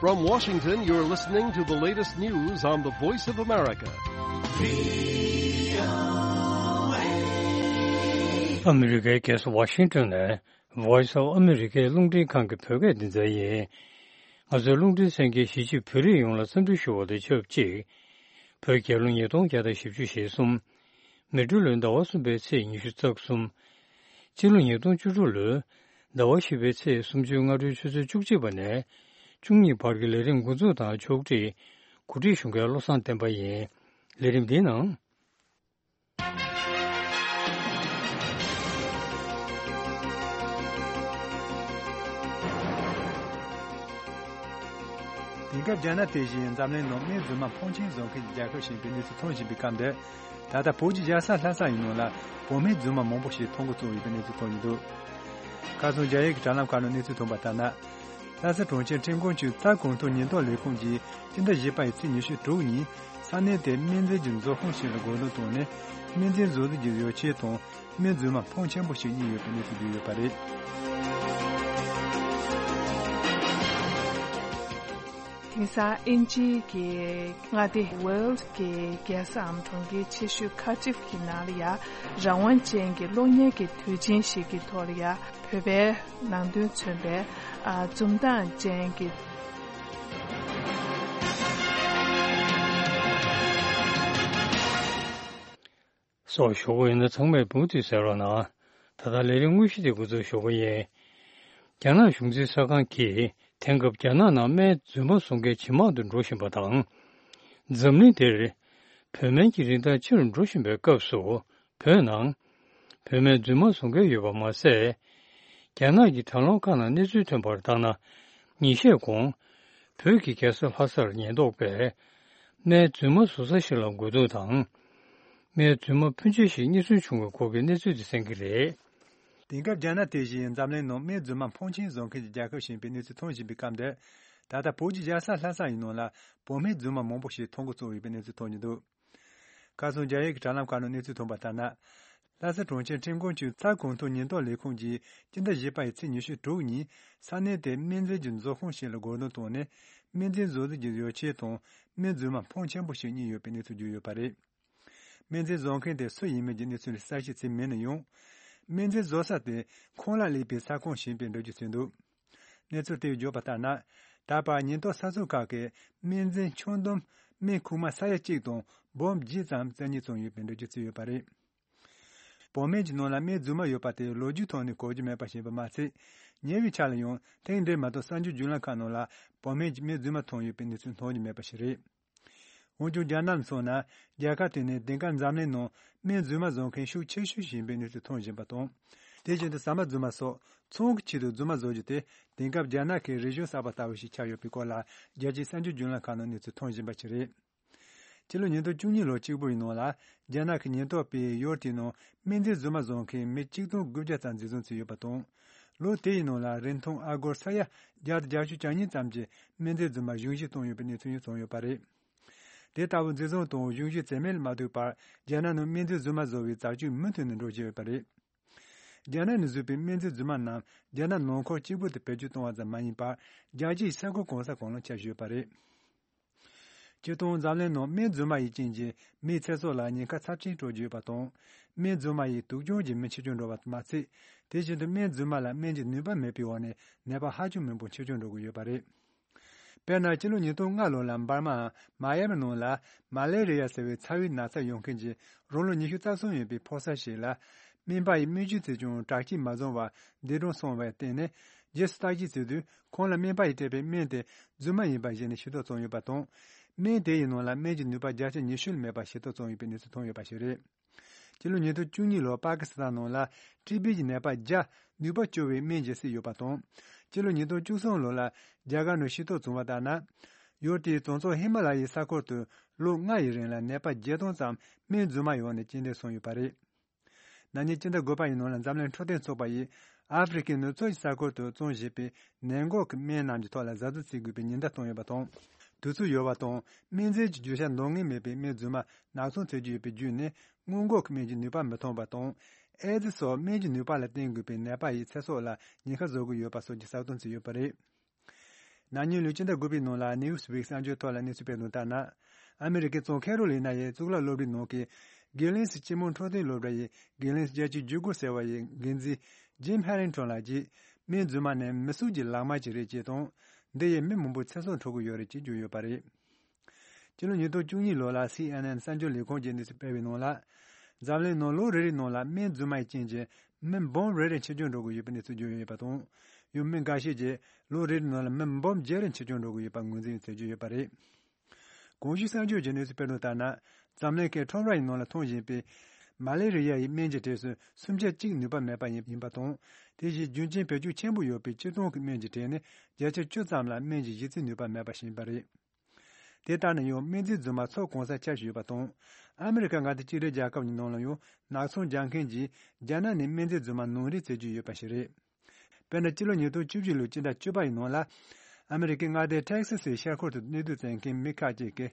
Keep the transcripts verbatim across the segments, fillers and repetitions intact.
From Washington, you're listening to the latest news on the Voice of America. ཨ་མི་རི་ཀའི་རྒྱལ་ས་ཝ་ཤིང་ཏོན་ནས་Voice of America རླུང་འཕྲིན་ཁང་གི་བོད་སྐད་སྡེ་ཚན་ཡིན། ང་ཚོའི་རླུང་འཕྲིན་གསན་མཁན་གཞིས་བྱེས་བོད་རིགས་ཡོངས་ལ་འཚམས་འདྲི་ཞུ་བ་དང་ཆབས་ཅིག་བོད་རྒྱལ་ལོ་ཉིས་སྟོང་བརྒྱ་དང་བཞི་བཅུ་ཞེ་གསུམ། མེ་སྤྲེལ་ལོའི་ཟླ་བ་གསུམ་པའི་ཚེས་ཉི་ཤུ་རྩ་གསུམ། སྤྱི་ལོ་ཉིས་སྟོང་བཅུ་དྲུག་ལོའི་ཟླ་བ་བཞི་པའི་ཚེས་སུམ་ཅུ་སྔ་དྲོའི་ཆུ་ཚོད་བཅུ་གཅིག་པ་ནས་བཅུ་གཉིས་བར་གྱི་ལས་རིམ་འགོ་འཛུགས་དང་ཕྱོགས་སྒྲིག་གོ་སྒྲིག་ཞུ་མཁན་བློ་བཟང་བསྟན་པ་ཡིན། ལས་རིམ་འདིའི་ནང་། དེང་སྐབས་རྒྱ་ནག་དེ་བཞིན་འཛམ་གླིང་ནང་སྨན་རྫུན་མ་ཕོན་ཆེན་བཟོ་མཁན་གྱི་རྒྱལ་ཁབ་ཞིག་ཡིན་པའི་གནས་ཚུལ་ཐོན་བཞིན་པའི་སྐབས་འདིར། ད་ལྟ་བོད་ཀྱི་རྒྱལ་ས་ལྷ་ས་ཡི་ནང་ལ་བོད་སྨན་རྫུན་མ་མང་པོ་ཞིག་མཐོང་གི་ཚོར་ཡོད་པའི་གནས་ཚུལ་ཐོན་གྱི་འདུག་ཁ་སང་རྒྱ་ཡིག་གི་དྲ་ལམ་ཁག་ནང་གནས་ཚུལ་ཐོན་པ་ལྟར་ན། ལྷ་ས་གྲོང་ཁྱེར་ཁྲེང་ཀོན་ཆུས་རྩ་གོང་མཐོ་ཉེན་རྟོག་ལས་ཁུངས་ཀྱིས་སྤྱི་ཟླ་བཞི་པ་ཡི་ཚེས་ཉི་ཤུ་དྲུག་ཉིན་ས་གནས་དེའི་སྨན་རྫས་ཀྱི་བཟོ་ཁང་ཞིག་ལ་རྒོལ་རྡུང་བཏང་ནས་སྨན་རྫས་བཟོ་རྩིས་ཀྱི་ཡོ་བྱད་དང་སྨན་རྫུན་མ་ཕོན་ཆེན་པོ་ཞིག་རྙེད་ཡོད་པའི་གནས་ཚུལ་བརྗོད་ཡོད་པ་རེད། དེང་སང་དབྱིན་ཇིའི་གི་མངའ་སྡེ་ཝེལ་གྱི་རྒྱལ་སའམ་གྲོང་ཁྱེར་ཆེ་ཤོས་ཁ་ཏིབ་ཀྱི་ནང་ལ་ཡ་རང་དབང་ཅན་གྱི་གློག་བརྙན་གྱི་དུས་ཆེན་ཞིག་གི་ཐོག་ལ་ཡ་བོད་པའི་ནང་དོན་མཚོན་པའི་ཨ་འཛུམ་མདངས་ཅན་གྱི། སོགས་ཞུ་དགོས་ཡིན་ན་ཚང་མས་མུ་མཐུད་གསན་རོགས་གནང་། ད་ལྟ་ལས་རིམ་དངོས་གཞི་དེ་འགོ་འཛུགས་ཞུ་གི་ཡིན། རྒྱ་ནག་གཞུང་འཛིན་གསར་ཁང་གིས་དེང་སྐབས་རྒྱ་ནག་ནང་སྨན་རྫུན་མ་བཟོ་མཁན་ཇེ་མང་དུ་འགྲོ་བཞིན་པ་དང་། འཛམ་གླིང་འདིར་བོད་སྨན་གྱི་རིན་ཐང་ཆེ་རུ་འགྲོ་བཞིན་པའི་སྐབས་སུ། བོད་ནང་བོད་སྨན་རྫུན་མ་བཟོ་མཁན་ཡོད་པ་མ་ཟད། རྒྱ་ནག་གི་དྲ་ལམ་ཁག་ནང་གནས་ཚུལ་ཐོན་པར་བརྟགས་ན། ཉིན་ཤས་གོང་བོད་ཀྱི་རྒྱལ་ས་ལྷ་སར་ཉེན་རྟོག་པས་སྨན་རྫུན་མ་བཟོ་ས་ཞིག་ལ་རྒོལ་རྡུང་དང་། སྨན་རྫུན་མ་ཕོན་ཆེ་ཞིག་རྙེད་སོན་བྱུང་བའི་སྐོར་གྱི་གནས་ཚུལ་དེ་གསན་གྱི་རེད། དེང་སྐབས་རྒྱ་ནག་དེ་བཞིན་འཛམ་གླིང་ནང་སྨན་རྫུན་མ་ཕོན་ཆེན་བཟོ་མཁན་གྱི་རྒྱལ་ཁབ་ཞིག་ཡིན་པའི་གནས་ཚུལ་ཐོན་བཞིན་པའི་སྐབས་འདིར། ད་ལྟ་བོད་ཀྱི་རྒྱལ་ས་ལྷ་ས་ཡི་ནང་ལ་བོད་སྨན་རྫུན་མ་མང་པོ་ཞིག་མཐོང་གི་ཚོར་ཡོད་པའི་གནས་ཚུལ་ཐོན་གྱི་འདུག་ཁ་སང་རྒྱ་ཡིག་གི་དྲ་ལམ་ཁག་ནང་གནས་ཚུལ་ཐོན་པ་ལྟར་ན། ལྷ་ས་གྲོང་ཁྱེར་ཁྲེང་ཀོན་ཆུས་རྩ་གོང་མཐོ་ཉེན་རྟོག་ལས་ཁུངས་ཀྱིས་སྤྱི་ཟླ་བཞི་པ་ཡི་ཚེས་ཉི་ཤུ་དྲུག་ཉིན་ས་གནས་དེའི་སྨན་རྫས་ཀྱི་བཟོ་ཁང་ཞིག་ལ་རྒོལ་རྡུང་བཏང་ནས་སྨན་རྫས་བཟོ་རྩིས་ཀྱི་ཡོ་བྱད་དང་སྨན་རྫུན་མ་ཕོན་ཆེན་པོ་ཞིག་རྙེད་ཡོད་པའི་གནས་ཚུལ་བརྗོད་ཡོད་པ་རེད། སྨན་རྫས་བཟོ་མཁན་དེ་སུ་ཡིན་མིན་གྱི་གནས་ཚུལ་གསལ་བཤད་བྱས་མེད་ན་ཡང་། སྨན་རྫས་བཟོ་ས་དེ་ཁོང་ལ་ལས་པའི་ས་ཁོངས་ཞིག་ཡིན་པའི་འགྲེལ་བརྗོད་བྱས་འདུག་གནས་ཚུལ་དེས་བརྗོད་པ་ལྟར་ན། ད་བར་ཉེན་རྟོག་ས་ཚིགས་ཁག་གིས་སྨན་རྫས་ཆུང་བསྡོམས་སྨན་ཁུག་མ་ས་ཡ་གཅིག་དང་སྦོམ་བརྒྱད་ཙམ་རྩད་ནས་བཙོངས་ཡོད་པའི་འགྲེལ་བརྗོད་བྱས་ཡོད་པ་རེད། བོད་སྨན་གྱི་ནང་ལ་སྨན་རྫུན་མ་ཡོད་པ་དེ་ལོ་རྒྱུས་ཐོག་ནས་གོ་རྒྱུ་མེད་པ་ཞིག་ཡིན་པ་མ་ཚད། ཉེ་བའི་ཆར་ལ་ཡང་ཐེངས་འདྲ་མ་གཏོགས་གསར་འགྱུར་བརྒྱུད་ལམ་ཁག་ནང་ལ་བོད་སྨན་གྱི་སྨན་རྫུན་མ་མཐོང་ཡོད་པའི་གནས་ཚུལ་མཐོང་རྒྱུ་མེད་པ་ཞིག་རེད། འོན་ཀྱང་རྒྱ་ནག་ལ་མཚོན་ན། རྒྱལ་ཁབ་དེ་ནི་དེང་སྐབས་འཛམ་གླིང་ནང་སྨན་རྫུན་མ་བཟོ་མཁན་ཤུགས་ཆེ་ཤོས་ཤིག་ཡིན་པའི་གནས་ཚུལ་མཐོང་བཞིན་པ་དང་། དེ་བཞིན་དུ་ཟ་མ་རྫུན་མ་སོགས་ཚོང་གི་ཆེད་དུ་རྫུན་མ་བཟོ་རྒྱུ་དེ་དེང་སྐབས་རྒྱ་ནག་གི་རིག་གཞུང་གསར་པ་ལྟ་བུ་ཞིག་ཆགས་ཡོད་པའི་སྐོར་ལ་རྒྱལ་སྤྱིའི་གསར་འགྱུར་བརྒྱུད་ལམ་ཁག་ནང་གནས་ཚུལ་མཐོང་བཞིན་པ་ཞིག་རེད། སྤྱི་ལོ་ཉིས་སྟོང་བཅུ་གཉིས་ལོ་གཅིག་པུའི་ནང་ལ་རྒྱ་ནག་གི་ཉེན་རྟོག་པས་ཡུལ་དེའི་ནང་སྨན་རྫས་རྫུན་མ་བཟོ་མཁན་མི་གཅིག་སྟོང་དགུ་བརྒྱ་ཙམ་འཛིན་བཟུང་བྱས་ཡོད་པ་དང་། ལོ་དེའི་ནང་ལ་རིན་ཐང་ཨ་སྒོར་ས་ཡ་བརྒྱ་དང་བརྒྱད་ཅུ་གྱ་གཉིས་ཙམ་གྱི་སྨན་རྫས་རྫུན་མ་གཞུང་བཞེས་བཏང་ཡོད་པའི་གནས་ཚུལ་ཡང་བྱུང་ཡོད་པ་རེད། དེ་ལྟ་བུ་འཛིན་བཟུང་དང་གཞུང་བཞེས་བྱས་མིན་ལ་མ་ལྟོས་པར་རྒྱ་ནག་ནང་སྨན་རྫས་རྫུན་མ་བཟོ་བའི་རྩ་ཆེན་མུ་མཐུད་ནས་འགྲོ་བཞིན་ཡོད་པ་རེད། རྒྱ་ནག་ནས་བཟོས་པའི་སྨན་རྫས་རྫུན་མ་རྣམས་རྒྱ་ནག་ནང་ཁུལ་གཅིག་པུ་དུ་བེད་སྤྱོད་གཏོང་བ་ཙམ་མ་ཡིན་པར་རྒྱལ་སྤྱིའི་ས་ཁུལ་གང་ས་གང་ལ་ཁྱབ་བཞིན་ཡོད་པ་རེད། སྤྱིར་བཏང་འཛམ་གླིང་ནང་སྨན་རྫུན་མ་ཡི་རྐྱེན་གྱིས་མིའི་ཚེ་སྲོག་ལ་ཉེན་ཁ་ཚབས་ཆེན་སྤྲོད་ཀྱི་ཡོད་པ་དང་། སྨན་རྫུན་མ་ཡི་དུག་སྦྱོང་གི་མི་ཆེ་ཆུང་འགྲོ་བ་མ་ཚད། དེ་བཞིན་དུ་སྨན་རྫུན་མ་ལ་སྨན་གྱི་ནུས་པ་མེད་པའི་འོག་ནས་ནད་པ་ཧ་ཅང་མང་པོ་ཆེ་ཆུང་འགྲོ་གི་ཡོད་པ་རེད། དཔེར་ན་སྤྱི་ལོ་ཉིས་སྟོང་ལྔ་ལོ་ལ་འབར་མའམ་མ་ཡ་མི་ནང་ལ་མ་ལེ་རི་ཡ་ཟེར་བའི་ཚ་བའི་ན་ཚ་ཡོང་མཁན་གྱི་རང་ལོ་ཉི་ཤུ་རྩ་གསུམ་ཡིན་པའི་ཕོ་གསར་ཞིག་ལ། སྨན་པ་ཡིས་སྨན་བཅོས་བྱས་ཀྱང་དྲག་སྐྱེད་མ་བྱུང་བར་འདས་གྲོངས་སོང་བར་བརྟེན་ནས། རྗེས་སུ་བརྟག་དཔྱད་བྱས་དུས་ཁོང་ལ་སྨན་པ་ཡིས་སྤྲད་པའི་སྨན་དེ་རྫུན་མ་ཡིན་པ་གཞི་ནས་ཤེས་རྟོགས་བྱུང་ཡོད་པ་དང་། སྨན་དེ་ཡི་ནང་ལ་སྨན་གྱི་ནུས་པ་བརྒྱ་ཆ་ཉི་ཤུ་ལས་མེད་པ་ཤེས་རྟོགས་བྱུང་ཡོད་པའི་གནས་ཚུལ་ཐོན་ཡོད་པ་ཞིག་རེད། སྤྱི་ལོ་ཉིས་སྟོང་བཅུ་གཉིས་ལོར་པ་ཀི་སི་ཐན་ནང་ལ་ཊི་བི་གི་ནད་པ་བརྒྱ་ནུས་པ་བཅོ་བའི་སྨན་གྱིས་བསད་ཡོད་པ་དང་། སྤྱི་ལོ་ཉིས་སྟོང་བཅུ་གསུམ་ལོ་ལ་རྒྱ་གར་ནང་ཤེས་རྟོགས་བྱུང་བ་ལྟར་ན། ཡུལ་དེའི་བྱང་ཕྱོགས་ཧི་མ་ལ་ཡའི་ས་ཁུལ་དུ་ལོ་ལྔ་ཡི་རིང་ལ་ནད་པ་བརྒྱད་སྟོང་ཙམ་སྨན་རྫུན་མ་ཡི་འོག་ནས་རྐྱེན་འདས་སོང་ཡོད་པ་རེད། ན་ནིང་སྤྱི་ཟླ་དགུ་པ་ཡི་ནང་ལ་འཛམ་གླིང་འཕྲོད་བསྟེན་ཚོགས་པ་ཡིས་ཨ་ཧྥེ་རི་ཁའི་ནུབ་ཕྱོགས་ཀྱི་ས་ཁུལ་དུ་བཙོང་བཞིན་པའི་ནད་འགོག་གི་སྨན་རྣམས་ཀྱི་ཐོག་ལ་གཟབ་གཟབ་བྱེད་དགོས་པའི་ཉེན་བརྡ་བཏང་ཡོད་པ་དང་། དུས་ཚོད་ཡོལ་བ་དང་སྨན་རྫས་ཀྱི་བརྗོད་བྱ་འདང་ངེས་མེད་པའི་སྨན་རྫུན་མ་ནག་ཚང་ཐེབས་ཀྱི་ཡོད་པའི་བརྒྱུད་ནས་སྔོན་འགོག་གི་སྨན་གྱི་ནུས་པ་མི་ཐོན་པ་དང་། ཨེ་ཙི་སོགས་སྨན་གྱི་ནུས་པ་ལ་བརྟེན་དགོས་པའི་ནད་པ་ཡི་ཚེ་སྲོག་ལ་ཉེན་ཁ་བཟོ་གི་ཡོད་པ་སོགས་ཀྱི་གསལ་སྟོན་བྱས་ཡོད་པ་རེད། ན་ནིང་ལོའི་སྤྱི་ཟླ་དགུ་པའི་ནང་ལ་ནིའུ་སི་ཝིག་གསར་འགྱུར་ཐོག་ལ་གནས་ཚུལ་སྤེལ་དོན་ལྟར་ན། ཨ་མི་རི་ཀའི་རྫོང་ཁེ་རོ་ལི་ན་ཡའི་གཙུག་ལག་སློབ་གྲྭའི་ནང་གི་གྷི་ལིན་སི་སྤྱི་མོ་འཕྲོད་བསྟེན་སློབ་གྲྭ་ཡི་གྷི་ལིན་སི་བརྒྱད་ཅུ་གྱ་དགུ་ཟེར་བ་ཡི་འགན་འཛིན་ཇིམ་ཧེ་རིང་ཊོན་ལགས་ཀྱིས། སྨན་རྫུན་མ་ནི་མི་གསོད་ཀྱི་ལག་དམར་ཅིག་རེད་ཅེས་དང་། འདི་ཡིས་མི་མང་པོའི་ཚེ་སྲོག་འཕྲོག་གི་ཡོད་རེད་ཅེས་བརྗོད་ཡོད་པ་རེད། སྤྱི་ལོ་ཉིས་སྟོང་བཅུ་གཉིས་ལོ་ལ་སི་ཨེན་ཨེན་གསར་འགྱུར་ལས་ཁང་གིས་གནས་ཚུལ་སྤེལ་བའི་ནང་ལ། འཛམ་གླིང་ནང་ལོ་རེ་རེའི་ནང་ལ་སྨན་རྫུན་མ་ཡི་རྐྱེན་གྱིས་མི་འབུམ་རེ་རེ་འཆི་སྐྱོན་འགྲོ་གི་ཡོད་པའི་གནས་ཚུལ་བརྗོད་ཡོད་པ་དང་། ཡང་མི་འགའ་ཤས་ཀྱིས་ལོ་རེ་རེའི་ནང་ལ་མི་འབུམ་བརྒྱད་རེ་འཆི་སྐྱོན་འགྲོ་གི་ཡོད་པ་ངོས་འཛིན་བྱེད་ཀྱི་ཡོད་པ་རེད། གོང་ཞུས་གསར་འགྱུར་གྱི་གནས་ཚུལ་སྤེལ་དོན་ལྟར་ན། འཛམ་གླིང་གི་ཁྲོམ་ར་ཡི་ནང་ལ་འཐུང་བཞིན་པའི་མ་ལེ་རི་ཡ་ཡི་སྨན་གྱི་གྲས་སུ་སུམ་ཆ་གཅིག་ནུས་པ་མེད་པ་ཡིན་ཡིན་པ་དང་། དེ་བཞིན་རྒྱུན་རྐྱེན་བེད་སྤྱོད་ཆེན་པོ་ཡོད་པའི་སྤྱིར་བཏང་གི་སྨན་གྱི་གྲས་ནི་བརྒྱ་ཆ་བཅུ་ཙམ་ལ་སྨན་གྱི་གཞི་རྩའི་ནུས་པ་མེད་པ་ཞིག་ཡིན་པ་རེད། དེ་ལྟར་ན་ཡང་སྨན་རྫས་རྫུན་མ་ཚོ་གང་ས་ཁྱབ་ཡོད་པ་དང་། ཨ་མི་རི་ཀ་མངའ་སྡེ་གཅིག་སྒྲིལ་རྒྱལ་ཁབ་ཀྱི་ནང་ལ་ཡང་ནག་ཚོང་རྒྱག་མཁན་གྱིས་རྒྱ་ནག་ནས་སྨན་རྫས་རྫུན་མ་ནང་འདྲེན་བྱེད་ཀྱི་ཡོད་པ་ཞིག་རེད། དཔེར་ན། སྤྱི་ལོ་ཉིས་སྟོང་བཅུ་བཞི་ལོའི་སྤྱི་ཟླ་བཅུ་པ་ཡི་ནང་ལ། ཨ་མི་རི་ཀའི་མངའ་སྡེ་ཊེག་སི་སིའི་ཤར་ཁུལ་དུ་གནས་སྡོད་བྱེད་མཁན་མི་ཁག་ཅིག་གིས།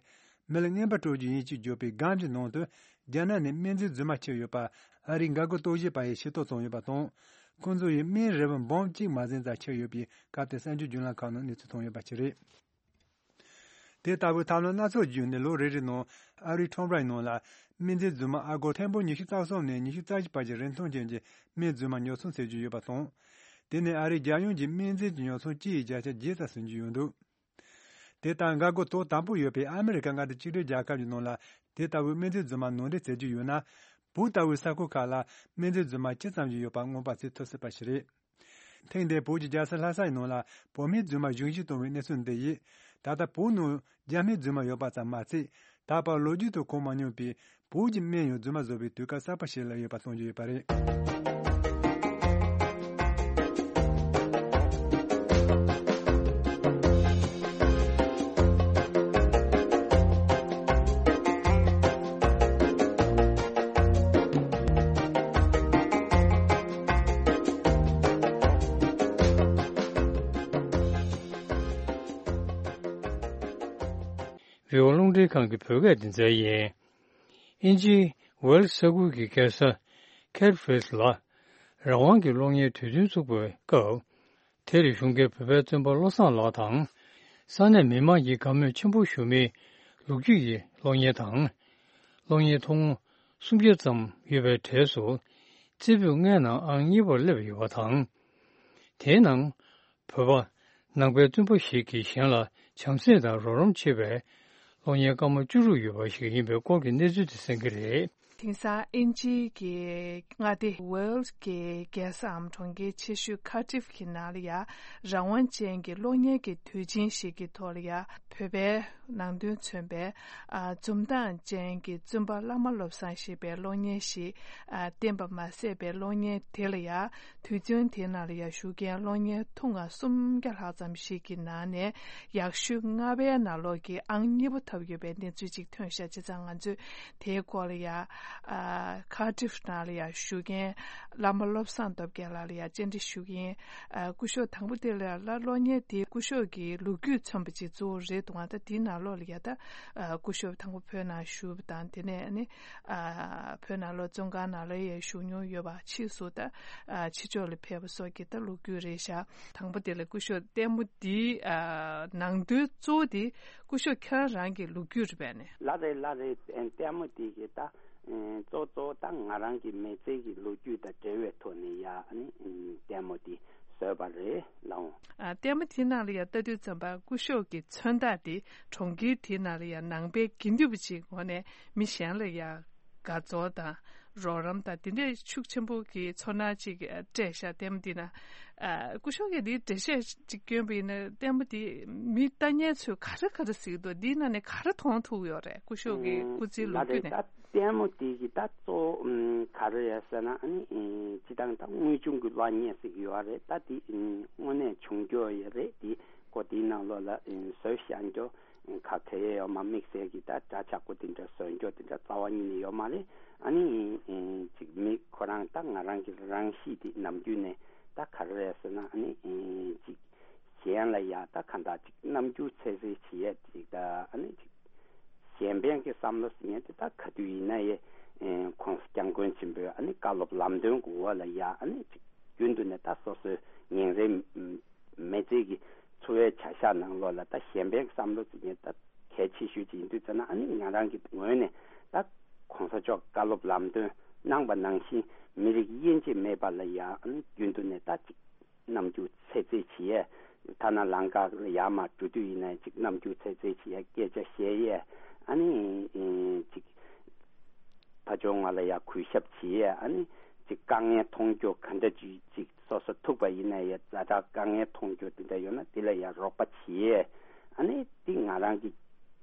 མི་ལ་རྔན་པ་སྤྲོད་རྒྱུ་ཡིན་ཞེས་བརྗོད་པའི་སྒམ་གྱི་ནང་དུ། རྒྱ་ནག་ནས་སྨན་རྫས་རྫུན་མ་ཁྱེར་ཡོད་པ། ཨ་རིའི་འགག་སྒོ་རྟོག་ཞིབ་པ་ཡིས་ཤེས་རྟོགས་བྱུང་ཡོད་པ་དང་། ཁོང་ཚོ་ཡིས་སྨན་རིལ་བུ་འབུམ་གཅིག་མ་ཟིན་ཙམ་ཁྱེར་ཡོད་པའི་སྐབས་དེར་གསར་འགྱུར་བརྒྱུད་ལམ་ཁག་ནང་གནས་ཚུལ་ཐོན་ཡོད་པ་ཞིག་རེད། དེ་ལྟ་བུའི་ཐབས་ལམ་སྣ་ཚོགས་བརྒྱུད་ནས་ལོ་རེ་རེའི་ནང་ཨ་རིའི་ཁྲོམ་རའི་ནང་ལ་སྨན་རྫས་རྫུན་མ་ཨ་སྒོར་ཐེར་འབུམ་ཉི་ཤུ་རྩ་གསུམ་ནས་ཉི་ཤུ་རྩ་བཞི་བར་གྱི་རིན་ཐང་ཅན་གྱི་སྨན་རྫུན་མ་ཉོ་ཚོང་བྱེད་ཀྱི་ཡོད་པ་དང་། དེ་ནི་ཨ་རིའི་རྒྱལ་ཡོངས་ཀྱི་སྨན་རྫས་ཀྱི་ཉོ་ཚོང་སྤྱི་ཡི་བརྒྱ་ཆ་བརྒྱད་ཙམ་ཟིན་གྱི་ཡོད་འདུག་དེ་ལྟར་འགག་སྒོ་དོག་དམ་པོ་ཡོད་པའི་ཨ་མི་རི་ཀ་མངའ་སྡེ་གཅིག་སྒྲིལ་རྒྱལ་ཁབ་ཀྱི་ནང་ལ་དེ་ལྟ་བུའི་སྨན་རྫས་རྫུན་མ་ནང་འདྲེན་བྱེད་ཀྱི་ཡོད་ན། བོད་ལྟ་བུའི་ས་ཁུལ་ཁག་ལ་སྨན་རྫས་རྫུན་མ་ཇི་ཙམ་ཞིག་ཡོད་པ་མངོན་པ་མཛད་ཐུབ་སྲིད་པ་ཞིག་རེད། ཐེངས་འདིའི་བོད་ཀྱི་རྒྱལ་ས་ལྷ་ས་ཡི་ནང་ལ་བོད་སྨན་རྫུན་མ་གཞུང་བཞེས་བཏང་བའི་གནས་ཚུལ་འདི་ཡིས། ད་ལྟ་བོད་ནང་རྒྱ་སྨན་རྫུན་མ་ཡོད་པ་ཙམ་མ་ཚད། ད་བར་ལོ་རྒྱུས་དང་གོ་མ་མྱོང་པའི་བོད་ཀྱི་སྨན་ཡང་རྫུན་མ་བཟོ་བའི་དུས་སྐབས་གསར་པ་ཞིག་སླེབས་ཡོད་པ་སྟོན་གྱི་ཡོད་པ་རེད། བོད་རླུང་འཕྲིན་ཁང་གི་བོད་སྐད་སྡེ་ཚན་ཡིན། དབྱིན་ཇིའི་ཝེལ་ས་ཁུལ་གྱི་རྒྱལ་ས་ཁེར་ཕིལ་ལ་རང་དབང་གི་གློག་བརྙན་དུས་སྟོན་བཙུགས་པའི་སྐབས། དེར་བཞུགས་མཁན་བོད་པའི་བཙོན་པ་བློ་བཟང་ལགས་དང་། ས་གནས་མི་མང་གིས་དགའ་མོས་ཆེན་པོ་ཞུ་མིའི་ལོ་རྒྱུས་ཀྱི་གློག་བརྙན་དང་། གློག་བརྙན་ཐུང་ངུ་སུམ་བརྒྱ་ཙམ་ཡོད་པའི་གྲས་སུ། རྩེ་ཕུད་ལྔའི་ནང་ཨང་གཉིས་པར་སླེབས་ཡོད་པ་དང་། དེའི་ནང་། བོད་པ་ནང་པའི་བཙུན་པ་ཞིག་གིས་གཞན་ལ་བྱམས་བརྩེ་དང་རོགས་རམ་བྱེད་པའི་གློག་བརྙན་སྐར་མ་བཅུ་དྲུག་ཡོད་པ་ཞིག་ཡིན་པའི་སྐོར་གྱི་གནས་ཚུལ་དེ་གསན་གྱི་རེད། དེང་སང་དབྱིན་ཇིའི་གི་མངའ་སྡེ་ཝེལ་གྱི་རྒྱལ་སའམ་གྲོང་ཁྱེར་ཆེ་ཤོས་ཁ་ཏིབ་ཀྱི་ནང་ལ་ཡ་རང་དབང་ཅན་གྱི་གློག་བརྙན་གྱི་དུས་ཆེན་ཞིག་གི་ཐོག་ལ་ཡ་བོད་པའི་ནང་དོན་མཚོན་པའི་ཨ་འཛུམ་མདངས་ཅན་གྱི་བཙུན་པ་བླ་མ་བློ་བཟང་ཞེས་པའི་གློག་བརྙན་ཞིག་ཨ་བསྟན་པ་མ་ཟད་པའི་གློག་བརྙན་དེ་ལ་ཡ། དུས་ཚོད་དེའི་ནང་ལ་ཡ་བཞུགས་མཁན་གློག་བརྙན་ཐུང་ང་སུམ་བརྒྱ་ལྷག་ཙམ་ཞིག་གི་ནང་ནས་ཡག་ཤོས་ལྔ་པའི་ནང་ལོགས་ཀྱི་ཨང་གཉིས་པ་ཐོབ་ཡོད་པའི་གནས་ཚུལ་ཅིག་ཐོན་ཤག་བྱས་ཙང་ང་ཚོས་དེའི་སྐོར་ལ་ཡ་ཨ་ཁ་ཏིབ་ནང་ལ་ཡ་བཞུགས་མཁན་བླ་མ་བློ་བཟང་སྟོབས་རྒྱལ་ལགས་ལ་ཡ་བཅར་འདྲི་ཞུ་གི་ཡིན། ཨ་སྐུ་ཞབས་དང་པོ་དེ་ལ་ཡ་གློག་བརྙན་དེ་སྐུ་ཞབས་ཀྱི་ལོ་རྒྱུས་མཚོན་པ་ཅིག་གཙོ་བོ་རེད་འདུག་ད་དེའི་ནང་ལོགས་ལ་ཡ་ད་ཨ་སྐུ་ཞབས་དང་པོ་བོད་ནང་བཞུགས་པ་དང་དེ་ནས་ཨ་ནི། ཨ་བོད་ནང་ལོགས་བཙོན་ཁང་ནང་ལ་ཡང་བཞུགས་མྱོང་ཡོད་པ་ཕྱིས་སུ་ད་ཨ་ཕྱི་ཕྱོགས་ལ་ཕེབས་པ་སོགས་ཀྱི་ད་ལོ་རྒྱུས་རེད་ཤག་དང་པོ་དེ་ལ་སྐུ་ཞབས་ལྟད་མོ་འདིའི་ཨ་ནང་དོན་གཙོ་བོ་དེ་སྐུ་ཞབས་ཁྱེད་རང་རང་གི་ལོ་རྒྱུས་རེད་པས་ནས། ལགས་རེད་ལགས་རེད། ལྟད་མོ་དེ་གི་ད་གཙོ་གཙོ་བོ་ད་ང་རང་གི་མི་ཚེ་གི་ལོ་རྒྱུས་དང་འབྲེལ་བའི་ཐོག་ནས་ཡ་ཨ་ནི་ལྟད་མོ་དེ་བཟོས་པ་རེད་ལགས། ཨ་ལྟད་མོ་དེའི་ནང་ལ་ཡ་ལྟ་དུས་ཙམ་པ་སྐུ་ཞབས་ཀྱི་མཚོན་རྟགས་དེ་གྲོང་ཁྱེར་དེའི་ནང་ལ་ཡ་ནང་པའི་དགེ་འདུན་པ་ཅིག་ངོས་ནས་མི་གཞན་ལ་ཡ་དགའ་ཚོར་དང་རོགས་རམ་དང་དེ་འདྲའི་ཤུགས་ཆེན་པོ་གི་ཚོར་སྣང་ཅིག་སྤྲད་ཤག་ལྟད་མོ་འདི་ན། ཨ་སྐུ་ཞབས་ཀྱིས་འདིའི་འགྲེལ་བཤད་ཅིག་བསྐྱོན་པ་ཡིན་ན་ལྟད་མོ་འདི་མི་ལྟ་མཁན་ཚོས་ག་རེ་ག་རེ་གཟིགས་འདུག་འདིའི་ནང་ནས་ག་རེ་མཐོང་ཐུབ་ཡོད་རེད། སྐུ་ཞབས་ཀྱི་སྐུ་ཚེའི་ལོ་རྒྱུས་ནས། ལྟད་མོ་དེ་གི་ད་གཙོ་བོ་ག་རེ་རེད་ཟེར་ན་ཨ་ནི་སྤྱི་བཏང་ད་དངོས་བྱུང་གི་གློག་བརྙན་ཟེར་གྱི་ཡོད་རེད། ད་དེ་དངོས་གནས་བྱུང་རྒྱུ་ཡོད་རེད། དེ་ཀོ་དེའི་ནང་ལོགས་ལ་བཟོས་བཞག་རྒྱུ་ག་གེ་ཡོད་མ། དམིགས་བསལ་གྱི་ད་འདྲ་ཆགས་པོ་དེ་འདྲ་བཟོ་རྒྱུ་དེ་འདྲ་རྩ་བ་ཉིད་ནས་ཡོད་མ་རེད། ཨ་ནི་ཅིག་མི་ཁོ་རང་ད་ང་རང་གི་རང་གཤིས་དེ་ནམ་རྒྱུན་ནས་ད་ག་རེ་རེད་ཟེར་ན་ཨ་ནི་ཅིག་གཞན་ལ་ཡ་ད་གང་ལྟར་ཅིག་རྣམ་འགྱུར་འཚེར་འཚེར་བྱེད་ཡས་ཅིག་ད་ཨ་ནི་ཅིག་གཞན་ཕན་གྱི་བསམ་བློ་ཟེར་མཁན་དེ་ད་ག་དུས་ཡིན་ན་ཡང་༸གོང་ས་༸སྐྱབས་མགོན་ཆེན་པོའི་ཨ་ནི་བཀའ་སློབ་ལམ་སྟོན་གྱི་འོག་ལ་ཡ་ཨ་ནི་ཅིག་རྒྱུན་དུ་ནས་ད་སོ་སོའི་ཉིན་རེའི་མི་ཚེ་གི་ འཚོ་བའི་བྱ་གཞག་ནང་ལོགས་ལ་ད་གཞན་ཕན་གྱི་བསམ་བློ་ཅིག་ཡིན་ད་གལ་ཆེ་ཤོས་ཅིག་ཡིན་དུས་ཙམ་ན། ཨ་ནི་ང་རང་གི་ངོས་ནས་ད་གོང་ས་མཆོག་བཀའ་སློབ་ལམ་སྟོན་གནང་པ་ནང་བཞིན་མི་རིགས་དབྱེ་འབྱེད་མེད་པ་ལ་ཡ་ཨ་ནི་རྒྱུན་དུ་ནས་ད་ཅིག་རྣམ་འགྱུར་ཚད་འཛིན་བྱེད་ཡས། ཐ་ན་ལམ་ཁ་ལ་ཡར་མར་འགྲོ་དུས་ཡིན་ན་ཅིག་རྣམ་འགྱུར་ཚད་འཛིན་བྱེད་ཡས། སྐད་ཆ་བཤད་ཡས། ཨ་ནི་ཅིག་ཕ་ཆོས་ང་ལ་ཡ་གུས་ཞབས་བྱེད་ཡས། ཨ་ནི་ཅིག་དཀའ་ངལ་མཐོང་རྒྱུ་ག་འདྲ་ཅིག་ཅིག་སོ་སོ་ཐུག་པ་ཡིན་ན་ཡ། ཛ་དྲག་དཀའ་ངལ་མཐོང་རྒྱུ་དེ་འདྲ་ཡོད་ན་དེ་ལ་ཡ་རོགས་པ་བྱེད་ཡས། ཨ་ནི་དེ་ང་རང་གི་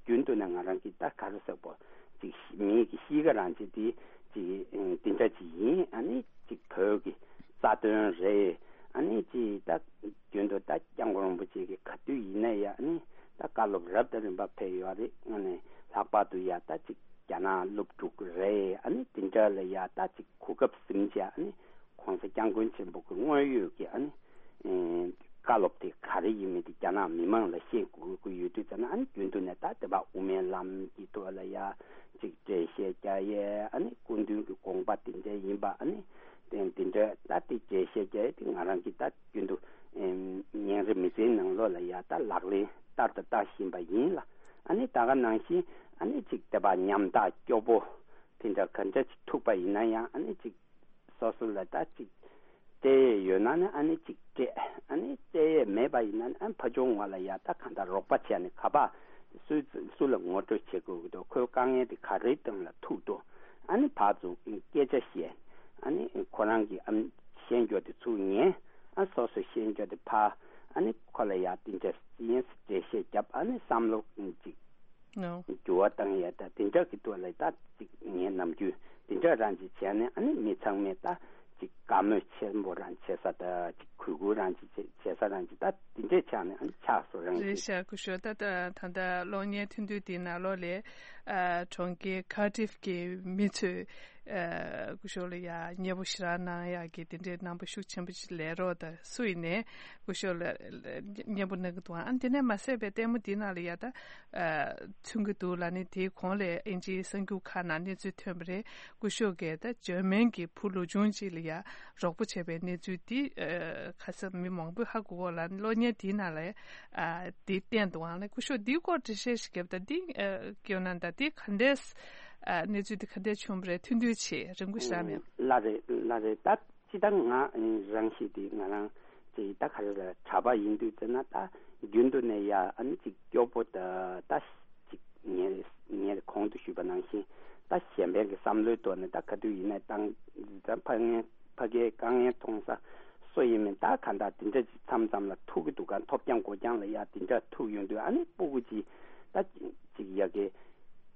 རྒྱུན་དུ་ནས་ང་རང་གི་ད་ག་རེ་ཟེར་དགོས། ཅིག་མིའི་གི་གཤིས་ཀ་རང་ཅིག་དེ་ཅིག་འདི་འདྲ་ཅིག་ཡིན། ཨ་ནི་ཅིག་བོད་ཀྱི་རྩ་དོན་རེད། ཨ་ནི་ཅིག་ད་རྒྱུན་དུ་ད་སྐྱབས་མགོན་རིན་པོ་ཆེ་གི་ག་དུས་ཡིན་ན་ཡ། ཨ་ནི་ད་བཀའ་སློབ་རབ་དང་རིམ་པ་ཕེབས་ཡོད་རེད། ཨ་ནི་ལྷག་པར་དུ་ཡ་ད་ཅིག་རྒྱ་ནག་སློབ་ཕྲུག་རེད། ཨ་ནི་དེ་འདྲ་ལ་ཡ་ད་ཅིག་གོ་སྐབས་ཟིན་བྱས། ཨ་ནི་གོང་ས་སྐྱབས་མགོན་ཆེན་པོ་གི་དངོས་ཡོད་ཀྱི་ཨ་ནི་ཨེ་བཀའ་སློབ་དེ་ག་རེ་ཡིན་མིན་དེ་རྒྱ་ནག་མི་མང་ལ་ཤེས་དགོས་ཀྱི་ཡོད་དུས་ཙམ་ན། ཨ་ནི་རྒྱུན་དུ་ནས་ད་དེ་བ་དབུ་མའི་ལམ་གྱི་ཐོག་ལ་ཡ་ཅིག་འགྲེལ་བཤད་རྒྱག་ཡས། ཨ་ནི་སྐུ་མདུན་གྱི་དགོངས་པ་དེ་འདྲ་ཡིན་པ། ཨ་ནི་དེ་འདི་འདྲ་ད་དེ་འགྲེལ་བཤད་རྒྱག་ཡས་དེ་ང་རང་གིས་ད་རྒྱུན་དུ་ཨེམ་ཉིན་རེ་མི་ཚེའི་ནང་ལོགས་ལ་ཡ་ད་ལག་ལེན་བསྟར་དང་བསྟར་བཞིན་པ་ཡིན་ལ། ཨ་ནི་ད་ག་ནང་བཞིན་ཨ་ནི་ཅིག་དེ་བ་ཉམ་ཐག་སྐྱོ་པོ་དེ་འདྲ་ག་འདྲ་ཅིག་ཐུག་པ་ཡིན་ན་ཡང་། ཨ་ནི་ཅིག་སོ་སོ་ལ་ད་ཅིག་སྤྲད་ཡས་ཡོད་ན་ནི་ཨ་ནི་ཅིག་སྤྲད། ཨ་ནི་སྤྲད་ཡས་མེད་པ་ཡིན་ན་ནི་ཨ་ནི་ཕ་ཆུང་ང་ལ་ཡ་ད་གང་ལྟར་རོགས་པ་བྱས་ནས་ག་པ་སུ་སུ་ལ་ངོ་སྤྲོད་བྱེད་དགོས་ཀྱི་འདུག་ཁོའི་དཀའ་ངལ་དེ་ག་རེའི་སྟེང་ལ་ཐུག་འདུག་ཨ་ནི་ཕར་ཚུར་སྐད་ཆ་བཤད། ཨ་ནི་ཁོ་རང་གི་ཨ་ནི་ཤེས་འཇོག་དེ་ཚུར་ཉན། ཨ་སོ་སོ་ཤེས་འཇོག་དེ་ཕར་ཨ་ནི་ཁོ་ལ་ཡ་དེ་འདྲ་ཡིན་འགྲེལ་བཤད་བརྒྱབ། ཨ་ནི་བསམ་བློ་ཅིག No། འགྱུར་བ་བཏང་ཡས་ད་དེ་འདྲ་གི་ཐོག་ལ་ད་ཅིག་ངའི་ནམ་རྒྱུན་དེ་འདྲ་རང་ཅིག་བྱས་ནས། ཨ་ནི་མི་ཚང་མས་ད་ཅིག་དགའ་མོས་ཆེན་པོ་རང་བྱེད་ས། ད་ཅིག་གུས་བཀུར་རང་ཅིག་བྱེད་བྱེད་ས་རང་ཅིག་ད་དེ་འདྲས་ཆགས་ནས། ཨ་ནི་ཆགས་སོ་རང་རེད་ཅིག་ཤག་སྐུ་ཞབས། ད་ད་ད་ལྟ་གློག་བརྙན་ཐུང་ཐུང་དེའི་ནང་ལོགས་ལ་ཨ་གྲོང་ཁྱེར་ཁ་ཏིབ་ཀྱི་མི་ཚོས་ཨ་སྐུ་ཞབས་ལ་ཡ་མཉེས་པོ་ཞེ་དྲག་གནང་ཡག་གི་དེ་འདྲའི་རྣམ་པ་ཤུགས་ཆེན་པོ་ཅིག་ལས་རོགས་དང་སུ་ཡིན་ནའི་སྐུ་ཞབས་ལ་མཉེས་པོ་གནང་གི་འདུག་ཨ་ནི་དེ་ནས་མ་ཟད་པའི་ལྟད་མོ་འདིའི་ནང་ལ་ཡ་ད་ཨ་མཚོན་གྱི་འདུག་ལབ་ནས། དེའི་གོང་ལ་ཨིན་ཇིའི་གསར་འགྱུར་ཁག་ནང་གནས་ཚུལ་ཐོན་པ་རེད། སྐུ་ཞབས་ཀྱིས་ད་འཇར་མན་གྱི་བུ་ལོ་ཆུང་ཅིག་ལ་ཡ་རོགས་པ་བྱས་པའི་གནས་ཚུལ་འདི་ཨ་ཁ་སང་མི་མང་པོས་ཧ་གོ་གོ་ལ། གློག་བརྙན་དེའི་ནང་ལ་ཨ་འདི་བསྟན་འདུག་ཨང་ལ། སྐུ་ཞབས་འདིའི་སྐོར་འགྲེལ་བཤད་ཞིག་བརྒྱབ་དང་། འདི་ཨ་སྐྱོན་ན་ད་འདི་ག་འདྲས་ཨ་གནས་ཚུལ་འདི་ག་འདྲས་བྱུང་བ་རེད། ཐུང་ཐུང་བྱས་རིང་པོ་ཞིག་རག་མེད། ལགས་རེད། ལགས་རེད། ད་སྤྱིར་བཏང་ང་རང་ཤེས་དེ་ང་རང་ཅིག་ད་ག་རེ་ལ་གྲྭ་པ་ཡིན་དུས་ཙམ་ན། ད་རྒྱུན་དུ་ནས་ཡ་ཨ་ནི་ཅིག་སྐྱོ་པོ་ད་ད་ཅིག་ངས་ངས་གོང་དུ་ཞུས་པ་ནང་བཞིན་ད་གཞན་ཕན་གྱི་བསམ་བློའི་ཐོག་ནས་ད་ག་དུས་ཡིན་ནའི་ད་ད་ཕ་ངའི་ཕ་གའི་དཀའ་ངལ་མཐོང་ས་སུ་ཡིན་མིན་ད་ག་འདྲ་དེ་འདྲ་ཅིག་མཚམས་མཚམས་ལ་ཐུག་གི་འདུག་ག་མཐོ་རྐྱང་མགོ་རྐྱང་ལ་ཡ་དེ་འདྲ་ཐུག་ཡོང་དུས། ཨ་ནི་སྤུ་གུ་ཅིག་ད་ཅིག་ཡ་གི་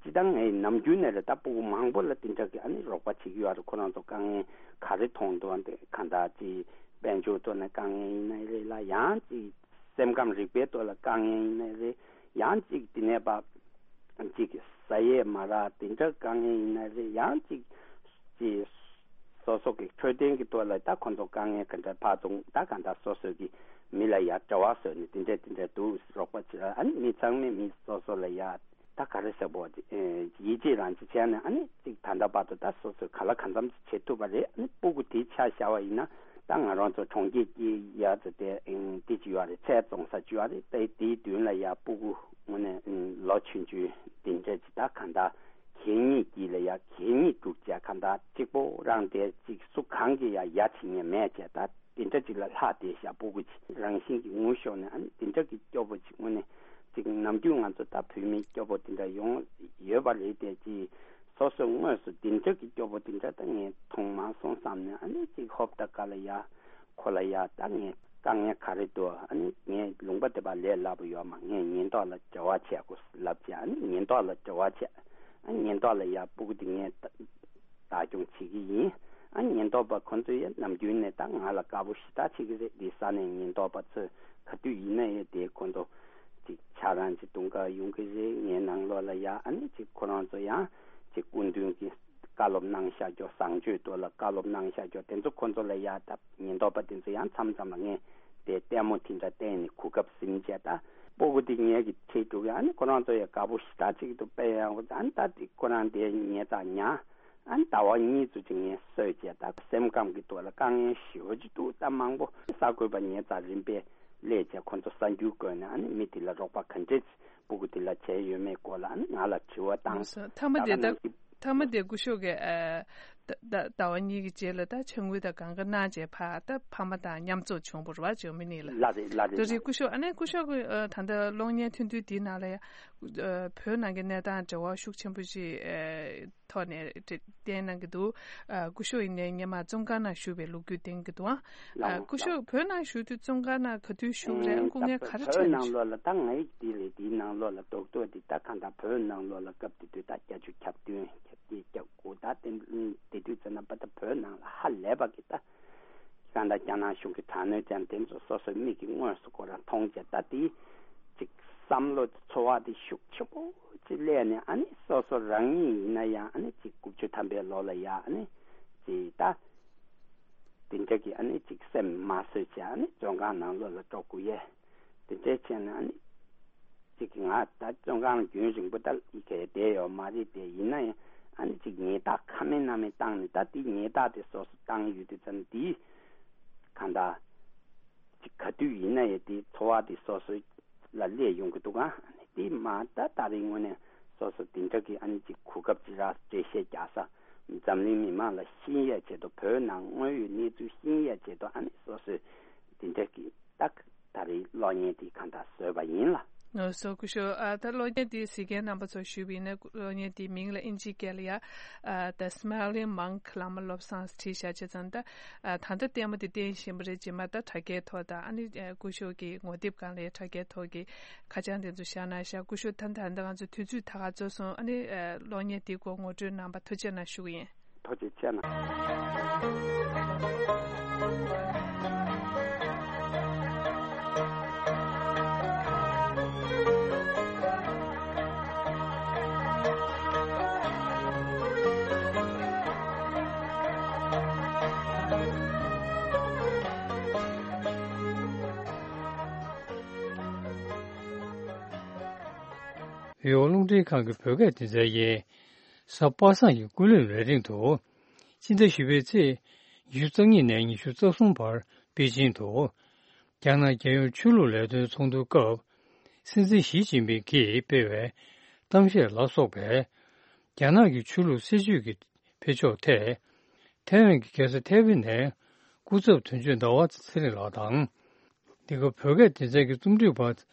སྤྱིར་བཏང་ངའི་ནམ་རྒྱུན་ནས་རེད། ད་སྤུ་གུ་མང་པོ་ལ་དེ་འདྲ་གི་ཨ་ནི་རོགས་པ་བྱེད་ཀྱི་ཡོད་རེད། ཁོ་རང་ཚོ་དཀའ་ངལ་ག་རེ་མཐོང་འདུག་ཨ་འདི་གང་ལྟར་ཅིག་དཔལ་འབྱོར་ཐོག་ནས་དཀའ་ངལ་ཡིན་ནའི་རེད་ལ། ཡང་ཅིག་སེམས་ཁམས་རིག་པའི་ཐོག་ལ་དཀའ་ངལ་ཡིན་ནའི་རེད། ཡང་ཅིག་དེ་ནས་ཕར་ཅིག་ཟ་ཡས་མ་རག་དེ་འདྲ་དཀའ་ངལ་ཡིན་ནའི་རེད། ཡང་ཅིག་ཅིག་སོ་སོ་གི་འཕྲོད་བསྟེན་གྱི་ཐོག་ལ་ད་ཁོ་ཚོ་དཀའ་ངལ་ག་འདྲ་ཕར་ཚུར་ད་གང་ལྟར་སོ་སོ་གི་མི་ལ་ཡ་འབྲེལ་བ་བཟོས་ནས་དེ་འདྲ་དེ་འདྲ་འདུག་རོགས་པ་བྱེད། ཨ་ནི་མི་ཚང་མས་མི་སོ་སོ་ལ་ཡ་ད་ག་རེ་ཟེར་བོ། ཨེ་ཡིད་ཆེས་རང་ཅིག་བྱས་ནས། ཨ་ནི་ཅིག་ད་ལྟ་བར་དུ་ད་སོ་སོས་ག་ལ་གང་འཚམ་ཅིག་བྱེད་ཐུབ་པ་རེད། ཨ་ནི་སྤུ་གུ་དེ་ཆ་བཞག་པ་ཡིན་ན། ད་ང་རང་ཚོ་གྲོང་ཁྱེར་གྱི་ཡ་ཚོ་དེ་ཨེ་དེ་ཅིག་ཡོད་རེད། ཚལ་བཙོང་ས་ཅིག་ཡོད་རེད། ད་དེའི་མདུན་ལ་ཡ་སྤུ་གུ་དངོས་གནས་ལོ་ཆུང་ཆུང་དེ་འདྲ་ཅིག་ད་གང་ལྟར་གད་སྙིགས་དཀྱིལ་ལ་ཡ་གད་སྙིགས་བླུགས་བྱས་གང་ལྟར་གཅིག་པོ་རང་དེ་ཅིག་སུ་གང་གིས་ཡ་ཡ་བྱེད་མཁན་མེད་བྱས། ད་དེ་འདྲ་ཅིག་ལ་ལྷག་བསྡད་ཤག་སྤུ་གུ་ཅིག་རང་བཞིན་གྱིས་ངུ་ཤོར་ནས། ཨ་ནི་དེ་འདྲ་གི་སྐྱོ་པོ་ཅིག་དངོས་གནས་ཅིག་ནམ་རྒྱུན་ང་ཚོ་ད་བོད་མི་སྐྱོ་པོ་དེ་འདྲ་ཡོང་ཡོད་པ་རེད་དེ། ཅིག་སོ་སོ་དངོས་སུ་དེ་འདྲ་གི་སྐྱོ་པོ་དེ་འདྲ་ད་ངས་མཐོང་མ་སོང་བསམ་ནས། ཨ་ནི་ཅིག་ཧོབ་ད་ག་ལ་ཡ་ཁོ་ལ་ཡ་ད་ངས་དཀའ་ངལ་ག་རེ་འདུག་ཨ་ནི་ངས་ལུང་པ་དེ་པར་ལས་སླ་པོ་ཡོད་མ། ངས་ཉེན་རྟོག་ལ་འབྲེལ་བ་བྱེད་དགོས་ལབ་བྱས། ཨ་ནི་ཉེན་རྟོག་ལ་འབྲེལ་བ་བྱས། ཨ་ཉེན་རྟོག་ལ་ཡ་སྤུ་གུ་དེ་ངས་ད་བདག་སྐྱོང་བྱེད་ཀྱི་ཡིན། ཨ་ཉེན་རྟོག་པ་ཁོང་ཚོས་ཡ་ནམ་རྒྱུན་ནས་ད་ང་ལ་དགའ་པོ་ཞེ་དྲག་བྱེད་ཀྱི་རེད། དེ་ས་ནས་ཉེན་རྟོག་པ་ཚོས་ག་དུས་ཡིན་ན་ཡ་དེ་ཁོང་ཚོ་ཅིག་ཆ་རང་ཅིག་དུང་དཀར་ཡོང་གི་རེད། ངའི་ནང་ལོགས་ལ་ཡ་ཨ་ནི་ཅིག་ཁོ་རང་ཚོ་ཡང་ཅིག་སྐུ་མདུན་གྱི་བཀའ་སློབ་གནང་བཞག་རྒྱུ། བཟང་སྤྱོད་ཐོག་ལ་བཀའ་སློབ་གནང་བཞག་རྒྱུ་དེ་ཚོ་ཁོ་ཚོ་ལ་ཡ་ད་ཉེན་རྟོག་པ་དེ་ཚོ་ཡང་མཚམས་མཚམས་ལ་ངས་དེ་ལྟད་མོ་དེ་འདྲ་བསྟན་ནས་གོ་སྐབས་ཟིན་བྱས། ད་སྤུ་གུ་དེ་ངེད་ཀྱི་ཁྲིད་འགྲོ་གི། ཨ་ནི་ཁོ་རང་ཚོ་ཡ་དགའ་པོ་ཞེ་དྲག་ཅིག་འདུག་དཔེ་ཡག་པོ། ཨ་ནི་ད་དེ་ཁོ་རང་དེ་ཉལ་ཚགས་ཉལ། ཨ་ནི་ཟླ་བ་གཉིས་ཙམ་ཅིག་ངས་གསོས་བྱས། ད་སེམས་ཁམས་ཀྱི་ཐོག་ལ་དཀའ་ངལ་ཞེ་པོ་ཅིག་འདུག་ད་མང་པོ་གསར་འགོད་པ་ཉལ་ཚགས་རིམ་པས་ སླེབས་བྱས་ཁོ་ཚོ་གསར་འགྱུར་བཀོད་ནས་ཨ་ནི་མི་དེ་ལ་རོགས་པ་ག་འདྲས་སྤུ་གུ་དེ་ལ་བྱས་ཡོད་མེད་སྐོར་ལ་ཨ་ནི་ང་ལ་དྲི་བ་བཏང་། ལགས་སོ། མཐའ་མ་དེ་ད་ག་ནང་བཞིན་མཐའ་མ་དེ་སྐུ་ཞབས་ཀྱིས་ཨ་ད་ད་ཟླ་བ་གཉིས་ཀྱི་རྗེས་ལ་ད་ཕྱག་དངུལ་དང་གང་ག་གནང་བྱས་ཕར་ད་ཕ་མ་དང་མཉམ་འཛོམས་བྱུང་བ་རེད་བ། ཇོ་མི་ནི་ལ། ལགས་རེད་ལགས་རེད། ད་རེད་ལགས། སྐུ་ཞབས། ཨ་ནི་སྐུ་ཞབས་ཀྱིས་ཨ་ད་ལྟ་གློག་བརྙན་ཐུང་ཐུང་དེའི་ནང་ལ་ཡ་ཨ་བོད་ནང་གི་གནས་སྟངས་འབྲེལ་བ་ཤུགས་ཆེན་པོ་ཞིག་ཨ་ཐོག་ནས་བསྟན་གནང་གི་འདུག་ཨ་སྐུ་ཞབས་ཡིན་ནའི་སྔོན་མ་བཙོན་ཁང་ནང་བཞུགས་པའི་ལོ་རྒྱུས་བསྟན་གྱི་འདུག་ཨ། ལགས་སྐུ་ཞབས་ལགས། བོད་ནང་བཞུགས་དུས་བཙོན་ཁང་ནང་ག་དུས་བཞུགས་རེད། ཨ་སྐུ་ངལ་ག་རེ་འཕྲད་གནང་། བོད་ནང་ལོགས་ལ་ད་ང་ཡི་དེ་ལས་དེའི་ནང་ལོགས་ལ་རྡོག་རྡོག་དེ་ད་གང་ལྟར་བོད་ནང་ལོགས་ལ་སྐབས་དེ་དུས་ད་བརྒྱད་ཅུ་གྱ་བདུན་གྱ་བརྒྱད་གྱ་དགུ་ད་དེ་དེ་དུས་ཙམ་ན་པ་ད་བོད་ནང་ལ་ཧ་ལས་པ་གི་ད་གང་ལྟར་རྒྱ་ནག་གཞུང་གི་དྲག་གནོན་ཅན་དེ་ཚོ་སོ་སོའི་མིག་གིས་དངོས་སུ་ཁོ་རང་མཐོང་བྱས། ད་དེ་ཅིག་བསམ་བློ་ཚོར་བ་དེ་ཤུགས་ཆེན་པོ་ཅིག་སླེབས་ནས་ཨ་ནི་སོ་སོ་རང་ཉིད་ཡིན་ན་ཡང་ཨ་ནི་ཅིག་དགུ་བཅུ་ཐམ་པའི་ལོ་ལ་ཡ་ཨ་ནི་ཅིག་ད་དེ་འདྲ་གི་ཨ་ནི་ཅིག་སེམས་མ་བཟོད་བྱས་ཨ་ནི་བཙོན་ཁང་ནང་ལོགས་ལ་འགྲོ་དགོས་ཡས་དེ་འདྲ་བྱས་ནས་ཨ་ནི་ཅིག་ང་ད་བཙོན་ཁང་ལ་རྒྱུན་རིང་པོ་ད་ཡི་གེ་བསྡད་ཡོད་མ་རེད་དེ། ཡིན་ན་ཡང་ཨ་ནི་ཅིག་ཉེས་རྡུང་ཁ་མེད་སྣ་མེད་བཏང་ནས་ད་དེ་ཉེས་རྡུང་དེ་སོ་སོ་བཏང་ཡོད་དུས་ཙམ་དེ་གང་ལྟར་ཅིག་ག་དུས་ཡིན་ན་ཡང་དེ་ཚོར་བ་དེ་སོ་སོ་ལ་སླེབས་ཡོང་གི་འདུག་ག། དེ་མ་ད་ད་རེས་དངོས་གནས་སོ་སོ་དེ་འདྲ་གི་ཨ་ནི་ཅིག་གོ་སྐབས་ཅིག་རག་འགྲེལ་བཤད་རྒྱག་ས། འཛམ་གླིང་མི་མང་ལ་ཤེས་ཡས་ཆེད་དུ་བོད་ནང་དངོས་ཡོད་གནས་ཚུལ་ཤེས་ཡས་ཆེད་དུ་ཨ་ནི་སོ་སོས་དེ་འདྲ་གི་ད་ད་རེས་གློག་བརྙན་དེ་གང་ལྟར་བཟོས་པ་ཡིན་ལ། ལགས་སོ། སྐུ་ཞབས། ཨ་ད་གློག་བརྙན་དེ་གཟིགས་མཁན་རྣམ་པ་ཚོ་ཞུས་པ་ཡིན་ན་གློག་བརྙན་དེའི་མིང་ལ་ཨིན་ཇིའི་སྐད་ལ་ཡ་ཨ་The Smiling Monk བླ་མ་བློ་བཟང་བྲིས་བཞག་བྱས་ཙང་ད་ཨ་ད་ལྟ་ལྟད་མོ་དེ་བསྟན་བཞིན་པ་རེད། རྗེས་མ་ད་དྲ་རྒྱའི་ཐོག་དང་ཨ་ནི་ཨ་སྐུ་ཞབས་ཀྱི་ངོ་དེབ་སྒང་ལ་ཡ་དྲ་རྒྱའི་ཐོག་གི་ཁ་བྱང་དེ་ཚོ་བཞག་གནང་ཤག་སྐུ་ཞབས། ད་ད་ལྟ་ང་ཚོ་དུས་ཚོད་ད་ག་རྫོགས་སོང་། ཨ་ནི་ཨ་གློག་བརྙན་དེའི་སྐོར་ངོ་སྤྲོད་གནང་བར་ཐུགས་རྗེ་གནང་ཞུ་གི་ཡིན། ཐུགས་རྗེ་ཆེ་གནང་། བོད་རླུང་འཕྲིན་ཁང་གི་བོད་སྐད་སྡེ་ཚན་གྱིས་གཟའ་པ་སངས་ཀྱི་སྐུ་ལུས་ལས་རིང་དུ། ཕྱི་ཟླ་བཞི་པའི་ཚེས་ཉི་ཤུ་རྩ་གཉིས་ནས་ཉི་ཤུ་རྩ་གསུམ་བར་པེ་ཅིང་དུ། རྒྱ་ནག་རྒྱལ་ཡོངས་ཆོས་ལུགས་ལས་དོན་ཚོགས་འདུའི་སྐབས། སྲིད་འཛིན་ཞི་ཅིན་ཕིང་གིས་སྤེལ་བའི་གཏམ་བཤད་ལ་སོགས་པའི་རྒྱ་ནག་གི་ཆོས་ལུགས་སྲིད་བྱུས་ཀྱི་འཕེལ་ཕྱོགས་ཐད། ཐའེ་ཝན་གྱི་རྒྱལ་ས་ཐའེ་པེ་ནས་སྐུ་ཚབ་དོན་གཅོད་ཟླ་བ་ཚེ་རིང་ལགས་དང་། འདི་ག་བོད་སྐད་སྡེ་ཚན་གྱི་རྩོམ་སྒྲིག་པ་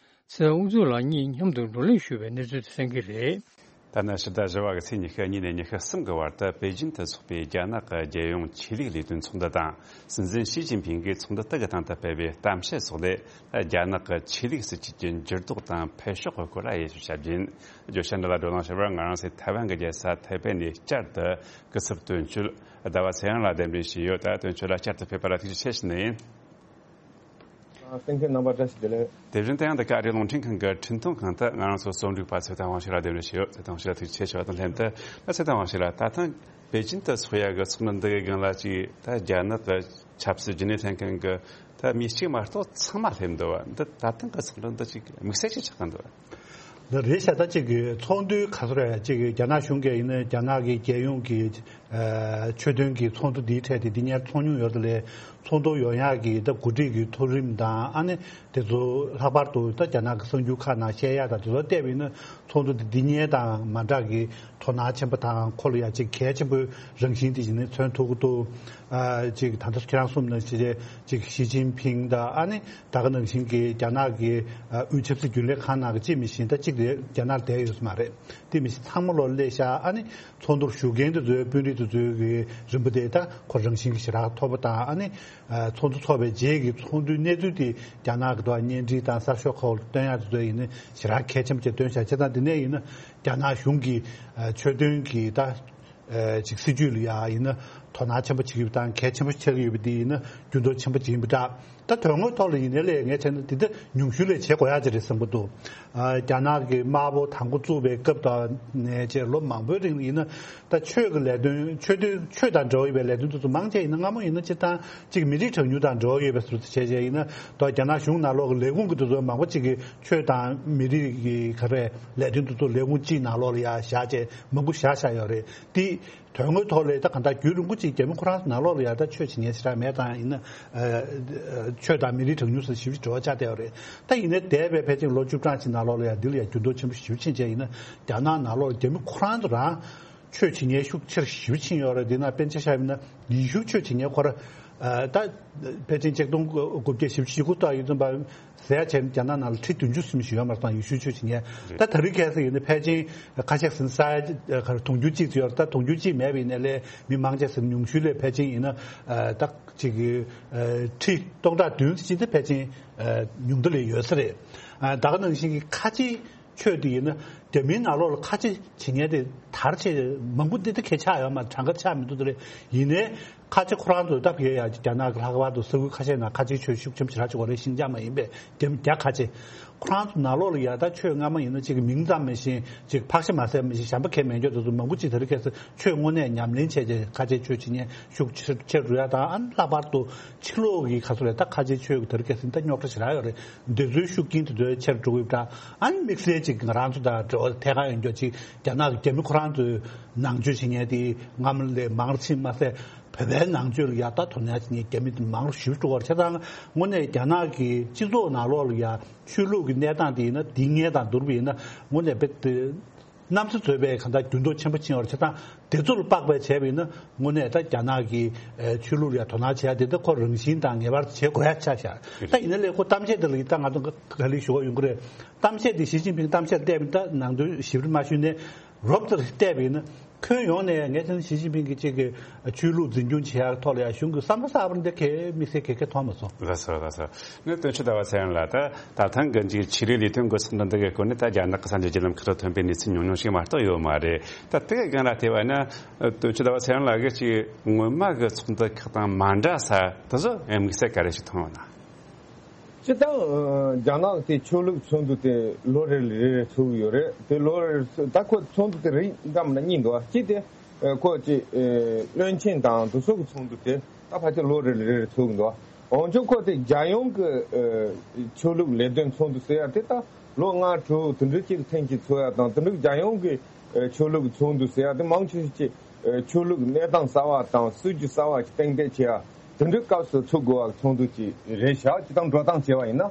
ཚེ་དབང་དབུ་མཛད་ལགས་གཉིས་མཉམ་དུ་བགྲོ་གླེང་ཞུས་པའི་གནས་ཚུལ་དེ་གསན་གྱི་རེད། ད་ནི་ཕྱི་ཟླ་བཞི་པ་གི་ཚེས་ཉི་ཤུ་གཉིས་ནས་ཉི་ཤུ་གསུམ་གྱི་བར་དུ་པེ་ཅིན་དུ་འཚོགས་པའི་རྒྱ་ནག་གི་རྒྱལ་ཡོངས་ཆོས་ལུགས་ལས་དོན་ཚོགས་འདུ་དང་། སྲིད་འཛིན་ཞི་ཅིན་ཕིང་གིས་ཚོགས་འདུ་དེ་གི་སྟེང་དུ་སྤེལ་བའི་གཏམ་བཤད་སོགས་ལས། རྒྱ་ནག་གི་ཆོས་ལུགས་སྲིད་བྱུས་ཀྱི་འགྱུར་ལྡོག་དང་འཕེལ་ཕྱོགས་ཀྱི་སྐོར་ལ་དབྱེ་ཞིབ་བྱ་རྒྱུ་ཡིན། བརྗོད་བྱ་འདི་ལ་བགྲོ་གླེང་ཞུ་བར་ང་རང་ཚོའི་ཐའེ་ཝན་གྱི་རྒྱལ་ས་ཐའེ་པེ་ནས་བསྐྱར་དུ་སྐུ་ཚབ་དོན་གཅོད་ཟླ་བ་ཚེ་དབང་ལགས་གདན་འདྲེན་ཞུས་ཡོད། ད་དོན་གཅོད་ལ་བསྐྱར་དུ་ཕེབས་པ་ལ་ཐུགས་རྗེ་ཆེ་ཞུ་ནི་ཡིན། གསན་མཁན་རྣམ་པ་བཀྲ་ཤིས་བདེ་ལེགས། དེ་བཞིན་དུ་ཡང་འདི་ག་ཨ་རིའི་རླུང་འཕྲིན་ཁང་གི་འཕྲིན་གཏོང་ཁང་དུ་ང་རང་ཚོའི་རྩོམ་སྒྲིག་པ་ཚེ་བརྟན་དབང་ཕྱུག་ལགས་གདན་འདྲེན་ཞུས་ཡོད། ཚེ་བརྟན་དབང་ཕྱུག་ལགས་ཐུགས་རྗེ་ཆེ་ཞུ་བ་དང་ལྷན་དུ། ད་ཚེ་བརྟན་དབང་ཕྱུག་ལགས། ད་ཐེངས་པེ་ཅིན་དུ་འཚོགས་ཡག་གི་ཚོགས་འདུ་འདི་གི་སྒང་ལ་ཅིག་ད་རྒྱ་ནག་གི་ཆབ་སྲིད་རྒྱུན་ལས་ལྷན་ཁང་གི་ད་མི་གཅིག་མ་གཏོགས་ཚང་མ་སླེབས་འདུག་བ། འདི་ད་ཐེངས་གི་ཚོགས་འདུ་འདི་ཅིག་དམིགས་བསལ་ཅིག་ཆགས་ཀྱི་འདུག་བ། འདི་རེད་ཤག། ད་ཅིག་གི་ཚོགས་འདུའི་ག་ཚོད་རེད། ཅིག་གི་རྒྱ་ནག་གཞུང་གིས་ཡིན་ན་རྒྱ་ནག་གི་རྒྱལ་ཡོངས་ཀྱི་ཨ་ཆོས་དོན་གྱི་ཚོགས་འདུ་འདིའི་གྲས་དེ་འདི་སྔོན་ཚོགས་མྱོང་ཡོད་རེད་དེ། ལས་ཚོགས་འདུ་ཡོང་ཡག་གི་ད་གོ་སྒྲིག་གི་ཐོ་རིམ་དང་། ཨ་ནི་དེ་ཚོ་ལྷག་པར་དུ་ད་རྒྱ་ནག་གི་གསར་འགྱུར་ཁག་ནང་བཤད་ཡག་དང་དེ་ཚོ་བལྟས་པ་ཡིན་ན། ཚོགས་འདུ་འདི་འདི་སྔོན་དང་མ་འདྲ་གི་དོ་སྣང་ཆེན་པོ་དང་། ཁོ་ལ་ཡ་ཅིག་གལ་ཆེན་པོའི་རང་བཞིན་དེ་ཞིག་ནི་མཚོན་ཐུབ་ཀྱི་འདུག། ཨ་ཅིག་ད་ལྟ་ཁྱེད་རང་གསུངས་ནང་བཞིན་ཅིག་ཞི་ཅིན་ཕིང་དང་། ཨ་ནི་ད་ག་ནང་བཞིན་གྱི་རྒྱ་ནག་གི་ཨ་དབུས་ཆབ་སྲིད་རྒྱུན་ལས་ཁང་ནང་གི་གཅིག་མི་ཤེས་ད་གཅིག་དེ་རྒྱ་ནག་ལ་བསྡད་ཡོད་ས་མ་རེད། དེ་མི་ཤེས་ཚང་མ་ལོ་སླེབས་ཤག། ཨ་ནི་ཚོགས་འདུར་ཞུགས་མཁན་དེ་ཚོའི་དཔོན་རིགས་དེ་ཚོའི་གི་རིམ་པ་དེ་ད་ཁོ་རང་བཞིན་གྱི་ཞེ་དྲག་མཐོ་པོ་དང་། ཨ་ནི་ཨ་ཚོགས་འདུ་ཚོགས་པའི་རྗེས་ཀྱི་ཚོགས་འདུའི་གནས་ཚུལ་དེ་རྒྱ་ནག་གི་ཐོག་བརྙན་འཕྲིན་དང་གསར་ཤོག་ཁག་ལ་སྟོན་ཡག་དེ་ཚོ་ཡིན་ན་ཞེ་དྲག་གལ་ཆེན་པོ་བྱས་སྟོན་བཞག་བྱས་ཙང་། དེ་ནས་ཡིན་ན་རྒྱ་ནག་གཞུང་གི་ཨ་ཆོས་དོན་གྱི་ད་ཨ་ཅིག་སྲིད་བྱུས་ལ་ཡ་ཡིན་ན་དོ་སྣང་ཆེན་པོ་བྱེད་ཀྱི་ཡོད་པ་དང་། གལ་ཆེན་པོ་ཆགས་ཀྱི་ཡོད་པ་དེ་ཡིན་ན་འགྱུར་ལྡོག་ཆེན་པོ་ཅིག་ཡིན་པ་འདྲ། ད་དོན་དངོས་ཐོག་ལ་ཡིན་ནའི་ལས་ངས་བྱས་ན་འདི་འདྲ་ཉུང་ཤོས་ལས་བྱེད་དགོས་ཡག་ཅིག་རེད་བསམ་གྱི་འདུག། ཨ་རྒྱ་ནག་གི་དམར་པོ་དང་པོ་བཙུགས་པའི་སྐབས་དང་ནས་བྱས་ལོ་མང་པོའི་རིང་ལ་ཡིན་ན། ད་ཆོས་ཀྱི་ལས་དོན། ཆོས་དོན། ཆོས་དང་འབྲེལ་བ་ཡོད་པའི་ལས་དོན་དེ་ཚོ་མང་ཆེ་ཡིན་ན་སྔ་མོ་ཡིན་ན་སྤྱིར་བཏང་གཅིག་མི་རིགས་གྲངས་ཉུང་དང་འབྲེལ་བ་ཡོད་པའི་བཟོ་འདྲ་བྱས་བྱས་ཡིན་ན། ད་རྒྱ་ནག་གཞུང་ནང་ལོགས་ཀྱི་ལས་ཁུངས་ཀྱི་དེ་ཚོ་མང་པོ་གཅིག་གིས་ཆོས་དང་མི་རིགས་ཀྱི་ག་རེ་ལས་དོན་དེ་ཚོ་ལས་ཁུངས་གཅིག་ནང་ལོགས་ལ་ཡ་བཞག་བྱས་མང་པོ་བཞག་བཞག་ཡོད་རེད། དེ་དོན་དངོས་ཐོག་ལ་ད་གང་ལྟར་རྒྱུན་རིང་པོ་ རྒྱ་མི་ཁོ་རང་ཚོ་ནང་ལོགས་ལ་ཡ་ད་ཆོས་བྱེད་མཁན་ཞེ་དྲག་མེད་དང་ཡིན་ན། ཨ་ཆོས་དང་མི་རིགས་གྲངས་ཉུང་སོགས་ཞེ་པོ་ཅིག་འབྲེལ་བ་ཆགས་བསྡད་ཡོད་རེད། ད་ཡིན་ནའི་འདས་པའི་ཕལ་ཆེར་ལོ་བཅུ་གྲངས་ཅིག་ནང་ལོགས་ལ་ཡ་འདི་ལ་ཡ་འགྱུར་ལྡོག་ཆེན་པོ་ཞེ་པོ་ཕྱིན་བྱས་ཡིན་ན། རྒྱ་ནག་ནང་ལོགས་ལ་རྒྱ་མི་ཁོ་རང་ཚོ་རང་ཆོས་བྱེད་མཁན་ཤུགས་ཆེར་ཞེ་པོ་ཕྱིན་ཡོད་རེད། འདི་ན་དཔེར་ན་ཆ་བཞག་ཡིན་ན་ཡེ་ཤུ་ཆོས་བྱེད་མཁན་ཁོ་ར། ཨ་ད་ཕལ་ཆེར་ཆིག་སྟོང་དགུ་བརྒྱ་བཞི་བཅུ་ཞེ་དགུ་ཐོག་ཡིན་ཙམ་པ། ཟེར་ཡ་བྱས་ན་རྒྱ་ནག་ནང་ལ་ཁྲི་བདུན་ཅུ་ཙམ་ཞིག་ཡོད་མ་རེད། ད་ཡེ་ཤུའི་ཆོས་བྱེད་མཁན། ད་དེ་རིང་ཁ་སང་ཡིན་ན་ཕལ་ཆེར་ཁ་ཤས་ཟིན་ས་ཡ་ག་རེ་དུང་ཕྱུར་གཅིག་ཙམ་ཡོད་རེད། ད་དུང་ཕྱུར་གཅིག་མེད་པ་ཡིན་ནའི་ལས་མི་མང་ཆེ་ཟིན་ཉུང་ཤོས་ལས་ཕལ་ཆེར་ཡིན་ན་ད་ཅིག་ཁྲི་སྟོང་ཕྲག་བདུན་ཙམ་ཅིག་ད་ཕལ་ཆེར་ཉུང་མཐའ་ལ་ཡོད་ས་རེད། ད་ག་ནང་བཞིན་གྱི་ཁ་ཆེ་ཆོས་དེ་ཡིན་ན་རྒྱ་མིའི་ནང་ལོགས་ལ་ཁ་ཆེ་བྱེད་མཁན་དེ་དར་ཆེ་མང་པོ་འདི་ད་གས་ཆགས་ཡོད་མ་རེད། གྲངས་ཀ་ཆགས་མི་འདུག་དེ་རེད། ཡིན་ནའི་ཁ་ཆེ་ཁོ་རང་ཚོ་ད་ཕ་གིར་ཡ་རྒྱ་ནག་གི་ལྷག་པར་དུ་ས་ཁུལ་ཁ་ཤས་ནང་ཁ་ཆེའི་ཆོས་ཤུགས་ཆེན་པོ་ཞེ་དྲག་ཅིག་ཡོད་རེད། ཤིན་ཅང་མ་ཡིན་པའི་རྒྱ་རྒྱ་ཁ་ཆེ། ཁོ་རང་ཚོ་ནང་ལོགས་ལ་ཡ་ད་ཆོས་སྔ་མ་ཡིན་ན་ཅིག་གི་མིང་ཙམ་མ་ཤེས་ཅིག་ཕག་ཤ་མ་ཟ་མི་ཤེས་གཞན་པ་གས་མེད་མཁན་དེ་ཚོ་མང་པོ་ཅིག་དེ་རིང་ཁ་སང་ཆོས་དངོས་གནས་ཉམས་ལེན་བྱས་རྗེས་ཁ་ཆེ་ཆོས་བྱེད་མཁན་ཤུགས་ཆེ་ཆེ་རུ་ཡ་དང་། ཨ་ནི་ལྷག་པར་དུ་ཕྱི་ལོགས་ཀྱི་ཁ་སོ་རེད། ད་ཁ་ཆེ་ཆོས་ཀྱི་དེ་རིང་ཁ་སང་ད་རྙོག་དྲ་ཞེ་དྲག་ཡོད་རེད། འདི་ཚོའི་ཤུགས་རྐྱེན་དེ་ཚོའི་ཆེར་འགྲོ་གི་ཡོད་པ་འདྲ། ཨ་ནི་དམིགས་བསལ་ཅིག་ང་རང་ཚོ་དང་འབྲེལ་བ་ཐད་ཀར་ཡོད་མཁན་ཅིག་རྒྱ་ནག་གི་རྒྱ་མི་ཁོ་རང་ཚོའི་ནང་ཆོས་བྱེད་མཁན་དེ་སྔ་མ་ལས་མང་རུ་ཕྱིན་མ་ཟད། བོད་པའི་ནང་ཆོས་ལ་ཡ་ད་དོ་སྣང་བྱེད་མཁན་རྒྱ་མི་དེ་མང་རུ་ཞེ་པོ་འགྲོ་གི་ཡོད་རེད། བྱས་ཙང་དངོས་གནས་རྒྱ་ནག་གི་སྤྱི་ཚོགས་ནང་ལོགས་ལ་ཡ་ཆོས་ལུགས་ཀྱི་གནས་སྟངས་དེ་ཡིན་ན་འདི་སྔའི་དང་བསྡུར་བ་ཡིན་ན་དངོས་གནས་དཔེ་དེ་གནམ་ས་རྫོགས་པའི་གང་ལྟར་འགྱུར་ལྡོག་ཆེན་པོ་ཕྱིན་ཡོད་རེད། བྱས་ཙང་དེ་ཚོ་ལ་དཔག་པའི་བྱས་པ་ཡིན་ན་དངོས་གནས་ད་རྒྱ་ནག་གི་ཨེ་ཆོས་ལུགས་ལ་ཡ་དོ་སྣང་བྱེད་ཡ་དེ་ད་ཁོ་རང་བཞིན་དང་ངེས་པར་དུ་བྱེད་དགོས་ཡ་ཆགས་བཞག་ད་ཡིན་ན་ལས་ཁོ་གཏམ་བཤད་དེ་ལ་ཡིན་ད་ང་ཚོ་ག་ལེར་ཞུ་བ་ཡོང་གི་རེད། གཏམ་བཤད་དེ་ཞི་ཅིན་ཕིང་གཏམ་བཤད་བལྟས་པ་ཡིན་ད་ནང་དོན་ཞིབ་ཕྲ་མ་ཞུས་ནས། རོབ་ཙམ་བལྟས་པ་ཡིན་ན་ཁྱོན་ཡོངས་ནས་ངས་ཚང་ཞི་ཅིན་ཕིང་གི་གཅིག་གི་ཆོས་ལུགས་འཛིན་སྐྱོང་བྱེད་ཡག་ཐོག་ལ་ཡང་གཞུང་གི་བསམ་བློ་གསར་པ་འདི་གས་དམིགས་བསལ་གས་གས་མཐོང་མ་སོང་། ལགས་སོ་ལགས་སོ། ནི་དོན་གཅོད་ཟླ་བ་ཚེ་རིང་ལགས། ད་ད་ཐེངས་གི་གཅིག་ཆོས་རིག་ལས་དོན་འགོ་ཚུགས་འདི་འདི་གའི་སྐོར་ནས་ད་རྒྱ་ནག་གི་གསར་འགྱུར་བརྒྱུད་ལམ་ཁག་ཏུ་ཐོན་པའི་གནས་ཚུལ་ཉུང་ཉུང་ཞིག་མ་གཏོགས་ཡོད་མ་རེད། ད་དེ་གའི་སྒང་ལ་བལྟས་པ་ན་དོན་གཅོད་ཟླ་བ་ཚེ་རིང་ལགས་ཀྱིས་གཅིག་སྔོན་མ་གི་ཚོགས་འདུ་ཁག་དང་མ་འདྲ་ས་དེ་ཚོ་དམིགས་བསལ་ག་རེ་ཞིག་མཐོང་ཡོད་ན། སྤྱིར་བཏང་རྒྱ་ནག་དེ་ཆོས་ལུགས་ཚོགས་འདུ་དེ་ལོ་རེ་རེ་རེ་ཚོགས་ཀྱི་ཡོད་རེད། དེ་ལོ་རེ་རེ་ཚོགས་ད་ཁོ་ཚོགས་འདུ་དེ་རིགས་འདྲ་མི་འདྲ་གཉིས་འདུག་གཅིག་དེ་ཁོ་ཅིག་བློན་ཆེན་དང་དེ་ཚོ་གི་ཚོགས་འདུ་དེ་ད་ཕལ་ཆེར་ལོ་རེ་རེ་རེ་རེ་ཚོགས་ཀྱི་འདུག་འོན་ཀྱང་ཁོ་དེ་རྒྱལ་ཡོངས་ཀྱི་ཆོས་ལུགས་ལས་དོན་ཚོགས་འདུ་ཟེར་ཡ་དེ་ད་ལོ་ལྔ་དྲུག་དེ་འདྲ་གཅིག་ཐེངས་གཅིག་ཚོགས་ཡ་དང་། དེ་འདྲ་རྒྱལ་ཡོངས་ཀྱི་ཆོས་ལུགས་ཚོགས་འདུ་ཟེར་ཡ་དེ་མང་ཆེ་ཤོས་ཀྱི་ཆོས་ལུགས་གནས་སྟངས་གསར་བ་དང་སྲིད་ཇུས་གསར་བ་ཞིག་གཏན་འཁེལ་བྱེད་ཡ། དེ་འདྲའི་སྐབས་སུ་ཚུགས་དགོས་པ་ཚོགས་འདུ་ཅིག་རེད་ཤག་སྤྱིར་བཏང་འགྲོ་སྟངས་བྱས་པ་ཡིན་ན།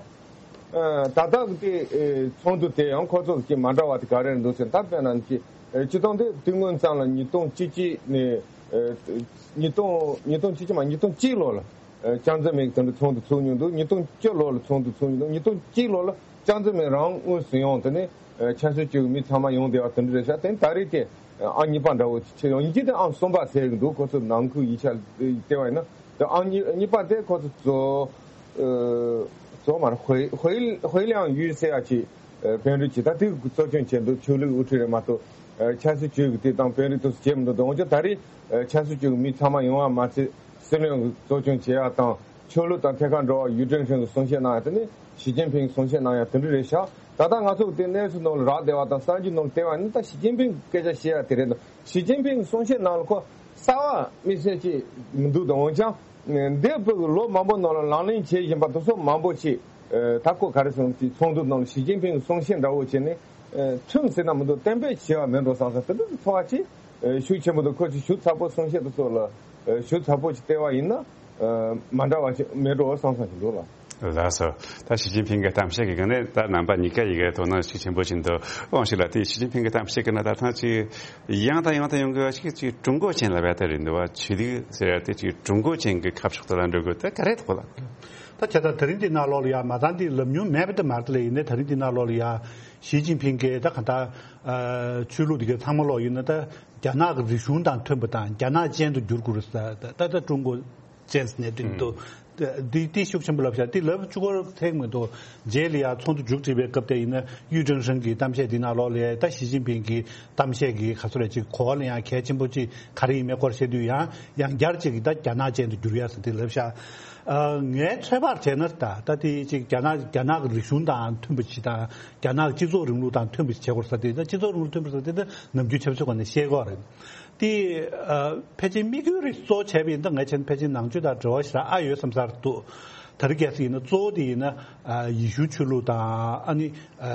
ཨ་ད་ལྟ་གི་དེ་ཨེ་ཚོགས་འདུ་དེ་ཡང་ཁོ་ཚོ་གི་མ་འདྲ་བ་དེ་ག་རེ་རེད་འདུག་ཟེར་ན། ད་དཔེར་ན་ཅིག་ཨེ་སྤྱིར་བཏང་དེ་དུས་སྔོན་ཙམ་ལ་ཉིས་སྟོང་བཅུ་གཅིག་ནས་ཨེ་ཉིས་སྟོང་ཉིས་སྟོང་བཅུ་གཅིག་མ་ཉིས་སྟོང་གཅིག་ལོ་ལ་ཨེ་ཅང་ཙེ་མིན་གྱིས་དེ་འདྲ་ཚོགས་འདུ་ཚུགས་མྱོང་འདུག་ཉིས་སྟོང་བཅུ་ལོ་ལ་ཚོགས་འདུ་ཚུགས་མྱོང་འདུག་ཉིས་སྟོང་བཅུ་ལོ་ལ་ཅང་ཙེ་མིན་རང་དངོས་སུ་ཡོང་དེ་ནས་ཨེ་ཆབ་སྲིད་ཅུས་ཀྱི་མི་ཚང་མ་ཡོང་བསྡད་པ་དེ་འདྲ་རེད་ཤག་དེ་ནས་ད་རེས་དེ་ཨང་གཉིས་པ་འདྲ་བོ་ཅིག་ཕྱིར་ཡོང་། ཡིན་གཅིག་དེ་ཨང་གསུམ་པ་ཟེར་གྱི་འདུག་ཁོ་ཚོ་ནང་ཁུལ་ཡིག་ཆ་བལྟས་པ་ཡིན་ན། དེ་ཨང་གཉིས་གཉིས་པ་དེ་ཁོ་ཚོ་ཙོ་ཨ་ཙོ་མ་རེད། ཧུའེ་ཧུའེ་ཧུའེ་ལིའང་ཡུས་ཟེར་ཡ་ཅིག་ཨ་དཔོན་རིགས་ཅིག་ད་དེ་གཙོ་སྐྱོང་བྱས་འདུག་ཆོས་ལུགས་དབུ་ཁྲིད་རེད་མ་གཏོགས་ཨ་ཆབ་སྲིད་ཅུས་ཀྱི་དེ་དང་དཔོན་རིགས་དེ་ཚོ་བྱས་མི་འདུག་འོན་ཀྱང་ད་རེས་ཨ་ཆབ་སྲིད་ཅུས་ཀྱི་མི་ཚང་མ་ཡོང་བ་མ་ཚད་སྲིད་བློན་གྱི་གཙོ་སྐྱོང་བྱེད་ཡ་དང་། ཆོས་ལུགས་དང་ཐད་ཀར་འབྲེལ་བ་ཡུས་ཀྲེང་ཧྲེང་གིས་གསུང་བཤད་གནང་ཡ་དེ་ནི་ཞི་ཅིན་ཕིང་གིས་གསུང་བཤད་གནང་ཡ་དེ་འདྲ་རེད་ཤག་ད་ལྟ་ང་ཚོ་དེ་གནས་ཚུལ་ནང་ལ་རག་བསྡད་པ་དང་གསར་འགྱུར་ནང་ལ་བལྟས་པ་ནི་ད་ཞི་ཅིན་ཕིང་གི་སྐད་ཆ་བཤད་ཡ་དེ་རེད་འདུག་ཞི་ཅིན་ཕིང་གི་གསུང་བཤད་ནང་ལ་ཁོ་གསར་བ་དམིགས་བསལ་ཅིག་མི་འདུག་དང་། འོན་ཀྱང་འདས་པའི་ལོ་མང་པོ་ནང་ལ་ལག་ལེན་བྱས་བཞིན་པ་དེ་ཚོ་མང་པོ་ཞིག་ད་ཁོ་ག་རེ་ཟེར་ན་ཅིག་ཚོགས་འདུ་ནང་ལ་ཞི་ཅིན་ཕིང་གི་གསུང་བཤད་འདྲ་བོ་བྱས་ནས་མཚོན་ཟེར་ན་མི་འདུག་གཏན་འབེབས་བྱས་པ་མེད་འགྲོ་བསམ་བསམ་དེ་འདྲ་ཚོར་བ་ཅིག་ཤུགས་ཆེན་པོ་འདུག་ཁོ་ཅིག་ཞུ་ཚ་པོ་གསུང་བཤད་དེ་ཚོ་ལ་ཞུ་ཚ་པོ་ཅིག་བལྟས་པ་ཡིན་ན། ཨ་མ་འདྲ་བ་ཞིག་མེད་འགྲོ་བསམ་བསམ་ཞིག་འདུག་ལ། ལགས་སོ། ད་ཞི་ཅིན་ཕིང་གི་གཏམ་བཤད་ཀྱི་སྒང་ནས་ད་རྣམ་པ་གཉིས་ཀ་ཡི་གེ་དོ་སྣང་ཤུགས་ཆེན་པོ་ཞིག་འདུག་དབང་ཞིག་ལ་དེ་ཞི་ཅིན་ཕིང་གི་གཏམ་བཤད་ཀྱི་ནང་ད་ཐེངས་ཅིག་ཡང་དང་ཡང་དུ་ཡོང་དགོས་པ་ཞིག་ཅིག་ཀྲུང་གོ་ཅན་ལབ་ཡ་ད་རེད་འདུག་བ། ཆོས་ལུགས་ཟེར་ཡ་དེ་ཅིག་ཀྲུང་གོ་ཅན་གྱི་ཁ་ཕྱོགས་དེ་ལ་འགྲོ་དགོས་དེ་ག་རེ་འདུག་ལ། ད་ཁྱེད་ད་དེ་རིང་འདི་ནང་ལོགས་ལ་ཡ་མ་ཚང་འདི་ལབ་མྱོང་མེད་པ་དེ་མ་རེད་དེ་ལས། ཡིན་ནའི་དེ་རིང་འདི་ནང་ལོགས་ལ་ཡ་ཞི་ཅིན་ཕིང་གིས་ད་ག་ད་ཨ་ཆོས་ལུགས་དེ་གའི་ཚང་མ་ལོག་ཡིན་ན་ད། རྒྱ་ནག་གི་རིག་གཞུང་དང་མཐུན་པ་དང་རྒྱ་ནག་ཅན་དུ་འགྱུར་དགོས་རེད་ཟེར། ད་ད་ཀྲུང་གོ་ཅན་ཟེར་ནས་འདི་འདུག་འདི་འདི་ཤུགས་ཆེན་པོ་ལབ་ཤག་འདི་ལབ་བཅུག་པར་ཐེག་མི་འདུག་རྗེས་ལ་ཡང་ཚོགས་འདུ་མཇུག་སྒྲིལ་བའི་སྐབས་དེ་ཡིན་ན་ཡུས་ཀྲེང་ཧྲེང་གི་གཏམ་བཤད་འདི་ནང་ལོགས་ལ་ད་ཞི་ཅིན་ཕིང་གི་གཏམ་བཤད་ཀྱི་ག་ཚོད་རེད་ཅིག་གོ་བ་ལ་ཡང་གལ་ཆེན་པོ་ཅིག་ག་རེ་ཡིན་མིན་སྐོར་བཤད་དུས་ཡང་ཡང་བསྐྱར་ཅིག་ད་རྒྱ་ནག་ཅན་དུ་འགྱུར་ཡ་ཟེར་འདི་ལབ་ཤག་ཨ་ངའི་ཚོད་དཔག་བྱས་ན་ད་ད་དེ་ཅིག་རྒྱ་ནག་རྒྱ་ནག་གི་རིག་གཞུང་དང་མཐུན་པ་ཅིག་དང་། རྒྱ་ནག་སྤྱི་ཚོགས་རིང་ལུགས་དང་མཐུན་པ་ཞིག་བྱེད་དགོས་ཟེར་དེ། ད་སྤྱི་ཚོགས་རིང་ལུགས་མཐུན་པ་ཟེར་དེ་ད་ནམ་རྒྱུན་ཆབ་སྲིད་སྒང་ནས་བཤད་ཀྱི་ཡོད་རེད། དེ་ཨ་ཕལ་ཆེར་དམིགས་ཡུལ་རེ་གཙོ་བོ་བྱས་པ་ཡིན་ད་ང་བྱས་ན་ཕལ་ཆེར་ནང་ཆོས་དང་འབྲེལ་བ་ཞེ་དྲག་ཨ་ཡོད་བསམ་ས་རེད་འདུག་ད་རེས་གལ་སྲིད་ཡིན་ན་གཙོ་བོ་དེ་ཡིན་ན་ཨ་ཡེ་ཤུ་ཆོས་ལུགས་དང་ཨ་ནི་ཨ་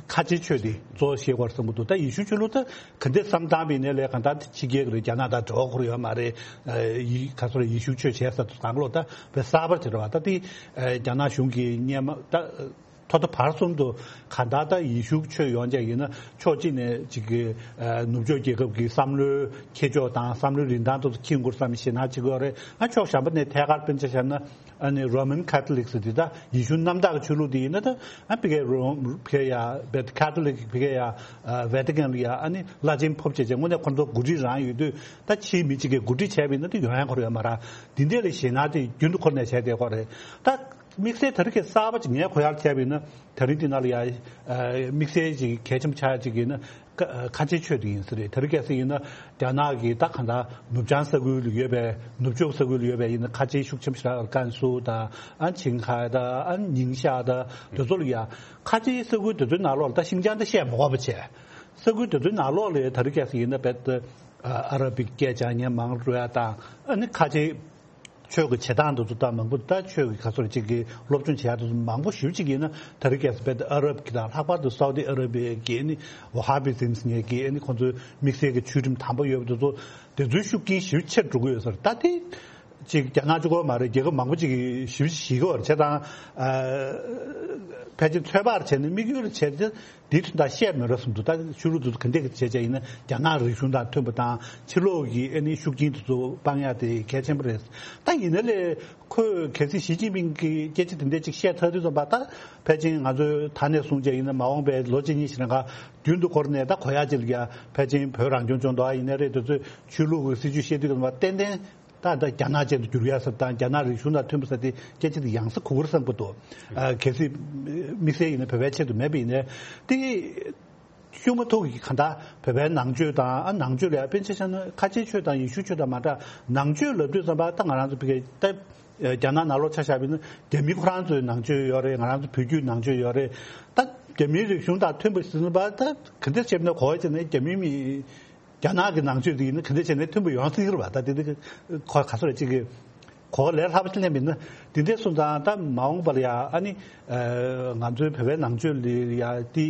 ཁ་ཆེའི་ཆོས་དེ་གཙོ་བོ་ཤེས་དགོས་བསམ་གྱི་འདུག་ད་ཡེ་ཤུ་ཆོས་ལུགས་ད་ག་འདྲ་བསམ་བཏང་བ་ཡིན་ནའི་ལས་གང་ལྟར་ཕྱི་རྒྱལ་གྱི་རེད། རྒྱ་ནག་དང་འབྲེལ་བ་ཁུར་ཡོད་མ་རེད། ཨ་ཡི་ག་ཚོད་རེད། ཡེ་ཤུ་ཆོས་བྱས་ས་དང་ལོ་ད་བས་གསར་པ་དེ་རེད་བ། ད་དེ་ཨ་རྒྱ་ནག་གཞུང་གིས་སྔོན་མ་ད་ཐོག་མཐའ་བར་གསུམ་དུ་གང་ལྟར་ད་ཡེ་ཤུ་ཆོས་ཡོང་ཆ་ཡིན་ན་ཕྱོགས་གཅིག་ནས་ཅིག་གི་ཨ་ནུབ་ཕྱོགས་རྒྱལ་ཁབ་ཀྱི་བསམ་བློའི་འཁྱེར་ཕྱོགས་དང་བསམ་བློའི་རིན་ཐང་དེ་ཚོ་འཁྱེར་དགོས་བསམ་ཞེད་སྣང་བྱེད་ཀྱི་ཡོད་རེད། ཨ་ཕྱོགས་གཞན་པ་ནས་ཐད་ཀར་དཔེར་ན་ཆ་བཞག་ན། ཨ་ནི་Roman Catholics་འདི་ད་ཡེ་ཤུ་རྣམ་དག་གི་ཆོས་ལུགས་འདི་ཡིན་ན་ད་ཨ་ཕ་གིའི་Rome་ཕ་གི་ཡ་བེད་Catholic་ཕ་གི་ཡ་ཨ་Vatican་ལ་ཡ་ཨ་ནི་བླ་ཆེན་ཕོབ་བྱས་བྱས་དངོས་གནས་ཁོང་ཚོ་འགོ་ཁྲིད་རང་ཡོད་དུས་ད་ཕྱིའི་མི་གཅིག་གིས་འགོ་ཁྲིད་བྱས་པ་ཡིན་ན་ད་ཡོང་ཡ་ཁོ་ར་ཡོད་མ་རེད། འདི་འདྲ་ལ་ཞེད་སྣང་དེ་རྒྱུན་དུ་འཁོར་ནས་བྱས་བསྡད་ཁོ་རེད། ད་དམིགས་བསལ་ད་རེས་ཀྱི་གསར་པ་ཅིག་ངས་གོ་ཡག་བྱས་པ་ཡིན་ན་ད་རིང་འདི་ནང་ལ་ཡ་ཨ་དམིགས་བསལ་ཅིག་གལ་ཆེན་པོ་ཆགས་ཡ་ཅིག་ཡིན་ན། ཁ་ཁ་ཆེའི་ཆོས་དེ་ཡིན་ས་རེད། དེ་རིང་གལ་སྲིད་ཡིན་ན་རྒྱ་ནག་གི་ད་གང་ལྟར་ནུབ་བྱང་ས་ཁུལ་ལ་ཡོད་པའི་ནུབ་ཕྱོགས་ས་ཁུལ་ལ་ཡོད་པའི་ཡིན་ན་ཁ་ཆེའི་ཤུགས་ཆེན་པོ་ཞེ་དྲག་ཨར་ཀན་སུ་དང་ཨ་ཆིང་ཧའེ་དང་ཨ་ཉིང་ཤ་དང་དེ་ཚོ་ལ་ཡ་ཁ་ཆེའི་ས་ཁུལ་དེ་ཚོའི་ནང་ལོགས་ལ་ད་ཤིན་ཅང་ད་བཤད་མ་དགོས་པ་བྱས། ས་ཁུལ་དེ་ཚོའི་ནང་ལོགས་ལ་ད་རིང་གལ་སྲིད་ཡིན་ན་རྦད་དེ་ཨ་ར་བིག་སྐད་ཆ་ཉན་མང་རུ་ཡ་དང་ཨ་ནི་ཁ་ཆེའི་ཆོས་ཀྱི་བྱེད་སྟངས་དེ་ཚོ་དང་མང་པོ་ད་ཆོས་ཀྱི་ག་ཚོད་ཅིག་གི་སློབ་སྦྱོང་བྱེད་ཡག་དེ་ཚོ་མང་པོ་ཞེ་པོ་ཅིག་ཡིན་ན་ད་རེས་གལ་སྲིད་རྦད་དེ་ཨ་རབ་ཀྱི་དང་ལྷག་པར་དུ་སའུ་ཏི་ཨ་ར་བི་ཡ་གི་ཨ་ནི་ཝ་ཧ་བི་ཛིམ་ཟེར་མཁན་གྱི་ཨ་ནི་ཁོང་ཚོའི་དམིགས་བསལ་གྱི་ཆོས་ཁྲིམས་དམ་པོ་ཡོད་པ་དེ་ཚོ་དེ་ཚོའི་ཤུགས་རྐྱེན་ཞེ་པོ་ཆེར་འགྲོ་གི་ཡོད་ས་རེད། ད་དེ་ཅིག་རྒྱ་ནག་གཅིག་པོ་མ་རེད། རྒྱལ་ཁབ་མང་པོ་ཅིག་གིས་ཞེ་པོ་ཅིག་ཞིག་གི་བར་བྱས་དང་ཨ་ཕལ་ཆེར་ཚོད་དཔག་བྱས་ནས་དམིགས་ཡུལ་བྱས་ཏེ། འདི་དོན་དག་བཤད་མི་རབས་སུ་འདུག་ད་ཆོས་ལུགས་དེ་ཚོ་ག་འདྲས་བྱས་བྱས་ཡིན་ན་རྒྱ་ནག་རིག་གཞུང་དང་མཐུན་པ་དང་ཕྱི་ལོགས་ཀྱི་ཨ་ནི་ཤུགས་རྐྱེན་དེ་ཚོ་སྤང་ཡག་དེ་གལ་ཆེན་པོ་རེད། ད་ཡིན་ན་ལས་ཁོས་གལ་སྲིད་ཞི་ཅིན་ཕིང་གིས་སྐད་ཆ་དེ་འདྲས་ཅིག་བཤད་ཚར་དུས་ཙམ་པ་ད་ཕལ་ཆེར་ང་ཚོས་ད་ནས་བཟུང་བྱས་ཡིན་ན་མ་འོངས་པའི་ལོ་གཅིག་གཉིས་ཤིག་རིང་ག་རྒྱུན་དུ་འཁོར་ནས་ད་གོ་ཡག་ཅིག་ལ་ཡ་ཕལ་ཆེར་བོད་རང་སྐྱོང་ལྗོངས་མདོག་ཡིན་ནའི་རེད། དེ་ཚོས་ཆོས་ལུགས་ཀྱི་སྲིད་ཇུས་བཤད་དུས་ཙམ་པ་ཏན་ཏན། ད་ད་རྒྱ་ནག་ཅན་དུ་འགྱུར་ཡ་ཟེར་དང་རྒྱ་ནག་རིག་གཞུང་དང་མཐུན་པ་ཟེར་ཏེ་སྐད་ཆ་དེ་ཡང་སེ་གོ་གི་རེད་བསམ་གྱི་འདུག་ཨ་གལ་སྲིད་དམིགས་བསལ་ཡིན་ན་བོད་པའི་ཆེད་དུ་མེད་པ་ཡིན་ནའི་དེ་ཤུགས་མ་ཐུག་གི་གང་ལྟར་བོད་པའི་ནང་ཆོས་དང་ཨ་ནང་ཆོས་ལ་ཡ་དཔེར་ན་ཆ་བཞག་ན་ཁ་ཆེའི་ཆོས་དང་ཡེ་ཤུའི་ཆོས་དང་མ་འདྲ། ནང་ཆོས་ལབ་དུས་ཙམ་པ་ད་ང་རང་ཚོ་བོད་སྐད་ད་རྒྱ་ནག་ནང་ལོགས་ཆ་བཞག་པ་ཡིན་ན་རྒྱ་མི་ཁོ་རང་ཚོའི་ནང་ཆོས་ཡོད་རེད། ང་རང་ཚོ་བོད་བརྒྱུད་ནང་ཆོས་ཡོད་རེད། ད་རྒྱ་མིའི་རིག་གཞུང་དང་མཐུན་པ་ཟེར་ཙམ་པ་ད་ག་འདྲ་བྱས་ན་གོ་བ་བྱས་ན་རྒྱ་མི་མི། རྒྱ་ནག་གི་ནང་ཆོས་དེ་ཡིན་ན་ག་འདྲ་བྱས་ནས་མཐུན་པོ་ཡོང་སྲིད་ཀྱི་རེད་པ། ད་དེ་དེ་གོ་ག་ཚོད་རེད་ཅིག་གི་གོ་ལས་སླ་པོ་ཅིག་ལེན་པ་ཡིན་ན་དེ་འདྲ་སོང་ཙང་ད་མ་འོངས་པ་ལ་ཡ་ཨ་ནི་ང་ཚོའི་བོད་པའི་ནང་ཆོས་ལ་ཡ་དེ་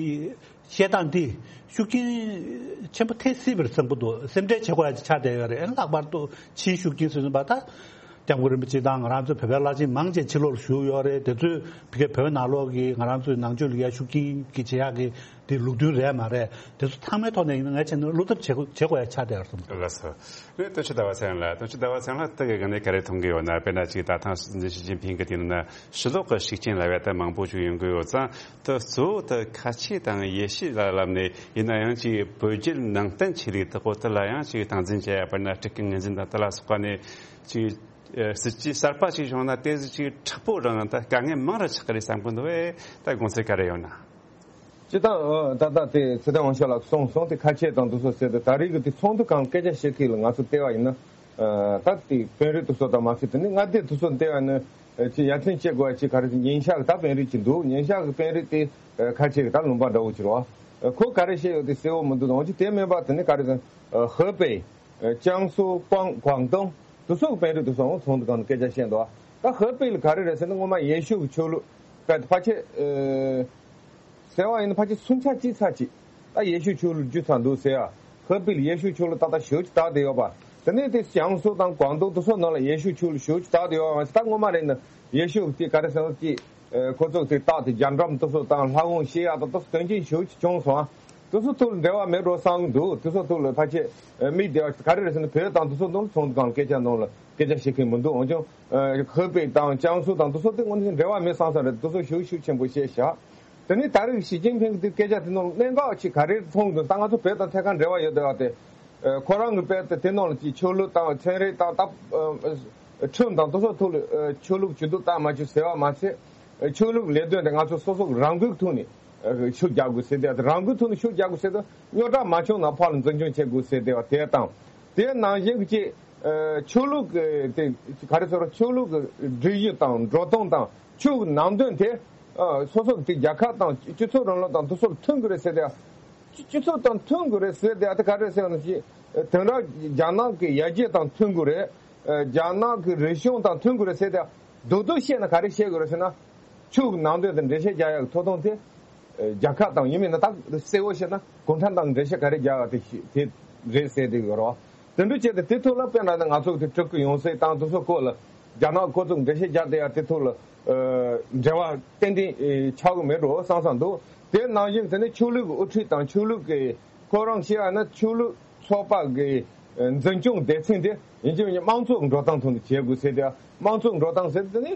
བཤད་སྟངས་དེ་ཤུགས་རྐྱེན་ཆེན་པོ་ཐེབས་སྲིད་པར་བསམ་གྱི་འདུག་སེམས་ཁྲལ་བྱེད་དགོས་ཡ་ཅིག་ཆགས་བསྡད་ཡོད་རེད། ཨ་ནི་ལྷག་པར་དུ་ཕྱིའི་ཤུགས་རྐྱེན་ཟེར་ཙམ་པ་ད་སྐྱབས་མགོན་རིན་པོ་ཆེ་དང་ང་རང་ཚོའི་བོད་པའི་བླ་ཆེན་མང་ཆེ་ཕྱི་ལོགས་ལ་བཞུགས་ཡོད་རེད། དེ་ཚོས་བོད་ཀྱི་བོད་ནང་ལོགས་ཀྱི་ང་རང་ཚོའི་ནང་ཆོས་ལ་ཡ་ཤུགས་རྐྱེན་གྱི་བྱེད་ཡག་གི་དེ་ལུགས་མཐུན་རེད་མ་རེད། དེ་ཚོ་ཚང་མའི་ཐོག་ནས་ཡིན་ན་ངས་བྱས་ན་བློ་འཚབ་བྱེད་དགོས་བྱེད་དགོས་ཡ་ཆགས་བསྡད་ཡོད་བསམ་གྱི་འདུག་ལགས་སོ། རེད། སྟོན་ཆུ་ཟླ་བ་ཚེ་རིང་ལགས། སྟོན་ཆུ་ཟླ་བ་ཚེ་རིང་ལགས་ད་གི་ག་ནས་ག་རེ་མཐོང་གི་ཡོད་ན། དཔེར་ན་ཅིག་ད་ཐེངས་ཞི་ཅིན་ཕིང་གི་དེ་ནང་ན་ཕྱི་ལོགས་ཀྱི་ཤུགས་རྐྱེན་ལབ་ཡ་ད་མང་པོ་ཞིག་ཡོང་གི་ཡོད་ཙང་། ད་གཙོ་བོ་ད་ཁ་ཆེ་དང་ཡེ་ཤུ་ལ་ལབ་ནས་ཡིན་ན་ཡང་ཅིག་བོད་བརྒྱུད་ནང་བསྟན་ཆོས་ལུགས་དག་པོ་དེ་ལ་ཡང་ཅིག་སྟངས་འཛིན་བྱེད་ཡ་དཔེར་ན་སྤྲུལ་སྐུ་ངོས་འཛིན་དང་དེ་ལ་སོགས་པ་ནས་ཅིག་སྲིད་ཇུས་གསར་པ་ཅིག་བྱུང་ན་དེ་ཅིག་མཁྲེགས་པོ་རང་ད་དཀའ་ངལ་མང་རུ་ཆགས་ཀྱི་རེད་བསམ་གྱི་འདུག་བས། ད་དགོངས་ཚུལ་ག་རེ་ཡོད་ན། སྤྱིར་བཏང་ད་ལྟ་དེ་ཚེ་བརྟན་དབང་ཕྱུག་ལགས་གསུངས་སོང་། དེ་ཁ་ཆེ་དང་དེ་ཚོ་ཟེར་དུས་ད་རེས་ཀྱི་དེ་ཚོགས་འདུ་སྒང་སྐད་ཆ་བཤད་མཁན་ལ་ང་ཚོ་བལྟས་པ་ཡིན་ན། ད་དེ་དཔོན་རིགས་དེ་ཚོ་དང་མ་ཟད་དེ་ནི་མངའ་སྡེ་དེ་ཚོ་བལྟས་པ་ཡིན་ན་ཅིག་ཡ་མཚན་སྐྱེ་དགོས་ཡ་ཅིག་ག་རེ་ཟེར། ཉིང་ཤ་གི་ད་དཔོན་རིགས་ཅིག་འདུག་ཉིང་ཤ་གི་དཔོན་རིགས་དེ་ཁ་ཆེ་གི་ད་ལུང་པ་འདྲ་བོ་ཅིག་རེད་བ། ཁོ་ག་རེ་བཤད་ཡོད་དེ་གསལ་བོ་མི་འདུག་འོན་ཀྱང་དེ་མིན་པ་དེ་ནི་ག་རེ་ཟེར། ཧེ་པེ། ཅང་སུའུ། ཀོང་། ཀོང་ཏུང་། དེ་ཚོ་གི་དཔོན་རིགས་དེ་ཚོ་ཚོགས་འདུ་སྒང་ནས་སྐད་ཆ་བཤད་འདུག་ད་ཧེ་པེ་ལ་ག་རེ་རེད་ཟེར་ན་སྔོན་མ་ཡེ་ཤུ་གི་ཆོས་ལུགས་དཔེ་ཕལ་ཆེར་ཟེར་བ་ཡིན་ན་ཕལ་ཆེར་སུམ་ཆ་གཅིག་ཚར་གཅིག་ད་ཡེ་ཤུ་ཆོས་ལུགས་རྒྱུ་ཚར་འདུག་ཟེར་ཡ། ཧེ་པེ་ལ་ཡེ་ཤུ་ཆོས་ལུགས་ཏག་ཏག་ཞེ་པོ་ཅིག་དར་བསྡད་ཡོད་པ། དེ་ནས་དེ་ཅང་སུའུ་དང་ཀོང་ཏུང་དེ་ཚོ་ནང་ལ་ཡེ་ཤུ་ཆོས་ལུགས་ཞེ་པོ་ཅིག་དར་བསྡད་ཡོད་པ། ད་སྔོན་མ་རེད་ན་ཡེ་ཤུ་དེ་ག་རེ་ཟེར་ན་དེ། ཁོ་ཚོ་དེ་རྟགས་དེ་རྒྱ་འགྲམ་དེ་ཚོ་དང་ལྷ་ཁང་བཤད་ཡག་དང་དེ་ཚོ་དོན་རྐྱེན་ཞེ་པོ་ཅིག་བྱུང་སོང་ཨ། དེ་ཚོ་ཐོག་ལ་འབྲེལ་བ་མེད་འགྲོ་བསམ་གྱི་འདུག་དེ་ཚོ་ཐོག་ལ་ཕལ་ཆེར་མིག་བདེ་བ་ག་རེ་རེད་ཟེར་ན་བོད་དང་དེ་ཚོ་ནང་ལ་ཚོགས་འདུ་སྒང་སྐད་ཆ་ནང་ལ་སྐད་ཆ་བཤད་མཁན་མི་འདུག་འོན་ཀྱང་ཧེ་པེ་དང་ཅང་སུའུ་དང་དེ་ཚོ་དེ་དངོས་གནས་འབྲེལ་བ་མེད་བསམ་བསམ་རེད། དེ་ཚོ་ཤུགས་ཤུགས་ཆེན་པོ་བཤད་བཞག་དེ་ནས་ད་རེས་ཞི་ཅིན་ཕིང་གི་དེ་སྐད་ཆ་དེ་ནང་ལ་གནད་འགག་ཅིག་ག་རེ་མཐོང་གི་འདུག་ད་ང་ཚོ་བོད་དང་ཐད་ཀར་འབྲེལ་བ་ཡོད་བསྡད་པ་དེ། ཁོ་རང་གི་དཔེ་དེ་དེ་ནང་ལ་ཅིག་ཆོས་ལུགས་དང་ཚན་རིག་དང་ད་ཁྲིམས་དང་དེ་ཚོ་ཐོག་ལ་ཆོས་ལུགས་ཇུས་གཏོགས་བཏང་མ་བཅུག་ཟེར་བ་མ་ཚད། ཆོས་ལུགས་ལས་དོན་དེ་ང་ཚོ་སོ་སོ་གི་རང་འགུལ་ཐོག་ནས་ཤུགས་རྒྱག་དགོས་ཟེར་དེ། རང་འགུལ་ཐོག་ནས་ཤུགས་རྒྱག་དགོས་ཟེར་དུས་རྙོག་དྲ་མ་བྱུང་ན་ཕར་ལ་འཛིན་སྐྱོང་བྱེད་དགོས་ཟེར་དེ་བ་དེ་དང་། དེ་ནང་བཞིན་གྱི་ཆོས་ལུགས་ཀྱི་དེ་ག་རེ་ཟེར་རོ། ཆོས་ལུགས་ཀྱི་སྒྲིག་གཞི་དང་འགྲོ་སྟངས་དང་ཆོས་ཀྱི་ནང་དོན་དེ་སོ་སོ་གི་དེ་རྒྱལ་ཁབ་དང་སྤྱི་ཚོགས་རིང་ལུགས་དང་དེ་ཚོ་ལ་མཐུན་དགོས་རེད་ཟེར་དེ། སྤྱི་སྤྱི་ཚོགས་དང་མཐུན་དགོས་རེད་ཟེར་དེ། ཨ་དེ་ག་རེ་ཟེར་ན་ཞིག་དེང་རབས་རྒྱ་ནག་གི་ཡར་རྒྱས་དང་མཐུན་དགོས་རེད། རྒྱ་ནག་གི་རིག་གཞུང་དང་མཐུན་དགོས་རེད་ཟེར་དེ། རྡོག་རྡོག་བཤད་ན་ག་རེ་བཤད་དགོས་རེད་ཟེར་ན། ཆོས་ཀྱི་ནང་དོན་དང་འགྲེལ་བཤད་རྒྱག་ཡག་གི་ཐོབ་ཐང་དེ། ཨ། རྒྱལ་ཁབ་དང་ཡིན་མིན་ན་ད་གསལ་བོ་བཤད་ན་གུང་ཁྲན་ཏང་གི་འགྲེལ་བཤད་ག་རེ་རྒྱག་ཡག་དེ་ཤི་དེ་རེད་ཟེར་བསྡད་ཡོད་རེད་བ། དེ་འདྲ་བྱས་ཏེ་དེ་ཐོག་ལ་དཔེར་ན་ང་ཚོ་གི་དེ་སྤྲུལ་སྐུ་ཡོང་སའི་སྟངས་དེ་ཚོ་སྐོར་ལ་རྒྱ་ནག་ཁོ་ཚོ་འགྲེལ་བཤད་རྒྱག་བསྡད་ཡག་དེ་ཐོག་ལ། ཨ། འབྲེལ་བ་ཏན་ཏན་ཨེ་ཆགས་ཀྱི་མེད་འགྲོ་བསམ་བསམ་འདུག་དེ་ནང་བཞིན་དེ་ནི་ཆོས་ལུགས་ཀྱི་དབུ་ཁྲིད་དང་ཆོས་ལུགས་ཀྱི་ཁོ་རང་བཤད་ཡ་ན་ཆོས་ལུགས་ཚོགས་པ་གི་འཛིན་སྐྱོང་སྡེ་ཚན་དེ་ཡིན་གཅིག་མིན་གཅིག་དམངས་གཙོ་གི་འགྲོ་སྟངས་ཐོག་ནས་བྱེད་དགོས་ཟེར་ཏེ། དམངས་གཙོ་གི་འགྲོ་སྟངས་ཟེར་དེ་ནི་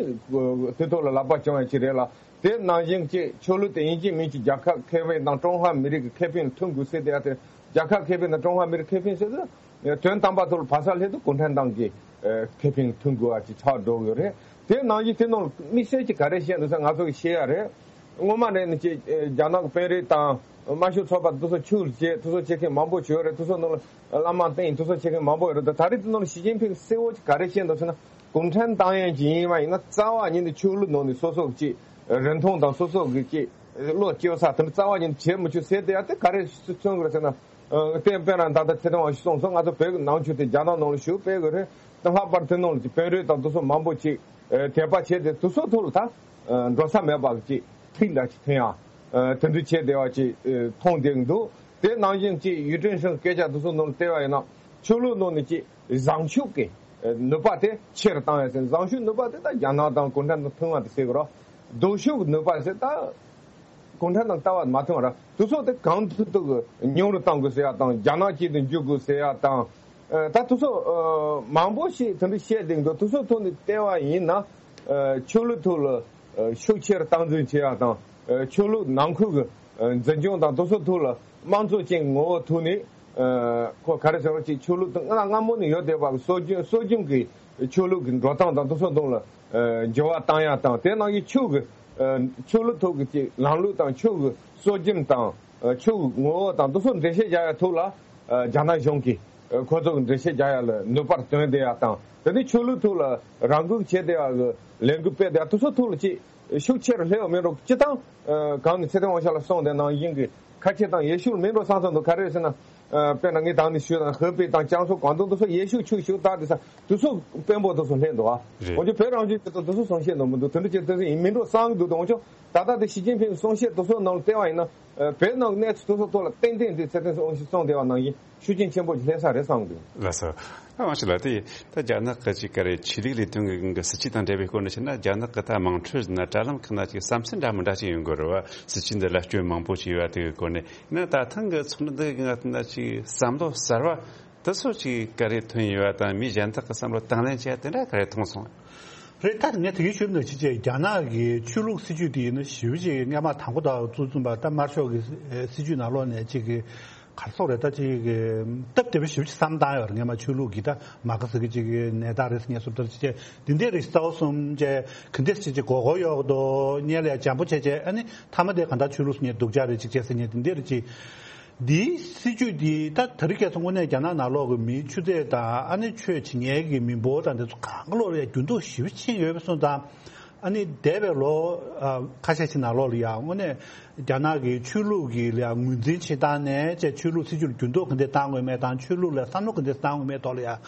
དེ་ཐོག་ལ་ལག་པ་བརྐྱང་ཡ་ཅིག་རེད་ལ། དེ་ནང་བཞིན་གྱི་ཆོས་ལུགས་དེ་ཡིན་གཅིག་མིན་གཅིག་རྒྱལ་ཁབ་ཁེ་ཕན་དང་ཀྲུང་ཧྭ་མི་རིགས་ཀྱི་ཁེ་ཕན་ལ་མཐུན་དགོས་ཟེར་ཏེ། ཡ་དེ་རྒྱལ་ཁབ་ཁེ་ཕན་དང་ཀྲུང་ཧྭ་མི་རིགས་ཁེ་ཕན་ཟེར་དུས་དོན་དམ་པ་ཐོག་ལ་ཕ་ས་སླེབས་དུས་གུང་ཁྲན་ཏང་གི་ཁེ་ཕན་མཐུན་དགོས་པ་ཅིག་ཆགས་འགྲོ་གི་ཡོད་རེད། དེ་ནང་བཞིན་དེ་ནང་དམིགས་བསལ་གྱི་ག་རེ་བཤད་འདུག་ཟེར་ང་ཚོ་གི་ཤེས་ཡ་རེད། སྔོན་མ་ནས་ནི་ཅིག་རྒྱ་ནག་གི་དཔོན་རིགས་དང་དམར་ཤོག་ཚོགས་པ་དེ་ཚོ་ཆོས་ལ་བྱེད་དེ་ཚོ་བྱེད་མཁན་མང་པོ་ཡོད་རེད། དེ་ཚོ་ནང་ལ་བླ་མ་བསྟེན་དེ་ཚོ་བྱེད་མཁན་མང་པོ་ཡོད་རེད། ད་ད་རེས་དེ་ནང་ལ་ཞི་ཅིན་ཕིང་གསལ་བོ་ཅིག་ག་རེ་བཤད་འདུག་ཟེར་ན། གུང་ཁྲན་ཏང་ཡོན་ཅིག་ཡིན་པ་ཡིན་ན་རྩ་བ་ཉིད་ནས་ཆོས་ལུགས་ནང་ནས་སོ་སོ་གི་ཅིག་རིན་ཐང་དང་སོ་སོ་གི་ཅིག་བློ་སྐྱོ་ས་དེ་འདྲ་རྩ་བ་ཉིད་ནས་བྱེད་མི་ཆོག་ཟེར་དེ་ཡ་དེ་ག་རེ་མཚོན་གི་རེད་ཟེར་ན། ཨ། དེ་དཔེར་ན་ད་ལྟ་ཚེ་བརྟན་དབང་ཕྱུག་གསུངས་སོང་། ང་ཚོ་བོད་ཀྱི་ནང་ཆོས་དེ་རྒྱ་ནག་ནང་ལ་ཞུགས་སྤེལ་གི་རེད། དེ་ལྷག་པར་དེ་ནང་ལ་ཅིག་དཔོན་རིགས་དང་དེ་ཚོ་མང་པོ་ཅིག་ཨ། དད་པ་བྱས་ཏེ་དེ་ཚོ་ཐོག་ལ་ད་ཨ། འགྲོ་ས་མེད་པ་གི་ཅིག་ཐིག་འདྲ་ཅིག་ཐོན་ཡ། ཨ། དེ་འདྲ་བྱས་བསྡད་པ་ཅིག་ཨ། མཐོང་བསྡད་གི་འདུག་དེ་ནང་བཞིན་ཅིག་ཡུས་ཀྲེང་ཧྲེང་སྐད་ཆ་དེ་ཚོ་ནང་ལ་བལྟས་པ་ཡིན་ན་ཆོས་ལུགས་ནང་ནས་ཅིག་བཟང་ཕྱོགས་ཀྱི་ཨ། ནུས་པ་དེ་ཆེ་རུ་བཏང་ཡ་ཟེར། བཟང་ཕྱོགས་ནུས་པ་དེ་ད་རྒྱ་ནག་དང་གུང་ཁྲན་དང་མཐུན་པ་དེ་ཟེར་གི་རེད། སྡུག་ཕྱོགས་ཀྱི་ནུས་པ་ཟེར་ད། གུང་ཁྲན་དང་ལྟ་བ་མ་མཐུན་པ་ར་དེ་ཚོ་དེ་གང་ཐུབ་ཐུབ་ཀྱིས་ཉུང་རུ་གཏང་དགོས་ཟེར་ཡ་དང་རྒྱ་ནག་གཅིག་ཏུ་འཇུག་དགོས་ཟེར་ཡ་དང་། ཨ། ད་དེ་ཚོ་ཨ། མང་པོ་ཞིག་དེ་འདྲ་བཤད་བསྡད་འདུག་དེ་ཚོ་ཐོག་ནས་བལྟས་པ་ཡིན་ན། ཨ། ཆོས་ལུགས་ཐོག་ལ་ཨ། ཤུགས་ཆེར་སྟངས་འཛིན་བྱེད་ཡ་དང་། ཨ། ཆོས་ལུགས་ནང་ཁུལ་གྱི་ཨ། འཛིན་སྐྱོང་དང་དེ་ཚོ་ཐོག་ལ་དམངས་གཙོ་ཅན་ངོ་བོ་ཐོག་ནས། ཨ། ཁོ་ག་རེ་ཟེར་བ་ཅིག་ཆོས་ལུགས་དང་སྔ་སྔ་མོ་ནས་ཡོད་བསྡད་པ་གི་སྲོལ་རྒྱུན་སྲོལ་རྒྱུན་གྱི་ཆོས་ལུགས་ཀྱི་འགྲོ་སྟངས་དང་དེ་ཚོ་ནང་ལ་ཨ། འགྱུར་བ་བཏང་ཡ་དང་དེ་ནང་བཞིན་ཆོས་ཀྱི་ཨ། ཆོས་ལུགས་ཐོག་གི་ཅིག་ལམ་ལུགས་དང་ཆོས་ཀྱི་སྲོལ་རྒྱུན་དང་ཨ། ཆོས་ཀྱི་ངོ་བོ་དང་དེ་ཚོ་འགྲེལ་བཤད་རྒྱག་ཡ་ཐོག་ལ་ཨ། རྒྱ་ནག་གཞུང་གིས་ཨ། ཁོ་ཚོ་གི་འགྲེལ་བཤད་རྒྱག་ཡ་ལ་ནུས་པར་བཏོན་བསྡད་ཡ་དང་དེ་ནས་ཆོས་ལུགས་ཐོག་ལ་རང་འགུལ་བྱས་བསྡད་ཡ་གི་ལས་འགུལ་སྤེལ་བསྡད་ཡ་དེ་ཚོ་ཐོག་ལ་ཅིག་ཤུགས་ཆེ་རུ་སླེབས་པ་མིན་འགྲོ། སྤྱིར་བཏང་ཨ། གང་ནས་ཚེ་བརྟན་དབང་ཕྱུག་ལགས་གསུངས་དེ་ནང་བཞིན་གྱི་ཁ་ཆེ་དང་ཡེ་ཤུ་ལ་མིན་འགྲོ་བསམ་བསམ་འདུག་ག་རེ་རེད་ཟེར་ན། ཨ། དཔེར་ན་ངས་ད་ནས་ཞུས་དང་ཧེ་པེ་དང་ཅང་སུའུ་ཀོང་ཏུང་དེ་ཚོ་ཡེ་ཤུ་ཆོས་ཞུ་སྟངས་དེ་ས་དེ་ཚོ་དཔོན་པོ་དེ་ཚོ་སླེབས་འདུག་ཨ། རེད། འོན་ཀྱང་བོད་རང་བཞིན་དེ་ཚོ་དེ་ཚོ་གསུང་བཤད་འདུག་མི་འདུག་དེ་འདྲ་ཅིག་དེ་ཚོ་ཡིན་མིན་འགྲོ་བསམ་གྱི་འདུག་འོན་ཀྱང་ད་ལྟ་དེ་ཞི་ཅིན་ཕིང་གསུང་བཤད་དེ་ཚོ་ནང་ལ་བལྟས་པ་ཡིན་ན། ཨ། བོད་ནང་གི་གནས་ཚུལ་དེ་ཚོ་ཐོག་ལ་ཏན་ཏན་དེ་ཚེ་བརྟན་དབང་ཕྱུག་གསུངས་བསྡད་པ་ནང་བཞིན་ཤུགས་རྐྱེན་ཆེན་པོ་ཞིག་སླེབས་ས་རེད་བསམ་གྱི་འདུག་ལགས་སོ། ཨ། དབང་ཕྱུག་ལགས་དེ་ད་རྒྱ་ནག་གི་ཅིག་ག་རེ་ཆོས་ལུགས་ལས་དོན་གྱི་སྲིད་བྱུས་དང་འབྲེལ་བའི་སྐོར་ནས་བཤད་ན་རྒྱ་ནག་གི་ད་དམངས་ཁྲོད་ན་དྲ་ལམ་ཁག་ན་ཅིག་བསམ་ཚུལ་འདྲ་མི་འདྲ་ཅིག་ཡོང་གི་རེད་བ། སྲིད་བྱུས་འདི་ལ་སྐྱོན་མང་པོ་ཅིག་ཡོད་པ་དེ་གི་སྐོར་ནས་ཡིན་ན་ད་ཐེངས་གི་ཚོགས་འདུ་འདི་གི་ནང་ན་ཅིག་བསམ་བློ་གསར་བ་དེ་ཚོ་ཅིག་ག་རེ་ཐོན་ཡོད་པ་དང་མི་གཞན་དག་གི་བསམ་བློ་དང་ལེན་བྱས་དེ་འདྲ་ག་རེ་མཐོང་སོང་། རེད། ད་ངས་དེ་གའི་ཞུ་ན་ཅིག་ཅིག་རྒྱ་ནག་གི་ཆོས་ལུགས་སྲིད་བྱུས་དེ་ཡིན་ན་ཞེ་པོ་ཅིག་སྔ་མ་དང་པོ་དང་བཙུགས་ཙམ་པ་ད་དམར་ཤོག་གི་སྲིད་བྱུས་ནང་ལོགས་ནས་ཅིག་གི་གར་སོང་རེད། ད་ཅིག་གི་སྟབས་བདེ་པོ་ཞེ་པོ་ཅིག་བསམ་བཏང་ཡོད་རེད། སྔ་མ་ཆོས་ལུགས་ཀྱི་ད་མ་ག་ཟེར་གི་ཅིག་གི་ནད་རྟགས་རེད་ཟེར་ངས་སོ་ད་ཅིག་ཅིག་འདི་འདྲའི་རིགས་རྩ་བ་གསུམ་ཅིག་གི་འདྲ་ཅིག་ཅིག་མགོ་སྐོར་གཡོག་གི་འདུག་སྔོན་ལ་ཡ་འཇམ་པོ་བྱས་བྱས་ཨ་ནི་མཐའ་མ་དེ་གང་ལྟར་ཆོས་ལུགས་ཟེར་ངས་སྡུག་ཅག་རེད་ཅིག་བྱས་ཟེར་ངས་འདི་འདྲའི་རིགས་ཅིག་འདིའི་སྲིད་བྱུས་འདི་ད་དེ་རིང་ཁ་སང་དངོས་གནས་རྒྱ་ནག་ནང་ལོགས་ཀྱི་མིའི་ཆུ་ཚད་དང་ཨ་ནི་ཆོས་བྱེད་མཁན་གྱི་མི་འབོར་དང་འདི་ཚོ་གང་ག་ལོག་ལ་འགྱུར་ལྡོག་ཞེ་པོ་ཕྱིན་ཡོད་པ་སོང་ཙང་། ཨ་ནི་འདས་པའི་ལོ་ཨ་ཁ་ཤས་ཤིག་ནང་ལོགས་ལ་ཡང་དངོས་གནས་རྒྱ་ནག་གི་ཆོས་ལུགས་ཀྱི་ལ་ཡང་ངོས་འཛིན་བྱེད་སྟངས་ནས་བཅས་ཆོས་ལུགས་སྲིད་བྱུས་ལ་འགྱུར་ལྡོག་ག་འདྲ་བཏང་དགོས་མེད་དང་ཆོས་ལུགས་ལ་བསམ་བློ་ག་འདྲ་བཏང་དགོས་མེད་ཐོག་ལ་ཡང་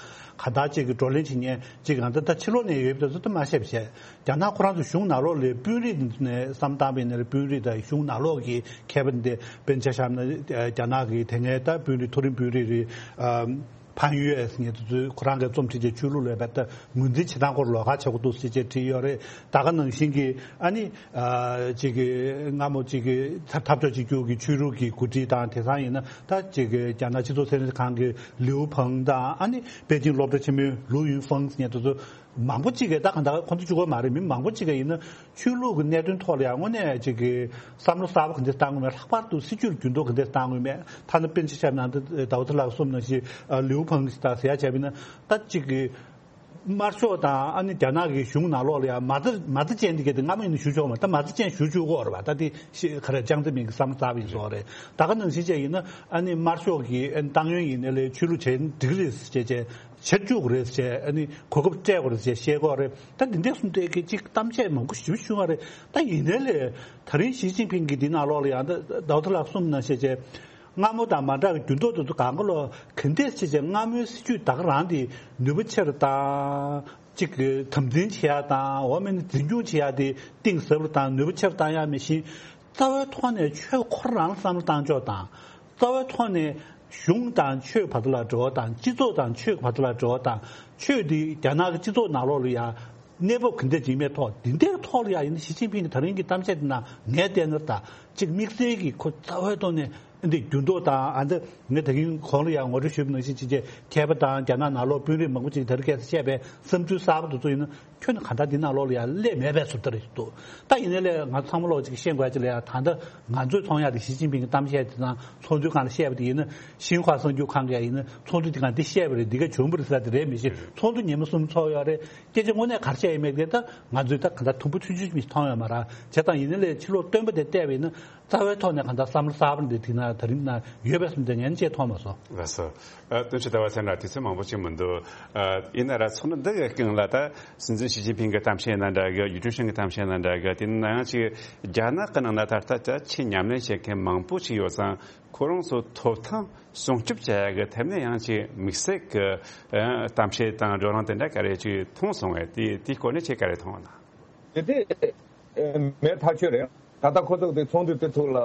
གང་ལྟར་ཅིག་གི་བགྲོ་གླེང་བྱེད་མཁན་ཅིག་གང་ལྟར་ད་ཕྱི་ལོགས་ནས་ཡོད་པ་དེ་ཚོ་ད་མ་བཤད་པ་བྱས། རྒྱ་ནག་ཁོ་རང་ཚོ་གཞུང་ནང་ལོགས་ལ་དཔོན་རིགས་ནས་བསམ་བཏང་བའི་ནས་དཔོན་རིགས་དང་གཞུང་ནང་ལོགས་ཀྱི་མཁས་པ་འདི་དཔེར་ན་ཆ་བཞག་ན་རྒྱ་ནག་གི་དེ་སྔའི་ད་དཔོན་རིགས་མཐོ་རིམ་དཔོན་རིགས་རེད། ཕན་ཡོད་ངེས་དུ་ཚོས་ཁོ་རང་གི་རྩོམ་བྲིས་ཀྱི་ཆོས་ལུགས་ལས་པའི་ད་ངོས་འཛིན་བྱེད་སྟངས་སྐོར་ལོགས་ཀ་བྱེད་དགོས་འདུག་ཟེར་བྱས་བྲིས་ཡོད་རེད། ད་ག་ནང་བཞིན་གྱི་ཨ་ནི་ཅིག་གི་སྔ་མོ་ཅིག་གི་འཐབ་ཕྱོགས་གཅིག་གྱུར་གྱི་ཆོས་ལུགས་ཀྱི་འགོ་ཁྲིད་དང་དེང་སང་ཡིན་ན་ད་ཅིག་གི་རྒྱ་ནག་སྤྱི་ཚོགས་ཚན་རིག་ཁང་གི་ལིའུ་ཕང་དང་ཨ་ནི་པེ་ཅིང་སློབ་གྲྭ་ཆེན་མོའི་ལུའུ་ཡུན་ཧྥང་ངེས་དུ་ཚོ། མང་པོ་གཅིག་གིས་ད་གང་ལྟར་ཁོང་ཚོ་གཅིག་པོ་མ་རེད། མི་མང་པོ་གཅིག་གིས་ཡིན་ན་ཆོས་ལུགས་ཀྱི་གནད་དོན་ཐོག་ལ་ཡང་དངོས་གནས་གཅིག་གིས་བསམ་བློ་གསར་པ་ག་འདྲ་བཏང་དགོས་མེད། ལྷག་པར་དུ་སྲིད་བྱུས་ཀྱི་འགྱུར་ལྡོག་ག་འདྲ་བཏང་དགོས་མེད། ཐ་ན་དཔེར་ན་ཆ་བཞག་ན་ད་ཟླ་བ་ཚེ་ལགས་གསུངས་ནང་བཞིན་ལིའུ་ཕང་གིས་ད་ཟེར་ཡ་བྱས་པ་ཡིན་ན་ད་གཅིག་གིས་དམར་ཤོག་དང་ཨ་ནི་རྒྱ་ནག་གི་གཞུང་ནང་ལོགས་ལ་ཡང་མ་རྩ་མ་རྩ་ཅན་དེ་ག་དེ་སྔ་མ་ཡིན་ན་ཞུ་ཆོག་མ་ད་མ་རྩ་ཅན་ཞུ་བཅུག་གི་ཡོད་རེད་པ། ད་དེ་ཤི་ག་རེ་ཅང་ཙེ་མིན་གྱི་བསམ་བློ་གསར་པ་ཡིན་སོགས་རེད། ད་ག་ནང་བཞིན་བྱས་ཡིན་ན་ཨ་ནི་དམར་ཤོག་གི་ཨ་ནི་ཏང་ཡོན་ཡིན་ནའི་ལས་ཆོས་ལུགས་བྱེད་འགྲིག་རེད་ཟེར་བྱས་བྱས། བྱེད་བཅུག་རེད་ཟེར་ཨ་ནི་གོ་སྐབས་སྤྲད་དགོས་རེད་ཟེར་བཤད་ཀྱི་ཡོད་རེད། ད་འདི་འདྲས་གསུམ་དེ་གི་ཅིག་གཏམ་བཤད་མང་པོ་ཞེ་པོ་བྱུང་བ་རེད། ད་ཡིན་ནའི་ལས་ད་རིང་ཞི་ཅིན་ཕིང་གིས་འདི་ནང་ལོགས་ལ་ཡང་ད་ཟླ་བ་ཚེ་ལགས་གསུངས་ནང་བཞིན་བྱས་སྔ་མོ་དང་མ་འདྲ་བའི་འགྱུར་ལྡོག་དེ་ཚོ་གང་ག་ལོག་ག་འདྲས་བྱས་བྱས་སྔ་མོའི་སྲིད་བྱུས་ད་ག་རང་དེ་ནུས་པ་ཆེ་རུ་བཏང་ གཅིག་གི་དམ་འཛིན་བྱེད་ཡ་དང་འོ་མིན་ནི་འཛིན་སྐྱོང་བྱེད་ཡ་དེ་གཏིང་ཟབ་རུ་དང་ནུས་པ་ཆེ་རུ་བཏང་ཡ་མི་ཤེས། རྩ་བའི་ཐོག་ནས་ཆོས་ཁོ་རང་ལ་བསམ་བློ་བཏང་ཕྱོགས་དང་། རྩ་བའི་ཐོག་ནས་གཞུང་དང་ཆོས་བར་དུ་ལ་འབྲེལ་བ་དང་། སྤྱི་ཚོགས་དང་ཆོས་བར་དུ་ལ་འབྲེལ་བ་དང་། ཆོས་འདི་རྒྱ་ནག་གི་སྤྱི་ཚོགས་ནང་ལོགས་ལ་ཡ་གནས་བབ་ག་འདྲ་ཅིག་མེད་ཐོག་འདི་འདྲའི་ཐོག་ལ་ཡ་ཡིན་ན་ཞི་ཅིན་ཕིང་གི་ད་རིང་གི་གཏམ་བཤད་འདི་ནང་ངས་བལྟས་ན་ད་གཅིག་དམིགས་བསལ་གྱི་ཁོ་རྩ་བའི་ཐོག་ནས་འདི་འགྱུར་ལྡོག་དང་། ཨ་འདི་ངས་ད་གིན་གོང་ལ་ཡང་ངོ་སྤྲོད་ཞུས་པ་ནང་བཞིན་ཅིག་ཅེས་མཁས་པ་དང་རྒྱ་ནག་ནང་ལོགས་དཔོན་རིགས་མང་པོ་ཅིག་ད་རེས་ཁ་སང་བཤད་པའི་བསམ་ཚུལ་གསར་པ་དེ་ཚོ་ཡིན་ན་ཁྱོན་ནས་གང་ལྟར་འདི་ནང་ལོགས་ལ་ཡང་སླེབས་མེད་པའི་བཟོ་ལྟ་རེད་འདུག་ད་ཡིན་ནའི་ལས་ང་ཚང་མ་ལོག་ཅིག་ཤེས་དགོས་ཅིག་ལ་ཡང་ད་ལྟ་ང་ཚོས་མཐོང་ཡག་དེ་ཞི་ཅིན་ཕིང་གི་གཏམ་བཤད་དེ་དང་ཚོགས་འདུའི་སྒང་ལ་བཤད་པ་དེ་ཡིན་ན། ཤིན་ཧྭ་གསར་འགྱུར་ཁང་གིས་ཡིན་ན་ཚོགས་འདུ་དེ་སྒང་འདི་བཤད་པ་རེད། འདི་ག་བྱུང་བ་རེད་ཟེར་དེ་རེད་མི་ཤེས། ཚོགས་འདུ་ཉི་མ་གསུམ་ཚོགས་ཡོད་རེད། སྐད་ཆ་དངོས་གནས་ག་རེ་བཤད་ཡོད་མེད་དེ་ད་ང་ཚོས་ད་གང་ལྟར་དུམ་བུ་ཆུང་ཆུང་ཞིག་མཐོང་ཡོད་མ་རེད། བྱས་ཙང་ཡིན་ནའི་ལས་ཕྱི་ལོགས་སྟོན་པ་དེ་བལྟས་པ་ཡིན་ན། རྩ་བའི་ཐོག་ནས་གང་ལྟར་བསམ་བློ་གསར་པ་འདི་དེ་ན་ད་རིང་ན་ཡོད་པའི་བསམ་དེ་ངས་ཅེས་མཐོང་མ་སོང་། ལགས་སོ། ཨ། བསྟན་ཆོས་ཟླ་བ་ཚེ་རིང་ལགས། དུས་ཚོད་མང་པོ་ཅིག་མི་འདུག་ཨ། ཡིན་ན་ར་ཚོགས་འདུ་འདི་གི་སྒང་ལ་ད་སྲིད་འཛིན་ཞི་ཅིན་ཕིང་གི་གཏམ་བཤད་ཡིན་ན་འདྲ་གི། ཡུས་ཀྲིན་ཧྲིན་གི་གཏམ་བཤད་ཡིན་ན་འདྲ་གི། དེ་ནང་ཡང་ཅིག་རྒྱ་ནག་གི་ནང་ན་ད་ལྟ་ད་ཆེས་ཉམས་ལེན་བྱེད་མཁན་མང་པོ་ཅིག་ཡོད་ཙང་ཁོ་རང་ཚོ་ཐོབ་ཐང་སྲུང་སྐྱོབ་བྱ་ཡ་གི་ཐད་ནས་ཡང་ཅིག་དམིགས་བསལ་གི་ཨ་གཏམ་བཤད་དང་བགྲོ་གླེང་དེ་འདྲ་ག་རེ་ཅིག་མཐོང་སོང་བས། དེ་དེའི་སྐོར་ནས་ཁྱེད་ག་རེ་མཐོང་ན། དེ་དེ་མེད་ཐག་ཆོད་རེད། ད་ལྟ་ཁོ་ཚོ་དེ་ཚོགས་འདུ་དེ་ཐོག་ལ།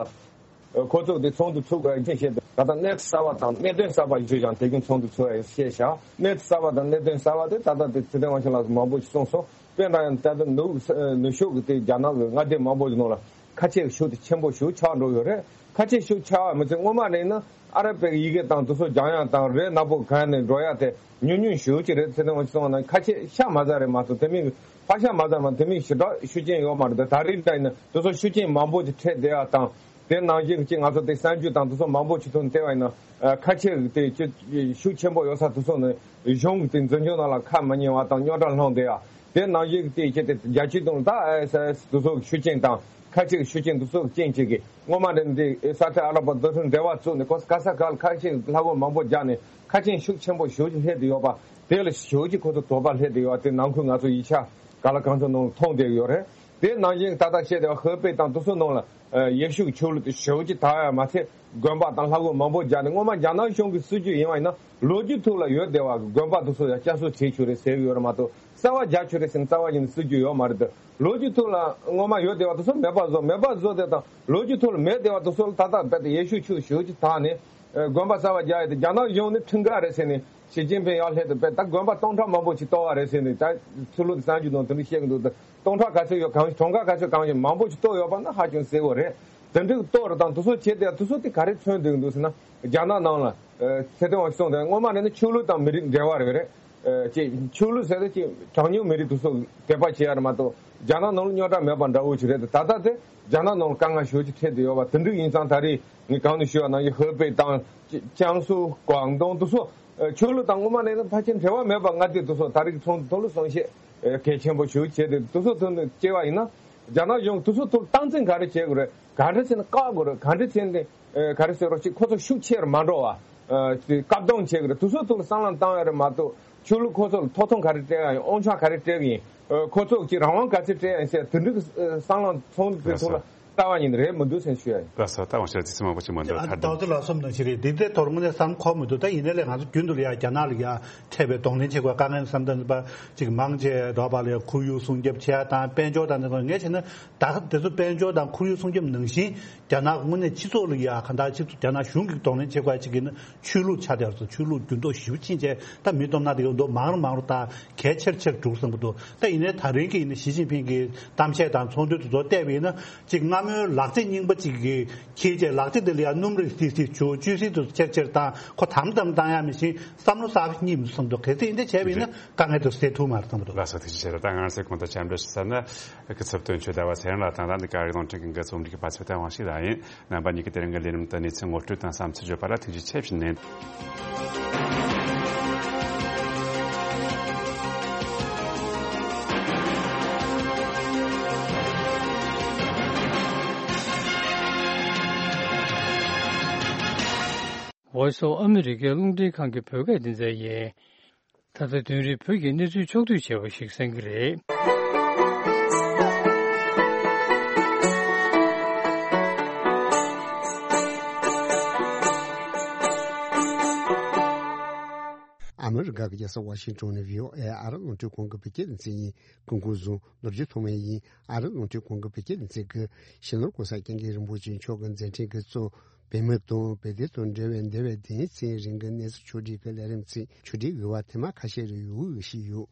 ཁོ་ཚོ་དེ་ཚོགས་འདུ་ཚུགས་པ་ཡིན་ཞེས་ད་ལྟ་གནས་ཚུལ་གསར་པ་དང་གནད་དོན་གསར་པ་ཞིག་ཀྱང་དེ་རིང་ཚོགས་འདུ་ཚུགས་པ་ཡིན་ཞེས་བྱ། གནས་ཚུལ་གསར་པ་དང་གནད་དོན་གསར་པ་དེ་ད་ལྟ་དེ་ཚེ་བརྟན་དབང་ཕྱུག་ལགས་མང་པོ་ཞིག་གསུངས་སོང་། དཔེར་ན་ཡང་ད་ལྟ་ནུབ་ནུབ་ཕྱོགས་ཀྱི་དེ་རྒྱ་ནག་གི་མངའ་སྡེ་མང་པོ་ཞིག་ནང་ལ་ཁ་ཆེ་གི་ཤུགས་དེ་ཆེན་པོ་ཞིག་ཆགས་འགྲོ་ཡོད་རེད། ཁ་ཆེ་ཤུགས་ཆགས་པ་མི་ཚད་སྔོན་མ་ནས་ན་ཨ་ར་པའི་ཡི་གེ་དང་དེ་ཚོ་སྦྱང་ཡག་དང་རེད། ནག་པོ་གང་ནས་འགྲོ་ཡག་དེ་ཉུང་ཉུང་ཞེ་པོ་ཅིག་རེད། ཚེ་བརྟན་དབང་ཕྱུག་གསུངས་པ་ན་ཁ་ཆེ་ཤ་མ་ཟ་རེད་མ་གཏོགས་དེ་མིན་ཕག་ཤ་མ་ཟ་མ་དེ་མིན་ཞེ་དྲག་ཤུགས་རྐྱེན་ཡོད་མ་རེད། ད་རེས་འདྲ་ཡིན་ན་དེ་ཚོ་ཤུགས་རྐྱེན་མང་པོ་ཅིག་འཕྲད་བསྡད་ཡག་དང་། དེ་ནང་བཞིན་གྱི་ང་ཚོ་དེ་གསར་འགྱུར་དང་དེ་ཚོ་མང་པོ་ཅིག་ཐོག་ནས་བལྟས་པ་ཡིན་ན། ཨ། ཁ་ཆེ་དེ་ཅི་ཤུགས་ཆེན་པོ་ཡོད་ས་དེ་ཚོ་ནི་གཞུང་གི་དེ་འཛིན་སྐྱོང་ནང་ལ་ཁ་མ་ཉན་པ་དང་རྙོག་དྲ་སློང་བསྡད་ཡག་དེ་ནང་བཞིན་གྱི་དེ་ཅི་དེ་རྒྱལ་སྤྱིའི་སྟེང་ལ་ད་ཨེ་ས་ཨེ་ས་དེ་ཚོ་གི་ཤུགས་རྐྱེན་དང་ཁ་ཆེ་གི་ཤུགས་རྐྱེན་དེ་ཚོ་གི་རྐྱེན་ཅིག་གིས་སྔོན་མ་ནས་འདི་ས་ཁྲ་ཨ་ལ་པ་རྡོ་ཁྲིམས་འབྲེལ་བ་བཙུགས་ནས་ཁོ་ག་ས་ག་ལ་ཁ་ཆེ་ལྷ་སྒོ་མང་པོ་རྒྱག་ནས་ཁ་ཆེ་ཤུགས་ཆེན་པོ་ཞེ་པོ་ཅིག་སླེབས་བསྡད་ཡོད་པ། དེ་ལ་ཞེ་པོ་ཅིག་ཁོ་ཚོ་དོགས་པ་སླེབས་བསྡད་ཡོད་པ་དེ་ནང་ཁུལ་ང་ཚོ་ཡིག་ཆ་ག་ལ་གང་ཚོ་ནང་ལ་མཐོང་བསྡད་ཡོད་རེད། དེ་ནང་བཞིན་ད་ལྟ་བཤད་བསྡད་པ་ཧོ་པེ་དང་དེ་ཚོ་ནང་ལ་ཡེ་ཤུ་གི་ཆོས་ལུགས་དེ་ཞེ་པོ་ཅིག་དར་ཡ་མ་ཚད་དགོན་པ་དང་ལྷ་སྒོ་མང་པོ་རྒྱག་ནས། སྔོན་མ་རྒྱ་ནག་གཞུང་གི་སྲིད་ཇུས་ཡིན་པ་ཡིན་ན་ལོ་རྒྱུས་ཐོག་ལ་ཡོད་བསྡད་པ་གི་དགོན་པ་དེ་ཚོ་ཡང་བསྐྱར་གསོ་བྱེད་ཆོག་རེད་ཟེར་གི་ཡོད་རེད་མ་གཏོགས་རྩ་བ་རྒྱག་ཆོག་རེད་ཟེར་ནས་རྩ་བ་ཉིད་ནས་སྲིད་ཇུས་ཡོད་མ་རེད་དེ། ལོ་རྒྱུས་ཐོག་ལ་སྔོན་མ་ཡོད་བསྡད་པ་དེ་ཚོ་མེད་པ་བཟོ་མེད་པ་བཟོ་དེ་དང་། ལོ་རྒྱུས་ཐོག་ལ་མེད་བསྡད་པ་དེ་ཚོ་ལ་ད་ལྟ་རྦད་དེ་ཡེ་ཤུ་ཆོས་ཞེ་པོ་ཅིག་དར་ནས་དགོན་པ་གསར་པ་རྒྱག་ཡ་དེ་རྒྱ་ནག་གཞུང་ནས་ཁྲིམས་འགལ་རེད་ཟེར་ནས། ཞི་ཅིན་ཕིང་ཡར་སླེབས་དུས་དཔེ་ད་དགོན་པ་སྟོང་ཕྲག་མང་པོ་ཅིག་གཏོར་བ་རེད་ཟེར་ནས་ད་ཚུར་ལོག་གསར་འགྱུར་ནང་དེ་འདྲ་བཤད་གི་འདུག་ད་སྟོང་ཕྲག་ག་ཚོད་ཡོད་གང་གྲངས་ཀ་ག་ཚོད་གང་ཞིག་མང་པོ་ཅིག་གཏོར་ཡོད་པ་ན་ཧ་ཅང་གསལ་པོ་རེད། དེ་འདྲའི་གཏོར་དང་དེ་ཚོ་བྱས་ཏེ་དེ་ཚོ་དེ་ག་རེ་མཚོན་བསྡད་གི་འདུག་ཟེར་ན། རྒྱ་ནག་ནང་ལ་ཚེ་བརྟན་དབང་ཕྱུག་གསུངས་དེ་སྔོན་མ་ནས་ནི་ཆོས་ལུགས་དང་མི་རིགས་འབྲེལ་བ་རེད་རེད། ཅེས་ཆོས་ལུགས་ཟེར་དེ་ཅིག་གྲངས་ཉུང་མི་རིགས་དེ་ཚོ་དད་པ་བྱེད་ཡ་རེད་མ་གཏོགས་རྒྱ་ནག་ནང་ལ་རྙོག་དྲ་མེད་པ་འདྲ་བོ་ཞིག་རེད་དེ། ད་ལྟ་དེ་རྒྱ་ནག་ནང་ལ་དཀའ་ངལ་ཞེ་པོ་ཅིག་འཕྲད་བསྡད་ཡོད་པ་དེ་འདྲ་ཡིན་ཙང་། ད་རེས་ངས་གོང་ནས་ཞུས་པ་ནང་བཞིན་ཧོ་པེ་དང་ཅང་སུ་ཀོང་ཏུང་དེ་ཚོ། ཨ། ཆོས་ལུགས་དང་སྔོན་མ་ནས་ནི་ཕལ་ཆེར་འབྲེལ་བ་མེད་པ་མངའ་སྡེ་དེ་ཚོ་ད་རེས་ཚོགས་འདུ་ཐོག་ལ་གསུང་བཤད་ཨ་གལ་ཆེན་པོ་ཞིག་བྱས་ཏེ་དེ་ཚོ་ཐོག་ནས་བྱས་པ་ཡིན་ན། རྒྱ་ནག་གཞུང་དེ་ཚོ་ཐོག་སྟངས་འཛིན་ག་རེ་བྱེད་དགོས་རེད། ག་འདྲ་བྱས་ནས་བཀག་དགོས་རེད། ག་འདྲ་བྱས་ནས་ཨ་ག་རེ་ཟེར་རོགས་ཅིག་ཁོ་ཚོ་ཤུགས་ཆེར་མ་འགྲོ་བ་ཨ་བཀག་སྡོམ་བྱེད་དགོས་རེད། དེ་ཚོ་ཐོག་ལ་བསམ་བློ་བཏང་ཡ་རེད་མ་གཏོགས་ཆོས་ལུགས་ཁོ་ཚོ་ལ་ཐོབ་ཐང་ག་རེ་སྤྲད་ཡ་ཡིན། དབང་ཆ་ག་རེ་སྤྲད་ཀྱི་ཡིན། ཨ་ཁོ་ཚོ་ཀྱི་རང་དབང་ག་ཚོད་སྤྲད་ཡ་ཡིན་ཟེར་དེ་འདྲའི་ཨ་བསམ་བློ་ཚོགས་འདུ་དེ་ཐོག་ལ། ལྟ་བ་ཉིད་རེད་མི་འདུག་ཟེར་ཞུ་ཡ་ཡིན། ལགས་སོ། ད་ང་ཞལ་ཙི་ཙི་མང་པོ་ཅིག་མ་འདུག་ཨ་ད་ད་དུང་ལགས་སོ་མདོག་ཅིག་རེད། འདི་ཚོའི་ཐོག་དངོས་གནས་བསམ་ཁོམ་མི་འདུག་ད་ཡིན་ནའི་ལས་ང་ཚོ་རྒྱུན་དུ་ལ་ཡ་རྒྱ་ནག་ལ་ཡ་འཕྲད་པའི་གདོང་ལེན་བྱེད་དགོས་དཀའ་ངལ་བསམ་གཏན་པ་ཅིག་མང་ཆེ་འགྲོ་བ་ལ་ཡ་ཁོར་ཡུག་སྲུང་སྐྱོབ་བྱེད་ཡ་དང་དཔལ་འབྱོར་དང་དེ་ཚོ་ངས་བྱས་ན་ད་དེ་ཚོ་དཔལ་འབྱོར་དང་ཁོར་ཡུག་སྲུང་སྐྱོབ་ནང་བཞིན་རྒྱ་ནག་དངོས་གནས་སྤྱི་ཚོགས་ལ་ཡ་གང་ལྟར་སྤྱི་ཚོགས་རྒྱ་ནག་གཞུང་གི་གདོང་ལེན་བྱེད་དགོས་ཅིག་ཡིན་ན། ཆོས་ལུགས་ཆ་དེ་ཚོ་ཆོས་ལུགས་འགྱུར་ལྡོག་ཞེ་པོ་ཕྱིན་བྱས་ད་མི་སྟོབས་ན་དེ་ག་འདུག་མང་རུ་མང་རུ་དང་གལ་ཆེར་ཆེར་འགྲོ་བསམ་གྱི་འདུག་ད་ཡིན་ནའི་ད་རིང་གི་ཡིན་ན་ཞི་ཅིན་ཕིང་གི་གཏམ་བཤད་དང་ཚོགས་འདུ་དེ་ཚོ་བལྟས་པ་ཡིན་ན་ཅིག་སྔ་མོའི་ལག་ཆ་རྙིང་པ་ཅིག་གི་ཁྱེད་ཀྱི་ལག་ཆ་དེ་ལ་ཡང་སྣུམ་རིགས་ཏིག་ཏིག་བྱུག་བཅུད་བསྲེས་དེ་ཚོ་ཆེར་ཆེར་དང་ཁོ་དམ་དམ་བཏང་ཡ་མི་ཤེས། བསམ་བློ་གསར་པ་རྙེད་མི་འདུག་བསམ་གྱི་འདུག་གལ་སྲིད་ཡིན་དེ་བྱས་པ་ཡིན་ན་དཀའ་ངལ་དེ་སེལ་ཐུབ་མ་རེད་བསམ་གྱི་འདུག་ལགས་སོ། ཐུགས་རྗེ་ཆེ། ད་ང་རང་ཚོའི་གོང་དུ་ཆ་འདོད་ཞུ་ས་ན་སྐུ་ཚབ་དོན་གཅོད་ཟླ་བ་ཚེ་རིང་ལགས་དང་ད་ལྟ་འདི་ག་རེ་གདོང་དྲན་གྱི་འགན་རྩོམ་སྒྲིག་གི་པ་ཚོ་ད་དབང་ཤེད་ལ་ཡིན། རྣམ་པ་གཉིས་ཀྱིས་དེ་རིང་གི་ལས་རིམ་དུ་གནས་ཚུལ་ངོ་སྤྲོད་དང་བསམ་ཚུལ་བརྗོད་པ་ལ་ཐུགས་རྗེ་ཆེ་ཞུ་ནས། Voice of America རླུང་འཕྲིན་ཁང་གི་བོད་སྐད་སྡེ་ཚན་ཡིན། ད་ལྟ་དོན་རིག་བོད་ཀྱི་གནས་ཚུལ་ཕྱོགས་བསྡུས་བྱས་པ་ཞིག་གསན་གྱི་རེད། ཨ་མི་རི་ ག་གི་རྒྱལ་ས་ཝ་ཤིང་ཏོན་ནས་བྷི་ཨོ་ཨེ་ཨ་རི་རླུང་འཕྲིན་ཁང་གི་བོད་སྐད་སྡེ་ཚན་ཡིན། སྐུ་ཁམས་བཟང་། ནོར་གྱི་ཐོག་མའི་ཡིན། ཨ་རི་རླུང་འཕྲིན་ཁང་གི་བོད་སྐད་སྡེ་ཚན་གྱི་སྤྱི་ནོར་གོང་ས་སྐྱབས་མགོན་རིན་པོ་ཆེ་མཆོག་གི་མཛད་འཕྲིན་གྱི་གཙོ་བོད་མི་དང་བོད་དོན་དང་འབྲེལ་བའི་འདས་པའི་དེའི་ཚེ་རིང་གི་གནས་ཚུལ་ཕྱོགས་བསྒྲིགས་ཀྱི་ལས་རིམ་ཚན་ཕྱོགས་བསྒྲིགས་དབྱེ་བ་ཐེངས་མ་ཁ་ཤས་རེ་ཡོད་ཞིག་ཡོད།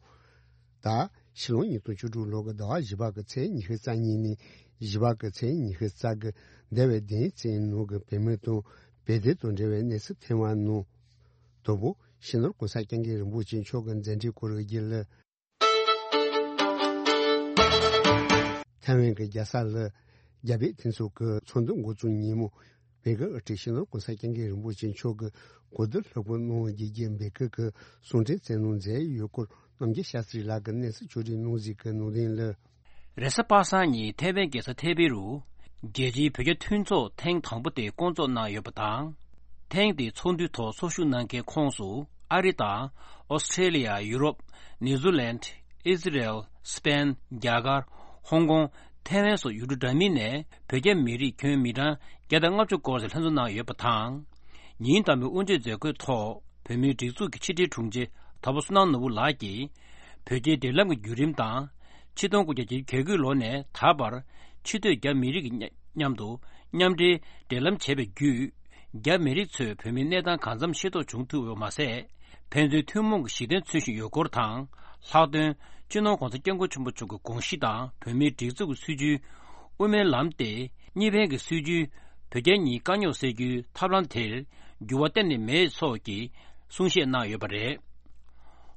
ད་ཕྱི་ལོ་ཉིས་སྟོང་བཅུ་དྲུག་ལོ་གི་ཟླ་བ་བཞི་པ་གི་ཚེས་ཉི་ཤུ་རྩ་གཉིས་ནས་བཞི་པ་གི་ཚེས་ཉི་ཤུ་རྩ་གི་འདས་པའི་དེའི་ཚེ་ནང་གི་བོད་མི་དང་བོད་དོན་དང་འབྲེལ་བའི་གནས་ཚུལ་ཐེངས་མ་ནང་དང་པོ་སྤྱི་ནོར་གོང་ས་སྐྱབས་མགོན་རིན་པོ་ཆེ་མཆོག་གི་མཛད་འཕྲིན་སྐོར་གྱི་ལ། ཐའེ་ཝན་གྱི་རྒྱལ་ས་ལ་རྒྱ་བོད་མཐུན་ཚོགས་ཀྱི་ཚོགས་འདུ་འགོ་བཙུགས་ཉིན་མོ། བོད་ཀྱི་དབུ་ཁྲིད་སྤྱི་ནོར་གོང་ས་སྐྱབས་མགོན་རིན་པོ་ཆེ་མཆོག་གིས་གོ་བསྡུར་ལྷུག་པོ་གནང་བ་བརྒྱུད་རྒྱུ་འབོད་སྐུལ་གྱི་གསུང་འཕྲིན་བསྩལ་གནང་མཛད་ཡོད་སྐོར། རྣམ་རྒྱལ་ཤཱ་སྟྲི་ལགས་ཀྱིས་གནས་ཚུལ་ཕྱོགས་བསྒྲིགས་གནང་གཟིགས་ཀྱི་ནང་དོན་ལ། རེས་གཟའ་པ་སངས་ཉིན་ཐའེ་ཝན་རྒྱལ་ས་ཐའེ་པེ་རུ། རྒྱལ་སྤྱིའི་བོད་རྒྱ་མཐུན་ཚོགས་ཐེངས་དང་པོ་དེ་བསྐོང་ཚོགས་གནང་ཡོད་པ་དང་། ཐེངས་འདིའི་ཚོགས་འདུའི་ཐོག་ཚོགས་ཞུགས་གནང་མཁན་ཁོངས་སུ་ཨ་རི་དང་། ཨོ་སི་ཁྲེ་ལི་ཡ། ཡུ་རོབ། ནིའུ་ཛི་ལན། ཨི་ཟི་རལ། སི་པེན། རྒྱ་གར། ཧོང་ཀོང་། ཐའེ་ཝན་སོགས་ཡུལ་གྲུ་འདྲ་མིན་ནས་བོད་རྒྱ་མི་རིགས་ཁྱོན་མི་གྲངས་བརྒྱ་དང་ལྔ་བཅུ་སྐོར་ཞིག་ལྷན་འཛོམས་གནང་ཡོད་པ་དང་། ཉིན་དང་པོའི་དབུ་འབྱེད་མཛད་སྒོའི་ཐོག་བོད་མིའི་སྒྲིག་འཛུགས་ཀྱི་ཕྱི་དྲིལ་དྲུང་ཆེ་དྭགས་པོ་བསོད་ནམས་ནོར་བུ་ལགས་ཀྱིས། བོད་རྒྱའི་འབྲེལ་ལམ་གྱི་བརྒྱུད་རིམ་དང་། ཆིག་སྟོང་དགུ་བརྒྱ་བརྒྱད་ཅུ་གྱ་དགུའི་ལོ་ནས་ད་བར། ཕྱི་སྡོད་རྒྱ་མི་རིགས་ཀྱི་མཉམ་དུ་མཉམ་འབྲེལ་འབྲེལ་ལམ་བྱས་པའི་བརྒྱུད། རྒྱ་མི་རིགས་ཚོས་བོད་མིའི་གནས་སྟངས་གང་འཚམ་ཤེས་རྟོགས་བྱུང་ཐུབ་པ་མ་ཟད། ཕན་ཚུན་ཐུན་མོང་གི་གཞི་རྟེན་མཚོན་བཞིན་ཡོད་སྐོར་དང་། ལྷག་དོན། སྤྱི་ནོར་༧གོང་ས་༧སྐྱབས་མགོན་ཆེན་པོ་མཆོག་གི་དགོངས་གཞི་དང་བོད་མིའི་སྒྲིག་འཛུགས་ཀྱི་སྲིད་བྱུས། དབུ་མའི་ལམ་སྟེ། གཉིས་ཕན་གྱི་སྲིད་བྱུས། བོད་རྒྱ་གཉིས་དཀའ་རྙོག་སེལ་རྒྱུའི་ཐབས་ལམ་དེར་འགྱུར་བ་གཏན་ནས་མེད་སོགས་ཀྱི་གསུང་བཤད་གནང་ཡོད་པ་རེད།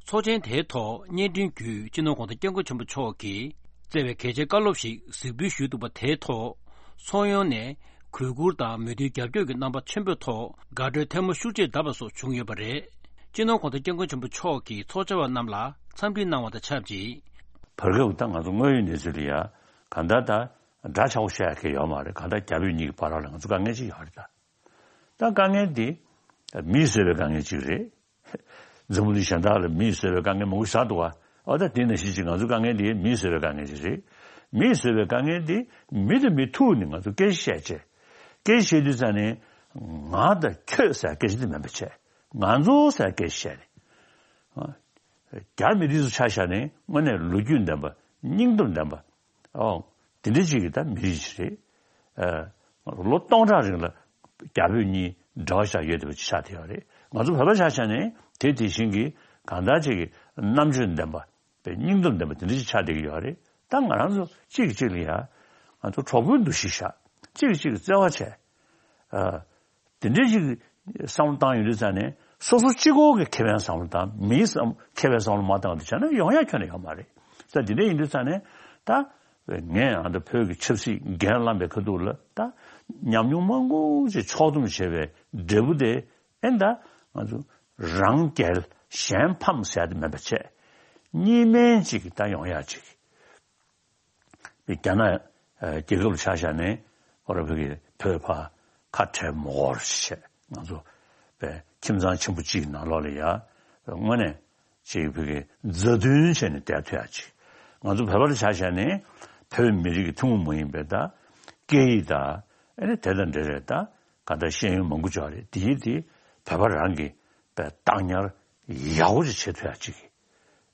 ཚོགས་ཆེན་དེའི་ཐོག་སྙན་སྒྲོན་བརྒྱུད་སྤྱི་ནོར་༧གོང་ས་༧སྐྱབས་མགོན་ཆེན་པོ་མཆོག་གིས་བསྩལ་བའི་གལ་ཆེའི་བཀའ་སློབ་ཞིག་གཟིགས་འབུལ་ཞུས་འདུག་པ། དེའི་ཐོག་ཚོགས་ཡོངས་ནས་གུས་བཀུར་དང་མོས་མཐུན་རྒྱབ་སྐྱོར་གྱི་རྣམ་པ་ཆེན་པོའི་ཐོག་དགའ་སྤྲོའི་ཐལ་མོ་ཤུགས་ཆེར་བརྡབས་པ་སོགས་བྱུང་ཡོད་པ་རེད། སྤྱི་ནོར་༧གོང་ས་༧སྐྱབས་མགོན་ཆེན་པོ་མཆོག་གིས་ཚོགས་བཅར་བ་རྣམས་ལ་འཚམས་འདྲི་གནང་བ་དང་ཆབས་ཅིག་བར་སྐབས་ད་ང་ཚོ་དངོས་ཡོད་གནས་ཚུལ་ལ་ཡ་གང་ལྟར་ད་འདྲ་ཆགས་པོ་བཤད་ཡ་གི་ཡོད་མ་རེད། གང་ལྟར་རྒྱ་བོད་གཉིས་ཀྱི་བར་ལ་ང་ཚོ་དཀའ་ངལ་ཅིག་ཡོད་རེད་ད། ད་དཀའ་ངལ་འདི་མིས་བཟོས་པའི་དཀའ་ངལ་ཅིག་རེད། འཛམ་བུ་གླིང་གཞན་དག་ལ་མིས་བཟོས་པའི་དཀའ་ངལ་མང་པོ་ཞིག་ཆགས་འདུག་བ། ཨ་ད་དེ་ནང་བཞིན་ཅིག་ང་ཚོའི་དཀའ་ངལ་འདི་མིས་བཟོས་པའི་དཀའ་ངལ་ཅིག་རེད། མིས་བཟོས་པའི་དཀའ་ངལ་འདི་མི་དང་མི་ཐུག་ནས་ང་ཚོ་སྐད་ཆ་བཤད་བྱས། སྐད་ཆ་བཤད་དུས་ཙང་ནས་ང་དང་ཁྱོད་ཟེར་སྐད་ཆ་འདི་མིན་པ་བྱས། ང་ཚོ་ཟེར་སྐད་ཆ་བཤད་ནས། རྒྱ་མི་རིགས་ཚོ་ཆ་བཞག་ནས་དངོས་གནས་ལོ་རྒྱུས་ལྡན་པ། སྙིང་སྟོབས་ལྡན་པ། ཨོ། དེ་འདྲ་ཅིག་གི་ད་མི་རིགས་ཅིག་རེད། ཨ། ལོ་སྟོང་ཕྲག་རིང་ལ་རྒྱ་བོད་གཉིས་འབྲེལ་བ་བཞག་ཡོད་བསྡད་པ་ཅིག་ཆགས་བསྡད་ཡོད་རེད། ང་ཚོ་བོད་པ་ཆ་བཞག་ནས་དེ་དེ་བཞིན་གྱི་གང་ལྟར་ཅིག་གི་རྣམ་དཔྱོད་ལྡན་པ། པའི་སྙིང་སྟོབས་ལྡན་པ་དེ་འདྲ་ཅིག་ཆགས་བསྡད་ཀྱི་ཡོད་རེད། ད་ང་རང་ཚོ་གཅིག་གིས་གཅིག་ལ་ཡ། ང་ཚོ་གྲོགས་པོའི་འདུ་ཤེས་བཞག་གཅིག་གིས་གཅིག་ལ་བརྩེ་བ་བྱས། ཨ། དེ་འདྲའི་ཅིག་བསམ་བློ་བཏང་ཡོང་དུས་ཙང་ནས་སོ་སོ་གཅིག་པོ་གི་ཁེ་ཕན་བསམ་བློ་བཏང་། མིའི་བསམ་ཁེ་ཕན་བསམ་བློ་མ་བཏང་བ་དེ་བྱས་ན་ཡོང་ཡ་ཁྱོན་ནས་ཡོད་མ་རེད། ད་དེ་འདྲ་ཡིན་དུས་ཙང་ནས་ད་ངས་ཨ་ད་བོད་ཀྱི་ཆབ་སྲིད་འགན་བླངས་པའི་ཁ་ཐུག་ལ་ད་ཉམས་མྱོང་མང་པོ་ཅིག་ཕྱོགས་བསྡོམས་བྱས་པའི་འབྲས་བུ་དེ་ཨེ་ད་ང་ཚོ་རང་རྒྱལ་གཞན་ཕམ་ཟེར་ཡ་དེ་མེད་པ་བྱས། གཉིས་སྨན་ཅིག་ད་ཡོང་ཡ་ཅིག་རྒྱ་ནག་རྒྱལ་ཁབ་ལ་ཆ་བཞག་ནས་ཁོ་ར་བོད་ཀྱི་བོད་ཕ་ཁ་བྲལ་མི་དགོས་ཞེས་ང་ཚོ་པའི་ཁྱིམ་ཚང་ཆེན་པོ་གཅིག་གི་ནང་ལོགས་ལ་ཡ་དངོས་གནས་ཅིག་བོད་ཀྱི་མཛའ་མཐུན་བྱས་ནས་བསྡད་ཐུབ་ཡ་ཅིག་ང་ཚོ་བོད་པ་ལ་ཆ་བཞག་ནས་བོད་མི་རིགས་ཀྱི་ཐུན་མོང་མ་ཡིན་པའི་ད་སྐད་ཡིག་ད་ཨ་ནི་དེ་དང་འབྲེལ་བའི་ད་ག་ད་ཤེས་ཡོན་མང་པོ་ཅིག་ཡོད་རེད། དེ་ཡིན་དེ་བོད་པ་རང་གི་པའི་བདག་ཉར་ཡག་པོ་ཅིག་བྱེད་ཐུབ་ཡ་ཅིག་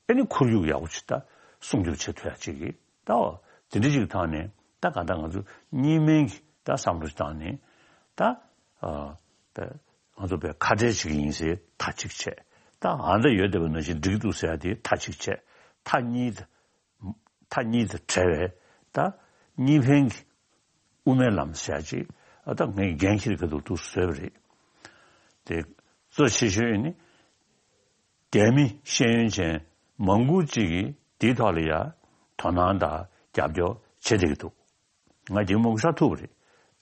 ཨ་ནི་ཁོར་ཡུག་ཡག་པོ་ཅིག་ད་སྲུང་སྐྱོབ་བྱེད་ཐུབ་ཡ་ཅིག་གི་ད་འོ་དེ་འདྲ་ཅིག་ཐོག་ནས་ད་གང་ལྟར་ང་ཚོ་གཉིས་སྨན་གྱི་ད་བསམ་བློ་ཞིག་བཏང་ནས་ད་ཨ་པའི་ང་ཚོ་པའི་ཁ་བྲལ་བྱེད་ཀྱི་ཡིན་ཟེར་མཐའ་གཅིག་བྱས། ད་ཨ་ད་ཡོད་བསྡད་པ་ནང་བཞིན་འགྲིག་འདུག་ཟེར་ཡ་དེ་མཐའ་གཅིག་བྱས། མཐའ་གཉིས་དེ་མཐའ་གཉིས་དང་བྲལ་བའི་ད་གཉིས་ཕན་གྱི་དབུ་མའི་ལམ་ཟེར་ཡ་ཅིག་ཨ་ད་ངས་འགན་འཁྱེར་གྱི་འདུག་འདུག་བཟོས་པ་རེད། དེ་གཙོ་ཆེ་ཤོས་ནི་རྒྱ་མི་ཤེས་ཡོན་ཅན་མང་པོ་ཅིག་གིས་དེའི་ཐོག་ལ་ཡ་དོ་སྣང་དང་རྒྱབ་སྐྱོར་བྱེད་བསྡད་ཀྱི་འདུག་ང་རྒྱ་མི་མང་པོ་ཤ་ཐུག་པ་རེད།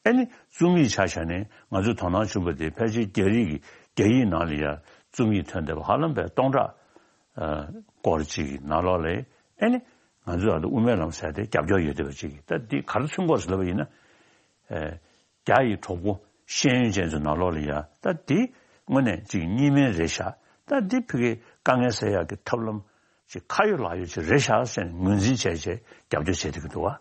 ཨ་ནི་རྩོམ་ཡིག་ཆ་བཞག་ནས་ང་ཚོས་དོ་སྣང་བྱུང་བ་དེ་ཕལ་ཆེར་རྒྱ་རིགས་ཀྱི་རྒྱ་ཡིག་ནང་ལ་ཡ་རྩོམ་ཡིག་ཐོན་བསྡད་པ་ཧ་ལམ་པའི་སྟོང་ཕྲག་སྐོར་ཅིག་གི་ནང་ལོགས་ལ་ཨ་ནི་ང་ཚོས་ཨ་ད་དབུ་མའི་ལམ་ཟེར་དེ་རྒྱབ་སྐྱོར་ཡོད་བསྡད་པ་ཅིག་གིས་ད་འདི་ག་རེ་མཚོན་དགོས་ཟེར་ལབ་པ་ཡིན་ན། རྒྱ་ཡི་གྲོགས་པོ་ཤེས་ཡོན་ཅན་ཚོའི་ནང་ལོགས་ལ་ཡ་ད་འདི་དངོས་གནས་ཅིག་གཉིས་སྨན་རེད་ཤག་ད་འདི་ཕ་གིའི་དཀའ་ངལ་སེལ་ཡག་གི་ཐབས་ལམ་ཅིག་ཁ་ཡོད་ལག་ཡོད་ཅིག་རེད་ཤག་ཟེར་ནས་ངོས་འཛིན་བྱས་བྱས་རྒྱབ་སྐྱོར་བྱས་བསྡད་ཀྱི་འདུག་བ།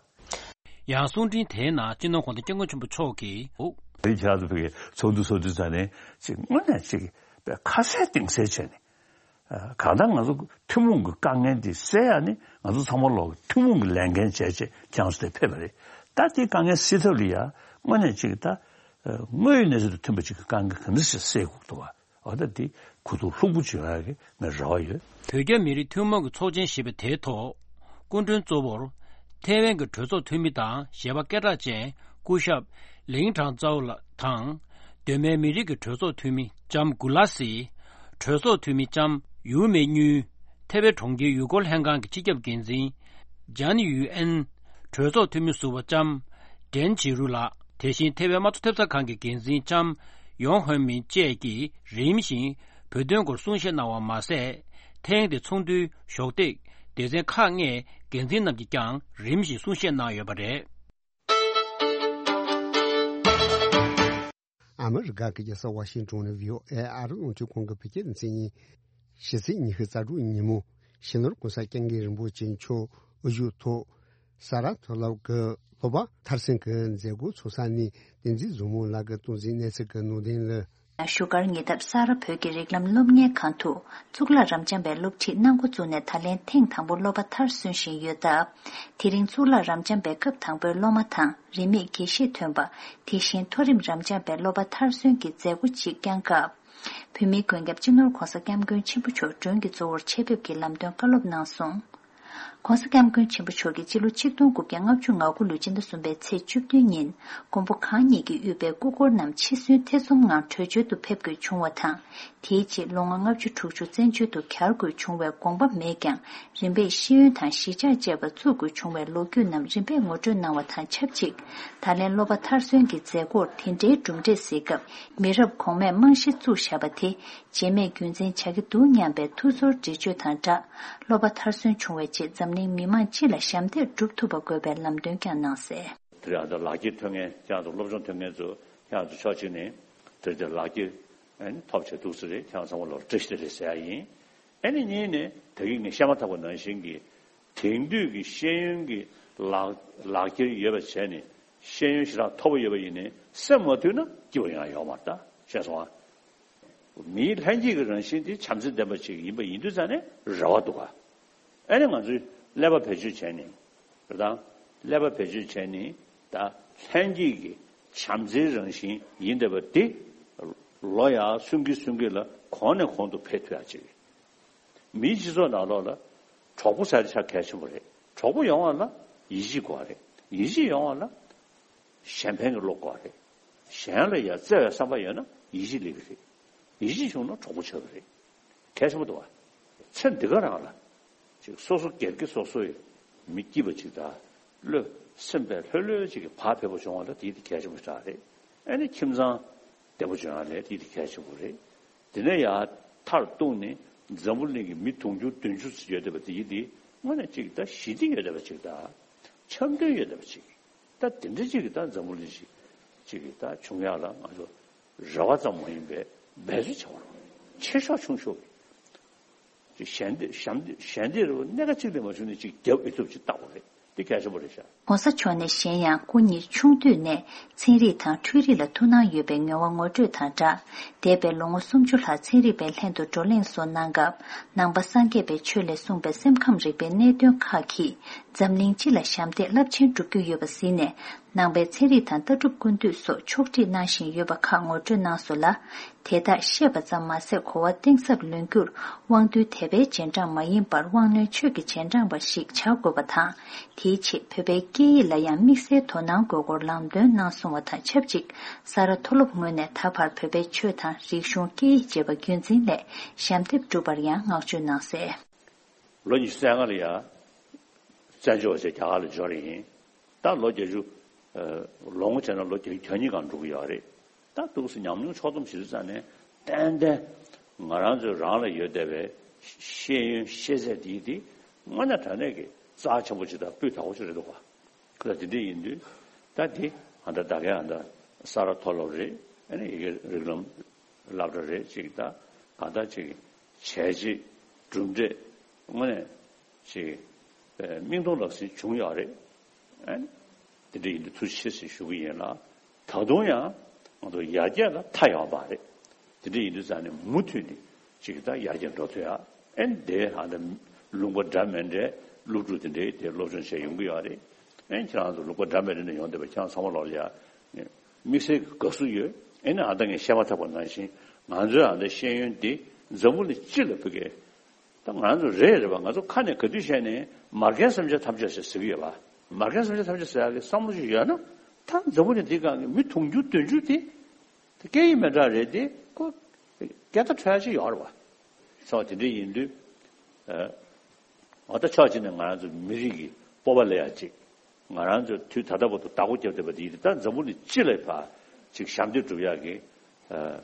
ཡང་གསུང་འཕྲིན་དེའི་ནང་སྤྱི་ནོར་༧གོང་ས་༧སྐྱབས་མགོན་ཆེན་པོ་མཆོག་གིས། འོ། དེ་ཁྱེད་རང་ཚོ་ཕ་གིའི་ཚོགས་འདུ་ཚོགས་དུས་ཙང་ནས་ཅིག་དངོས་གནས་ཅིག་པའི་ཁ་གསལ་གཏིང་གསལ་བྱས་ནས་ གང་ལྟར་ང་ཚོ་ཐུན་མོང་གི་དཀའ་ངལ་འདི་སེལ་ཡ་ནི་ང་ཚོ་ཚང་མ་ལོག་ཐུན་མོང་གི་ལས་འགན་བྱས་བྱས་ཁྱེད་རང་ཚོ་དེ་ཕེབས་པ་རེད། ད་དེ་དཀའ་ངལ་སེལ་ཐབས་ལ་ཡ་དངོས་གནས་ཅིག་ད་དངོས་ཡོད་གནས་ཚུལ་དང་མཐུན་པ་ཅིག་གི་དཀའ་ངལ་ག་འདྲ་ཞིག་སེལ་དགོས་འདུག་བ། འོ་ད་འདི་གོ་རྟོགས་ལྷུག་པོ་བྱུང་ཡག་གི་ངས་རེ་བ་ཡོད། བོད་རྒྱ་མི་རིགས་ཐུན་མོང་གི་ཚོགས་ཆེན་ཞེས་པ་དེའི་ཐོག་སྐུ་མགྲོན་གཙོ་བོར་ཐའེ་ཝན་གྱི་གྲོས་ཚོགས་འཐུས་མི་དང་གཞས་པ་སྐད་གྲགས་ཅན་སྐུ་ཞབས་ལིང་ཁྲང་ཙའོ་ལགས་དང་། གདོད་མའི་མི་རིགས་ཀྱི་གྲོས་ཚོགས་འཐུས་མི་ལྕམ་གུ་ལ་སི། གྲོས་ཚོགས་འཐུས་མི་ལྕམ་ཡུའུ་མེ་གཉུས། ཐའེ་ཝན་གྲོང་ཁྱེར་ཡུལ་སྐོར་ལྷན་ཁང་གི་སྤྱི་ཁྱབ་འགན་འཛིན་ཇན་ཡུའུ་ཨན། གྲོས་ཚོགས་འཐུས་མི་ཟུར་པ་ལྕམ་ཏྲེན་ཇི་རུ་ལགས། དེ་བཞིན་ཐའེ་ཝན་དམངས་གཙོ་ཐེབས་རྩ་ཁང་གི་འགན་འཛིན་ལྕམ་ཡོང་ཧོན་མིན་བཅས་ཀྱིས་རིམ་བཞིན་བོད་དོན་སྐོར་གསུང་བཤད་གནང་བ་མ་ཟད། ཐེངས་འདིའི་ཚོགས་འདུའི་གཞོགས་འདེགས་སྡེ་ཚན་ཁག་ལྔའི་འགན་འཛིན་རྣམས་ཀྱིས་ཀྱང་རིམ་བཞིན་གསུང་བཤད་གནང་ཡོད་པ་རེད། ཨ་མི་རི་ཀ་གི་རྒྱལ་ས་ཝ་ཤིང་ཏོན་ནས་བྷི་ཨོ་ཨེ་ཨ་རི་རླུང་འཕྲིན་ཁང་གི་བོད་སྐད་སྡེ་ཚན་ཡིན། ཕྱི་ཚེས་ཉི་ཤུ་རྩ་དྲུག་ཉིན་མོ་ཕྱི་ནང་༸གོང་ས་༸སྐྱབས་མགོན་རིན་པོ་ཆེ་མཆོག་དབུ་བཞུགས་ཐོག་ས་རཱ་མཐོ་སློབ་ཀྱི་སློབ་པ་མཐར་སོན་གྱི་མཛད་སྒོ་ཚོགས་ས་ནས་བསྟན་འཛིན་བཟང་མོ་ལགས་ཀྱིས་སྟངས་འཛིན་གནས་ཚུལ་གྱི་ནང་དོན་ལ། བཞུགས་སྒར་ཉེ་འདབས་ས་རཱ་བོད་ཀྱི་རིགས་ལམ་སློབ་གཉེར་ཁང་དུ་གཙུག་ལག་རབ་འབྱམས་པའི་སློབ་ཁྲིད་གནང་འགོ་བཙུགས་ནས་ད་ལན་ཐེངས་དང་པོ་སློབ་པ་མཐར་སོན་བཞིན་ཡོད་སྟབས། དེ་རིང་གཙུག་ལག་རབ་འབྱམས་པའི་སྐབས་དང་པོའི་སློབ་མ་དང་རིན་མེད་དགེ་བཤེས་ཐོན་པ། དེ་བཞིན་མཐོ་རིམ་རབ་འབྱམས་པའི་སློབ་པ་མཐར་སོན་གྱི་མཛད་སྒོ་ཅིག་བསྐྱངས་སྐབས། བོད་མིའི་མགོན་སྐྱབས་སྤྱི་ནོར་༸གོང་ས་༸སྐྱབས་མགོན་ཆེན་པོ་མཆོག་མགྲོན་གྱི་གཙོ་བོར་ཆེད་ཕེབས་ཀྱིས་ལམ་སྟོན་བཀའ་སློབ་གནང་སོང་། ༸གོང་ས་༸སྐྱབས་མགོན་ཆེན་པོ་མཆོག་གིས་སྤྱི་ལོ་ཆིག་སྟོང་དགུ་བརྒྱ་ལྔ་བཅུ་ང་དགུ་ལོའི་སྤྱི་ཟླ་གསུམ་པའི་ཚེས་བཅུ་བདུན་ཉིན་མགོན་པོ་གང་ཉིད་ཀྱིས་དབུས་པའི་སྐུ་འཁོར་རྣམས་འཆི་གསོན་ཐེ་ཚོམ་ངང་བྲོས་བྱོལ་དུ་ཕེབས་དགོས་བྱུང་བ་དང་། དེའི་རྗེས་ལོ་ངོ་ལྔ་བཅུ་དྲུག་ཅུ་བཙན་བྱོལ་དུ་གྱར་དགོས་བྱུང་བའི་དགོངས་པ་མེད་ཀྱང་། རིམ་པས་ཤེས་ཡོན་དང་གཞིས་ཆགས་བཅས་པ་བཙུགས་དགོས་བྱུང་བའི་ལོ་རྒྱུས་རྣམས་རིམ་པས་ངོ་སྤྲོད་གནང་བ་དང་ཆབས་ཅིག་ད་ལན་སློབ་པ་མཐར་སོན་གྱི་མཛད་སྒོར་དེ་འདྲའི་གྲུབ་འབྲས་གཟིགས་སྐབས། མི་རབས་གོང་མས་རྨང་གཞི་བཙུགས་བཞག་པ་དེ། རྗེས་མས་རྒྱུན་འཛིན་བྱ་གི་འདུག་སྙམ་པའི་ཐུགས་ཚོར་འགྲེལ་བརྗོད་དང་སྦྲགས། སློབ་པ་མཐར་སོན་བྱུང་བའི་རྗེས་འཛམ་གླིང་མི་མང་སྤྱི་ལ་ཞབས་འདེགས་སྒྲུབ་ཐུབ་པ་དགོས་པའི་ལམ་སྟོན་ཀྱང་གནང་གསལ། དེ་རིང་ཨ་ད་ལག་འཁྱེར་ཐོན་མཁན་ཁྱེད་རང་ཚོ་སློབ་སྦྱོང་ཐོན་མཁན་ཚོ་ཁྱེད་རང་ཚོ་ཕྱོགས་གཅིག་ནས་དེ་རིང་དེ་ལག་འཁྱེར་ཨ་ནི་ཐོབ་བྱས་འདུག་ས་རེད། ཁྱེད་རང་ཚང་མ་ལོར་བཀྲ་ཤིས་བདེ་ལེགས་ཟེར་ཡ་ཡིན། ཨ་ནི་གཉིས་ནས་ད་གིན་ངས་བཤད་མ་ཐག་པ་ནང་བཞིན་གྱི་དེང་དུས་ཀྱི་ཤེས་ཡོན་གྱི་ལག་ལག་འཁྱེར་ཡོད་པ་བྱས་ནས་ཤེས་ཡོན་ཞེ་དྲག་མཐོ་པོ་ཡོད་པ་ཡིན་ནའི་སེམས་མ་མཐུན་ན་སྐྱིད་པ་ཡོང་ཡ་ཡོད་མ་རེད། ད་ཤེས་སོང་ཨ། མིའི་ལྷན་སྐྱེས་ཀྱི་རང་བཞིན་དེ་བྱམས་བརྩེ་ལྡན་པ་ཅིག་ཡིན་པ་ཡིན་དུས་ཙང་ནས་རེ་བ་འདུག་ག་ཨ་ནི་ང་ཚོས་ཀླད་པ་བེད་སྤྱོད་བྱས་ནས་རེད་དང་། ཀླད་པ་བེད་སྤྱོད་བྱས་ནས་ད་ལྷན་སྐྱེས་ཀྱི་བྱམས་བརྩེའི་རང་བཞིན་ཡིན་བསྡད་པ་དེ་ལོ་ཡར་སུན་གི་སུན་གི་ལ་གོང་ནས་གོང་དུ་འཕེལ་ཐུབ་ཡ་ཅིག་མིའི་སྤྱི་ཚོགས་ནང་ལོགས་ལ་གྲོགས་པོ་ཟེར་ཡ་དེ་ཆ་གལ་ཆེན་པོ་རེད། གྲོགས་པོ་ཡོང་བ་ལ་ཡིད་ཆེས་དགོས་པ་རེད། ཡིད་ཆེས་ཡོང་བ་ལ་གཞན་ཕན་གྱི་བློ་དགོས་པ་རེད། གཞན་ལ་ཡང་བརྩེ་བའི་བསམ་པ་ཡོད་ན་ཡིད་ཆེས་སླེབས་ཀྱི་རེད། ཡིད་ཆེས་བྱུང་ན་གྲོགས་པོ་ཆགས་ཀྱི་རེད། གལ་ཆེན་པོ་འདུག་བ། ཚེ་འདི་ག་རང་ལ་ཅིག་སོ་སོ་སྒེར་གྱི་སོ་སོ་ཡི་མི་སྐྱིད་པ་ཅིག་དང་བློ་སེམས་པའི་ལྷོད་ལྷོད་ཅིག་གི་བག་ཕེབས་པོ་བྱུང་བ་ལ་དེ་དེ་གལ་ཆེན་པོ་ཞེ་དྲག་རེད། ཨ་ནི་ཁྱིམ་ཚང་བདེ་པོ་བྱུང་ཡ་ལས་དེ་དེ་གལ་ཆེན་པོ་རེད། དེ་ནས་ཡང་མཐར་གཏུགས་ནས་འཛམ་བུ་གླིང་གི་མི་དུང་ཕྱུར་བདུན་ཅུ་ཙམ་ཡོད་བསྡད་པ་དེ་ཡིན་དེ་དངོས་གནས་ཅིག་ད་ཞི་བདེ་ཡོད་བསྡད་པ་ཅིག་དང་འཆམ་མཐུན་ཡོད་བསྡད་པ་ཅིག་ད་དེ་འདྲ་ཅིག་གི་ད་འཛམ་བུ་གླིང་ཅིག་ཅིག་གི་ད་བྱུང་ཡག་ལ་ང་ཚོ་རེ་བ་ཙམ་མ་ཡིན་པའི་འབད་རྩོལ་བྱེད་པ་རེད། ཆེ་ཤོས་ཆུང་ཤོས་ཀྱི་ཞལ་འདེབས་ཞལ་འདེབས་ཞལ་འདེབས་རེ་བ་གནད་འགག་ཅིག་ལས་མ་བྱུང་ནས་ཅིག་རྒྱབ་ཨེ་ཐུབ་ཅིག་བལྟ་དགོས་རེད། འདི་གལ་ཆེན་པོ་རེད་ཤག ༸གོང་ས་མཆོག་ནས་གཞན་ཡང་སྐུ་ཉིད་ཆུང་དུས་ནས་ཚན་རིག་དང་འཕྲུལ་རིག་ལ་ཐུགས་སྣང་ཡོད་པའི་ངོ་བོ་ངོ་སྤྲོད་དང་སྦྲགས། འདས་པའི་ལོ་ངོ་སུམ་ཅུ་ལྷག་ཚན་རིག་པའི་ལྷན་དུ་བགྲོ་གླེང་སོགས་གནང་སྐབས། ནང་པ་སངས་རྒྱས་པའི་ཆོས་ལས་གསུངས་པའི་སེམས་ཁམས་རིག་པའི་གནད་དོན་ཁག་གིས་འཛམ་གླིང་སྤྱི་ལ་ཞབས་འདེགས་རླབས་ཆེན་བསྒྲུབ་རྒྱུ་ཡོད་པ་གཟིགས་ནས། ནང་པའི་ཚན་རིག་དང་ལྟ་གྲུབ་ཀུན་བཏུས་སོགས་ཕྱོགས་སྒྲིག་གནང་བཞིན་ཡོད་པ་ཁག་ངོ་སྤྲོད་གནང་སོང་ལ། དེ་དག་ཤེས་པ་ཙམ་མ་ཟད་གོ་བ་གཏིང་ཟབ་ལོན་རྒྱུར་དབང་རྟུལ་དད་པའི་རྗེས་འབྲང་མ་ཡིན་པར་དབང་རྣོན་ཆོས་ཀྱི་རྗེས་འབྲང་པ་ཞིག་བྱ་དགོས་པ་དང་། དེའི་ཆེད་བོད་པའི་སྐད་ཡིག་ལ་ཡང་དམིགས་བསལ་དོ་སྣང་དགོས་སྐོར་ལམ་སྟོན་གནང་སོང་བ་དང་ཆབས་ཅིག་ས་རཱ་མཐོ་སློབ་ངོས་ནས་ད་བར་བོད་པའི་ཆོས་དང་རིག་གཞུང་སྐད་ཡིག་བཅས་པ་རྒྱུན་འཛིན་སླད་ཞབས་འདེགས་བསྒྲུབས་པར་ཡང་བསྔགས་བརྗོད་གནང་གསལ། ལོ་ཉི་ཤུ་རྩ་ལྔ་ལ་ཡང་བཙན་བྱོལ་བ་བྱས་རྒྱ་གར་ལ་འབྱོར་ཡིན། ད་ལོ་བརྒྱད་ཅུ། ལོ་ངོ་བྱས་ན་ལོ་བརྒྱད་ཅུ་གྱ་གཉིས་སྒང་འགྲོ་གི་ཡོད་རེད། ད་འདུག་སེ་ཉམས་མྱོང་ཕྱོགས་བསྡོམས་བྱེད་དུས་ཙང་ནས་ཏན་ཏན་ང་རང་ཚོའི་རང་ལ་ཡོད་བསྡད་པའི་ཤེས་ཡོན་ཤེས་ཚད་དེ་དེ་དངོས་གནས་དྲང་གནས་ཀྱི་རྩ་ཆེན་པོ་ཅིག་དང་སྤུས་དག་པོ་ཅིག་རེད་འདུག་ག་ད་དེ་འདྲ་ཡིན་དུས་ད་དེ་ཨ་ད་ད་གའི་ཨ་ད་ས་རཱ་མཐོ་སློབ་རེད། ཨ་ནི་ཡི་གེ་རིགས་ལམ་སློབ་གྲྭ་རེད་ཅིག་ད་གང་ལྟར་ཅིག་བྱས་རྗེས་གྲུབ་འབྲས་དངོས་གནས་ཅིག་མིག་མཐོང་ལག་ཟིན་བྱུང་ཡོད་རེད། ཨ་ནི་དེ་འདྲ་ཡིན་དུས་ཐུགས་རྗེ་ཆེ་ཟེར་ཞུ་གི་ཡིན་ལ། ད་དུང་ཡང་ང་ཚོ་ཡར་རྒྱས་ལ་མཐའ་ཡོད་པ་རེད། དེ་འདྲ་ཡིན་དུས་ཙང་ནས་མུ་མཐུད་ནས་ཅིག་ད་ཡར་རྒྱས་འགྲོ་ཐུབ་ཡ། ཨེ་འདི་ཨ་ནི་ལུང་པ་འདྲ་མི་འདྲའི་སློབ་ཕྲུག་དེ་འདྲའི་དེ་སློབ་སྦྱོང་བྱས་ཡོང་གི་ཡོད་རེད། ཨེ་ཁྱེད་རང་ཚོ་ལུང་པ་འདྲ་མི་འདྲ་ནས་ཡོང་བསྡད་པ་ཁྱེད་རང་ཚང་མ་ལོག་ལ་ཡ་དམིགས་བསལ་གྱི་དགའ་བསུ་ཡོད། ཨེ་ནི་ཨ་ད་ངས་བཤད་མ་ཐག་པ་ནང་བཞིན་ང་ཚོའི་ཨ་ད་ཤེས་ཡོན་འདི་འཛམ་བུ་གླིང་སྤྱི་ལ་ཕུལ་གི། ད་ང་ཚོ་རེད་རེད་པ། ང་ཚོ་ཁ་ནས་ག་དུས་བཤད་ནས་མ་རྒན་བསམ་འཆར་ཐམས་ཅད་ཟེར་ཟེར་གི་ཡོད་པ། མ་རྒན་བསམ་འཆར་ཐམས་ཅད་ཟེར་ཡག་གི་བསམ་བློ་ཞིག་ཡོད་ན་ད་འཛམ་བུ་གླིང་འདི་སྒང་གི་མི་དུང་ཕྱུར་བདུན་ཕྱུར་དེ་དེ་སྐད་ཡིག་མི་འདྲ་རེད་དེ་ཁོ་སྐད་བརྡ་འཕྲོད་ཡག་ཅིག་ཡོད་རེད་པ། ཚོ་དེ་འདྲ་ཡིན་དུས་ཨ་ད་ཕྱོགས་གཅིག་ནས་ང་རང་ཚོ་མི་རིགས་ཀྱི་སྤོབས་པ་ལ་ཡག་ཅིག་ང་རང་ཚོ་དུས་ད་ལྟ་བར་དུ་བདག་པོ་རྒྱབ་བསྡད་པ་དེ་ཡིན་དུས་ད་འཛམ་བུ་གླིང་སྤྱི་ལ་ཕར་ཅིག་ཞབས་འདེགས་སྒྲུབ་ཡག་གི་ཨ།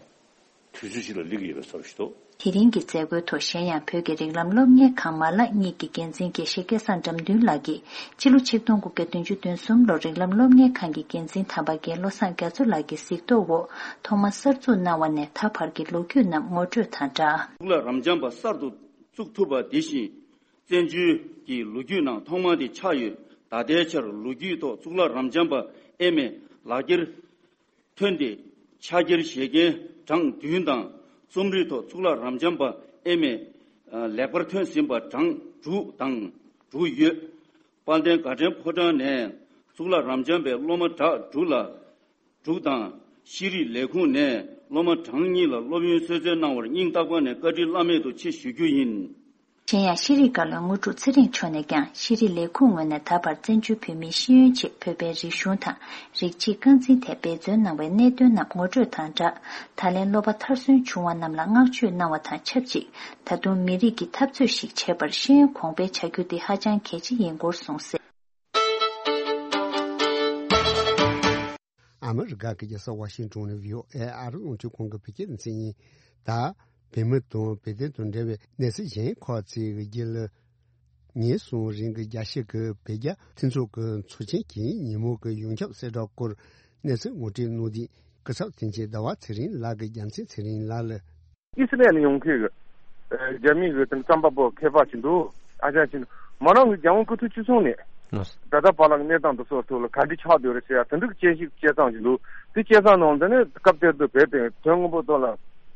དུས་ཚོད་ཅིག་ལ་སླེབས་ཀྱི་ཡོད་པའི་བཟོ་འདྲ་ཞིག་འདུག་དེ་རིང་གི་མཛད་སྒོའི་ཐོག་གཞན་ཡང་བོད་ཀྱི་རིགས་ལམ་སློབ་གཉེར་ཁང་མ་ལག་གཉིས་ཀྱི་འགན་འཛིན་དགེ་བཤེས་སྐལ་བཟང་དགྲ་འདུལ་ལགས་ཀྱིས་ཕྱི་ལོ་ཆིག་སྟོང་དགུ་བརྒྱ་བདུན་ཅུ་དོན་གསུམ་ལོར་རིགས་ལམ་སློབ་གཉེར་ཁང་གི་འགན་འཛིན་དམ་པ་རྒན་བློ་བཟང་རྒྱ་མཚོ་ལགས་ཀྱི་གཟིགས་རྟོག་འོག་ཐོག་མར་གསར་འཛུགས་གནང་བ་ནས་ད་བར་གྱི་ལོ་རྒྱུས་རྣམས་ངོ་སྤྲོད་དང་སྦྲགས། གཙུག་ལག་རབ་འབྱམས་པ་གསར་དུ་བཙུགས་ཐུབ་པ་དེ་བཞིན་བཙན་བྱོལ་གྱི་ལོ་རྒྱུས་ནང་ཐོག་མ་དེ་ཆགས་ཡོད། ད་ལྟའི་ཆར་ལོ་རྒྱུས་ཐོག་གཙུག་ལག་རབ་འབྱམས་པ་ཨེ་མའི་ལག་འཁྱེར་ཐོན་ཏེ་ཕྱག་འཁྱེར་བཞེས་མཁན་གྲངས་བདུན་དང་རྩོམ་རིག་ཐོག་གཙུག་ལག་རབ་འབྱམས་པ་ཨེ་མའི་ལེགས་པར་ཐོན་ཟིན་པ་གྲངས་དྲུག་དང་དྲུག་ཡོད། དཔལ་ལྡན་དགའ་ལྡན་ཕོ་བྲང་ནས་གཙུག་ལག་རབ་འབྱམས་པའི་སློབ་མ་གྲངས་དྲུག་ལ་དྲུག་དང་ཤེས་རིག་ལས་ཁུངས་ནས་སློབ་མ་གྲངས་གཉིས་ལ་སློབ་ཡོན་གསོལ་སྩལ་གནང་བར་སྙིང་ཐག་པ་ནས་བཀའ་དྲིན་བླ་མེད་དུ་ཆེ་ཞུ་རྒྱུ་ཡིན། གཞན་ཡང་ཤེས་རིག་བཀའ་བློན་དངོས་གྲུབ་ཚེ་རིང་མཆོག་ནས་ཀྱང་ཤེས་རིག་ལས་ཁུངས་ངོས་ནས་ད་བར་བཙན་བྱོལ་བོད་མིའི་ཤེས་ཡོན་ཆེད་བོད་པའི་རིག་གཞུང་དང་རིགས་གཅིག་རྐང་འཛིན་ཐད་འབད་བརྩོན་གནང་བའི་གནད་དོན་རྣམས་ངོ་སྤྲོད་དང་སྦྲགས། ད་ལན་སློབ་པ་མཐར་སོན་བྱུང་བ་རྣམས་ལ་བསྔགས་བརྗོད་གནང་བ་དང་ཆབས་ཅིག་ད་དུང་མི་རིགས་ཀྱི་འཐབ་རྩོད་ཞིག་བྱེད་པར་ཤེས་ཡོན་གོང་འཕེལ་བྱ་རྒྱུ་དེ་ཧ་ཅང་གལ་ཆེ་ཡིན་སྐོར་གསུངས་གསལ། ཨ་མི་རི་ཀ་གི་རྒྱལ་ས་ཝ་ཤིང་ཏོན་ནས་བྷི་ཨོ་ཨེ་ཨ་རི་རླུང་འཕྲིན་ཁང་གི་བོད་སྐད་སྡེ་ཚན་ཡིན། ད་བོད་མི་དང་བོད་དོན་དང་འབྲེལ་བའི་གནས་ཚུལ་གཞན་ཁག་ཅིག་གི་རྒྱུད་ལ། ཉིན་གསུམ་རིང་གི་རྒྱལ་སྤྱི་གི་བོད་རྒྱ་མཐུན་ཚོགས་ཀྱི་ཚོགས་ཆེན་གྱི་ཉིན་མོ་གི་ཡོངས་ཁྱབ་གསལ་བསྒྲགས་སྐོར་གནས་ཚུལ་ངོ་སྤྲོད་གནང་དུས། སྐུ་ཚབ་དོན་གཅོད་ཟླ་བ་ཚེ་རིང་ལགས་ཀྱིས་རྒྱལ་མཚན་ཚེ་རིང་ལགས་ལ། ཨི་སི་རལ་ནས་ཡོང་མཁན་གྱི་ཨ་རྒྱ་མི་གི་དེ་རྩོམ་པ་པོ་མཁས་པ་ཞིག་འདུག་ཨ་ཅག་ཅིག་འདུག་མོ་རང་གི་རྒྱལ་དབང་སྐུ་ཕྲེང་བཅུ་གསུམ་ནས་ལགས། ད་ལྟ་བར་ལ་གནས་སྟངས་འདི་ཚོ་ཐོག་ལ་ག་འདྲ་ཆགས་བསྡད་རེད་ཟེར་ཡ་དེ་འདྲ་གི་དཔྱད་ཞིབ་དཔྱད་གཏམ་ཞིག་འདུག་དེ་དཔྱད་གཏམ་ནང་དེ་ནས་སྐབས་དེ་དུས་བོད་དེ་དོན་དངོས་པོ་ཐོག་ལ་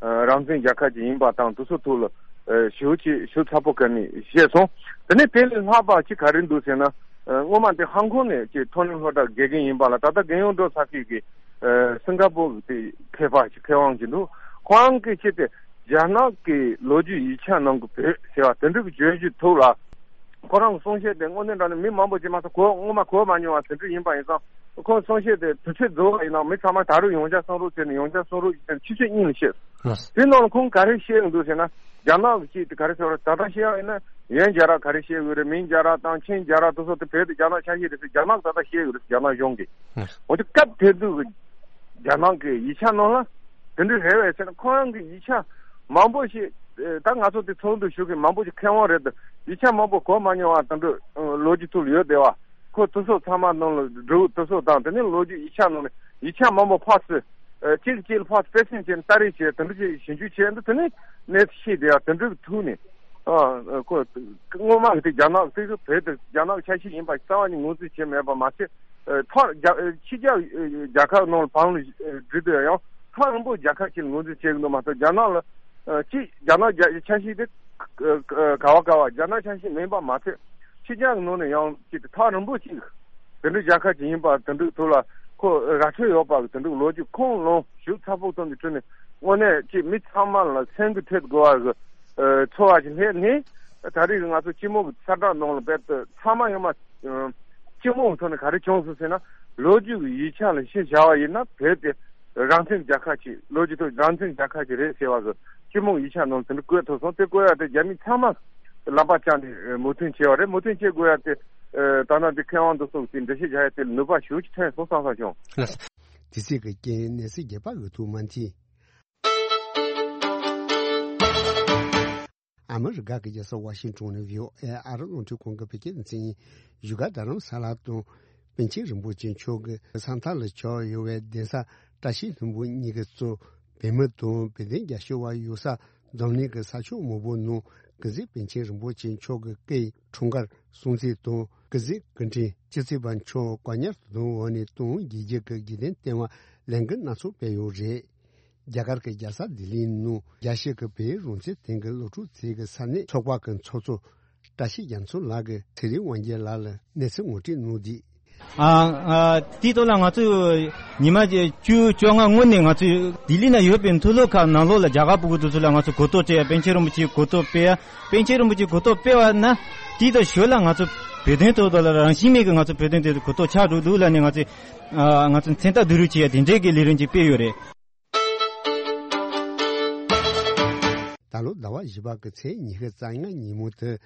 ཨ་རང་བཙན་རྒྱལ་ཁབ་ཅིག་ཡིན་པ་དང་དེ་ཚོ་ཐོག་ལ་ཨ་ཞེ་པོ་ཅིག་ཞིབ་ཚགས་པོ་ག་ནས་བཤད་སོང་། དེ་ནས་དེ་ལས་ལྷག་པ་ཅིག་ག་རེ་འདུག་ཟེར་ན། ཨ་སྔོན་མ་དེ་ཧང་ཀོང་ནས་ཅིག་མཐོ་རིམ་སློབ་གྲྭ་དགེ་རྒན་ཡིན་པ་ལ་ད་ལྟ་རྒན་ཡོལ་འགྲོ་ཚར་མཁན་གྱི་ཨ་སིང་ག་པོར་གྱི་དེ་མཁས་པ་ཞིག་མཁས་དབང་ཞིག་འདུག་ཁོ་རང་གིས་ཅི་སྟེ་རྒྱ་ནག་གི་ལོ་རྒྱུས་ཡིག་ཆ་ནང་གི་བོད་ཟེར་བ་དེ་འདྲ་གི་བརྗོད་གཞི་ཐོག་ལ། ཁོ་རང་གི་གསུང་བཤད་དེ་དངོས་གནས་དྲང་གནས་མི་མང་པོ་ཅིག་མ་གཏོགས་གོ་སྔོན་མ་གོ་མ་མྱོང་བ་དེ་འདྲ་ཡིན་པ་ཡིན་ཙང་། ཁོ་གསུང་བཤད་དེ་དུས་ཚོད་རྫོགས་པ་ཡིན་ན་མི་ཚང་མ་ད་རུང་ཡང་བསྐྱར་གསུང་རོགས་བྱས་ནས་ཡང་བསྐྱར་གསུང་རོགས་བྱས་ནས་ཆུ་ཚོད་གཉིས་ལ་བཤད། དེ་ནང་ལ་ཁོང་ག་རེ་བཤད་ཡོང་འདུག་ཟེར་ན། རྒྱ་ནག་གི་ཅིག་དེ་ག་རེ་ཟེར་བ་རེད། ད་ལྟ་བཤད་ཡ་ཡིན་ན་ཡོན་རྒྱ་ར་ག་རེ་བཤད་ཡོད་རེད། མིན་རྒྱ་ར་དང་ཆིན་རྒྱ་ར་དེ་ཚོ་དེ་བོད་དེ་རྒྱ་ནག་ཆ་ཤས་རེད་ཟེར་རྒྱ་ནག་ད་ལྟ་བཤད་ཡོད་རེད། རྒྱ་ནག་གཞུང་གིས། འོ་དེ་སྐབས་དེ་དུས་ཀྱི་རྒྱ་ནག་གི་ཡིག་ཆ་ནང་ལ་དེ་འདྲ་རེད་བས་ཟེར་ན། ཁོ་རང་གི་ཡིག་ཆ་མང་པོ་ཞིག་ད་ང་ཚོ་དེ་ཚོགས་འདུ་ཞུགས་མཁན་མང་པོ་ཞིག་མཁས་དབང་རེད་དེ། ཡིག་ཆ་མང་པོ་གོ་མ་མྱོང་བ་དེ་འདྲ་ལོ་རྒྱུས་ཐོག་ལ་ཡོད་བསྡད་བ། ཁོ་དེ་ཚོ་ཚང་མ་ནང་ལ་འབྲུག་དེ་ཚོ་དང་དེ་ནས་ལོ་རྒྱུས་ཡིག་ཆ་ནང་ནས་ཡིག་ཆ་མང་པོ་ཕར་ཚུར་ཨ་གཅིག་གཅིག་ལ་ཕར་ཚུར་དཔེ་མཚོན་བྱས་ནས་ལྟ་རེས་བྱས་དེ་འདྲ་ཅིག་ཞིབ་འཇུག་བྱས་འདུག་དེ་ནས་གནས་ཚུལ་ཤེས་བསྡད་ཡ་དེ་འདྲ་གི་ཐུག་ནས་ཨ་ཁོ་སྔོན་མ་གི་དེ་རྒྱ་ནག་དེ་གི་བོད་དེ་རྒྱ་ནག་ཆ་ཤས་ཡིན་པ་རྩ་བ་ནས་ངོས་འཛིན་བྱས་མེད་པ་མ་ཟད། ཨ་མཐའ་རྒྱ་ཕྱི་རྒྱལ་རྒྱལ་ཁབ་ནང་ལ་བང་ལ་བསྒྲིགས་དུས་ཡང་ཐག་རིང་པོ་རྒྱལ་ཁབ་ཅིག་ལ་ངོས་འཛིན་བྱེད་གི་འདུག་མ་གཏོགས་རྒྱ་ནག་ལ་ཨ་གཅིག་རྒྱ་ནག་རྒྱ་ཆ་ཤས་དེ་ག་བ་ག་བ་རྒྱ་ནག་ཆ་ཤས་མིན་པ་མ་ཟད། ཕྱི་རྒྱལ་གྱི་ནང་ནས་ཡང་ཅིག་ཐག་རིང་པོ་ཅིག་དེ་འདྲའི་རྒྱལ་ཁབ་ཅིག་ཡིན་པ་དེ་འདྲའི་ཐོག་ལ་ཁོ་ར་འཕྲོད་ཡོད་པ་གི་དེ་འདྲའི་ལོ་རྒྱུས་ཁུངས་ལུང་ཞིབ་ཚགས་པོ་བཏོན་པའི་ཁྲོད་ནས་དངོས་གནས་ཅིག་མི་ཚང་མ་ལ་སེམས་འགུལ་ཐེབས་དགོས་པ་གི་ཚོར་བ་ཞིག་སླེབས་ནས། ད་རེས་ང་ཚོ་སྤྱི་དམངས་ཀྱི་གསལ་བསྒྲགས་ནང་ལ་རྦད་དེ་ཚང་མ་ཡོང་མ། སྤྱི་དམངས་ཀྱི་ཐོག་ནས་ག་རེ་བྱུང་སོང་ཟེར་ན། ལོ་རྒྱུས་ཀྱི་ཡིག་ཆ་ལ་གཞི་བཞག་པ་ཡིན་ན་བོད་དེ་རང་བཙན་རྒྱལ་ཁབ་ཅིག་ལོ་རྒྱུས་ཐོག་རང་བཙན་རྒྱལ་ཁབ་ཅིག་རེད་ཟེར་བ་གི་སྤྱི་དམངས་ཡིག་ཆ་ནང་དེ་འདྲ་བཀོད་ཐུབ་སོང་། དེ་བཀོད་ཡ་དེ་རྒྱ་མི་ཚང་མ་ལམ་པ་བཅངས་ཏེ་མོས་མཐུན་བྱས་པ་རེད། མོས་མཐུན་བྱེད་དགོས་ཡ་དེ་ད་ནང་འདི་མཁས་དབང་འདི་ཚོ་གི་དེ་འགྲེལ་བཤད་རྒྱག་ཡ་དེ་ལ་ནུས་པ་ཞེ་པོ་ཅིག་ཐོན་སོང་བསམ་བསམ་བྱུང་། དེ་ཚིག་གི་རྐྱེན་གནས་ཚུལ་རྒྱས་པ་འོས་ཐུབ་མ་མཐུན། ཨ་མི་རི་ཀ་གི་རྒྱལ་ས་ཝ་ཤིང་ཏོན་ནས་བྷི་ཨོ་ཨེ་ཨ་རི་རླུང་འཕྲིན་ཁང་གི་བོད་སྐད་སྡེ་ཚན་ཡིན། བཞུགས་སྒར་རྡ་རམ་ས་ལ་དང་པཎ་ཆེན་རིན་པོ་ཆེ་མཆོག་གི་ས་མཐའ་ལ་ཆགས་ཡོད་པའི་གདན་ས་བཀྲ་ཤིས་ལྷུན་པོ་གཉིས་ཀྱིས་གཙོས་བོད་མི་དང་བོད་དོན་རྒྱབ་སྐྱོར་བ་ཡོད་ས་འཛམ་གླིང་གི་ས་ཕྱོགས་མང་པོའི་ནང་སྐུ་ཚེ་པཎ་ཆེན་རིན་པོ་ཆེ་མཆོག་གི་སྐུའི་འཁྲུངས་སྐར་སྲུང་བརྩི་དང་སྐུ་ཚེ་སྐུ་ཕྲེང་བཅུ་གཅིག་པ་མཆོག་བཀའ་ཉར་དུ་བཏང་བ་ནས་དུང་དགེ་རྒྱས་ཀྱི་དགེ་ལྡན་ལྟེ་བར་ལས་འགུལ་སྣ་ཚོགས་སྤེལ་ཡོད་རེད། རྒྱ་གར་གྱི་རྒྱལ་ས་ལྡི་ལིའི་ནང་རྒྱལ་སྤྱི་གི་བོད་རང་བཙན་དོན་གྱི་སློབ་ཕྲུག་ཚོའི་གི་ས་གནས་ཚོགས་པ་གི་ཚོགས་གཙོ་བཀྲ་ཤིས་རྒྱ་མཚོ་ལགས་ཀྱིས་ཚེ་རིང་དབང་རྒྱལ་ལགས་ལ་གནས་ཚུལ་ངོ་སྤྲོད་གནང་དུས། ཨ་ཨ་དེའི་ཐོག་ལ་ང་ཚོས་ཉི་མ་བཅུ་བཅོ་ལྔ་སྔོན་ནས་ང་ཚོས་ལྡི་ལི་ན་ཡོད་པའི་མཐོ་སློབ་ཁག་ནང་ལོགས་ལ་རྒྱ་གར་ཕྲུ་གུ་དེ་ཚོ་ལ་ང་ཚོས་གོ་རྟོགས་སྤྲད་ཡ། པཎ་ཆེན་རིན་པོ་ཆེའི་གོ་རྟོགས་སྤེལ་ཡ། པཎ་ཆེན་རིན་པོ་ཆེའི་གོ་རྟོགས་སྤེལ་བ་ན་དེའི་ཐོག་ཞོར་ལ་ང་ཚོ་བོད་དོན་ཐོག་ལ་རང་བཞིན་མེད་ཀྱི་ང་ཚོ་བོད་དོན་དེ་གོ་རྟོགས་ཆགས་འགྲོ་འདུག་ལབ་ནས་ང་ཚོས་ཨ་ང་ཚོ་མཚན་རྟགས་བསྡུ་རུབ་བྱེད་ཡ་དེ་འདྲའི་གི་ལས་རིམ་ཅིག་སྤེལ་ཡོད་རེད། ད་ལོ་ཟླ་བ་བཞི་པ་གི་ཚེས་ཉི་ཤུ་རྩ་ལྔ་ཉིན་མོ་དེ་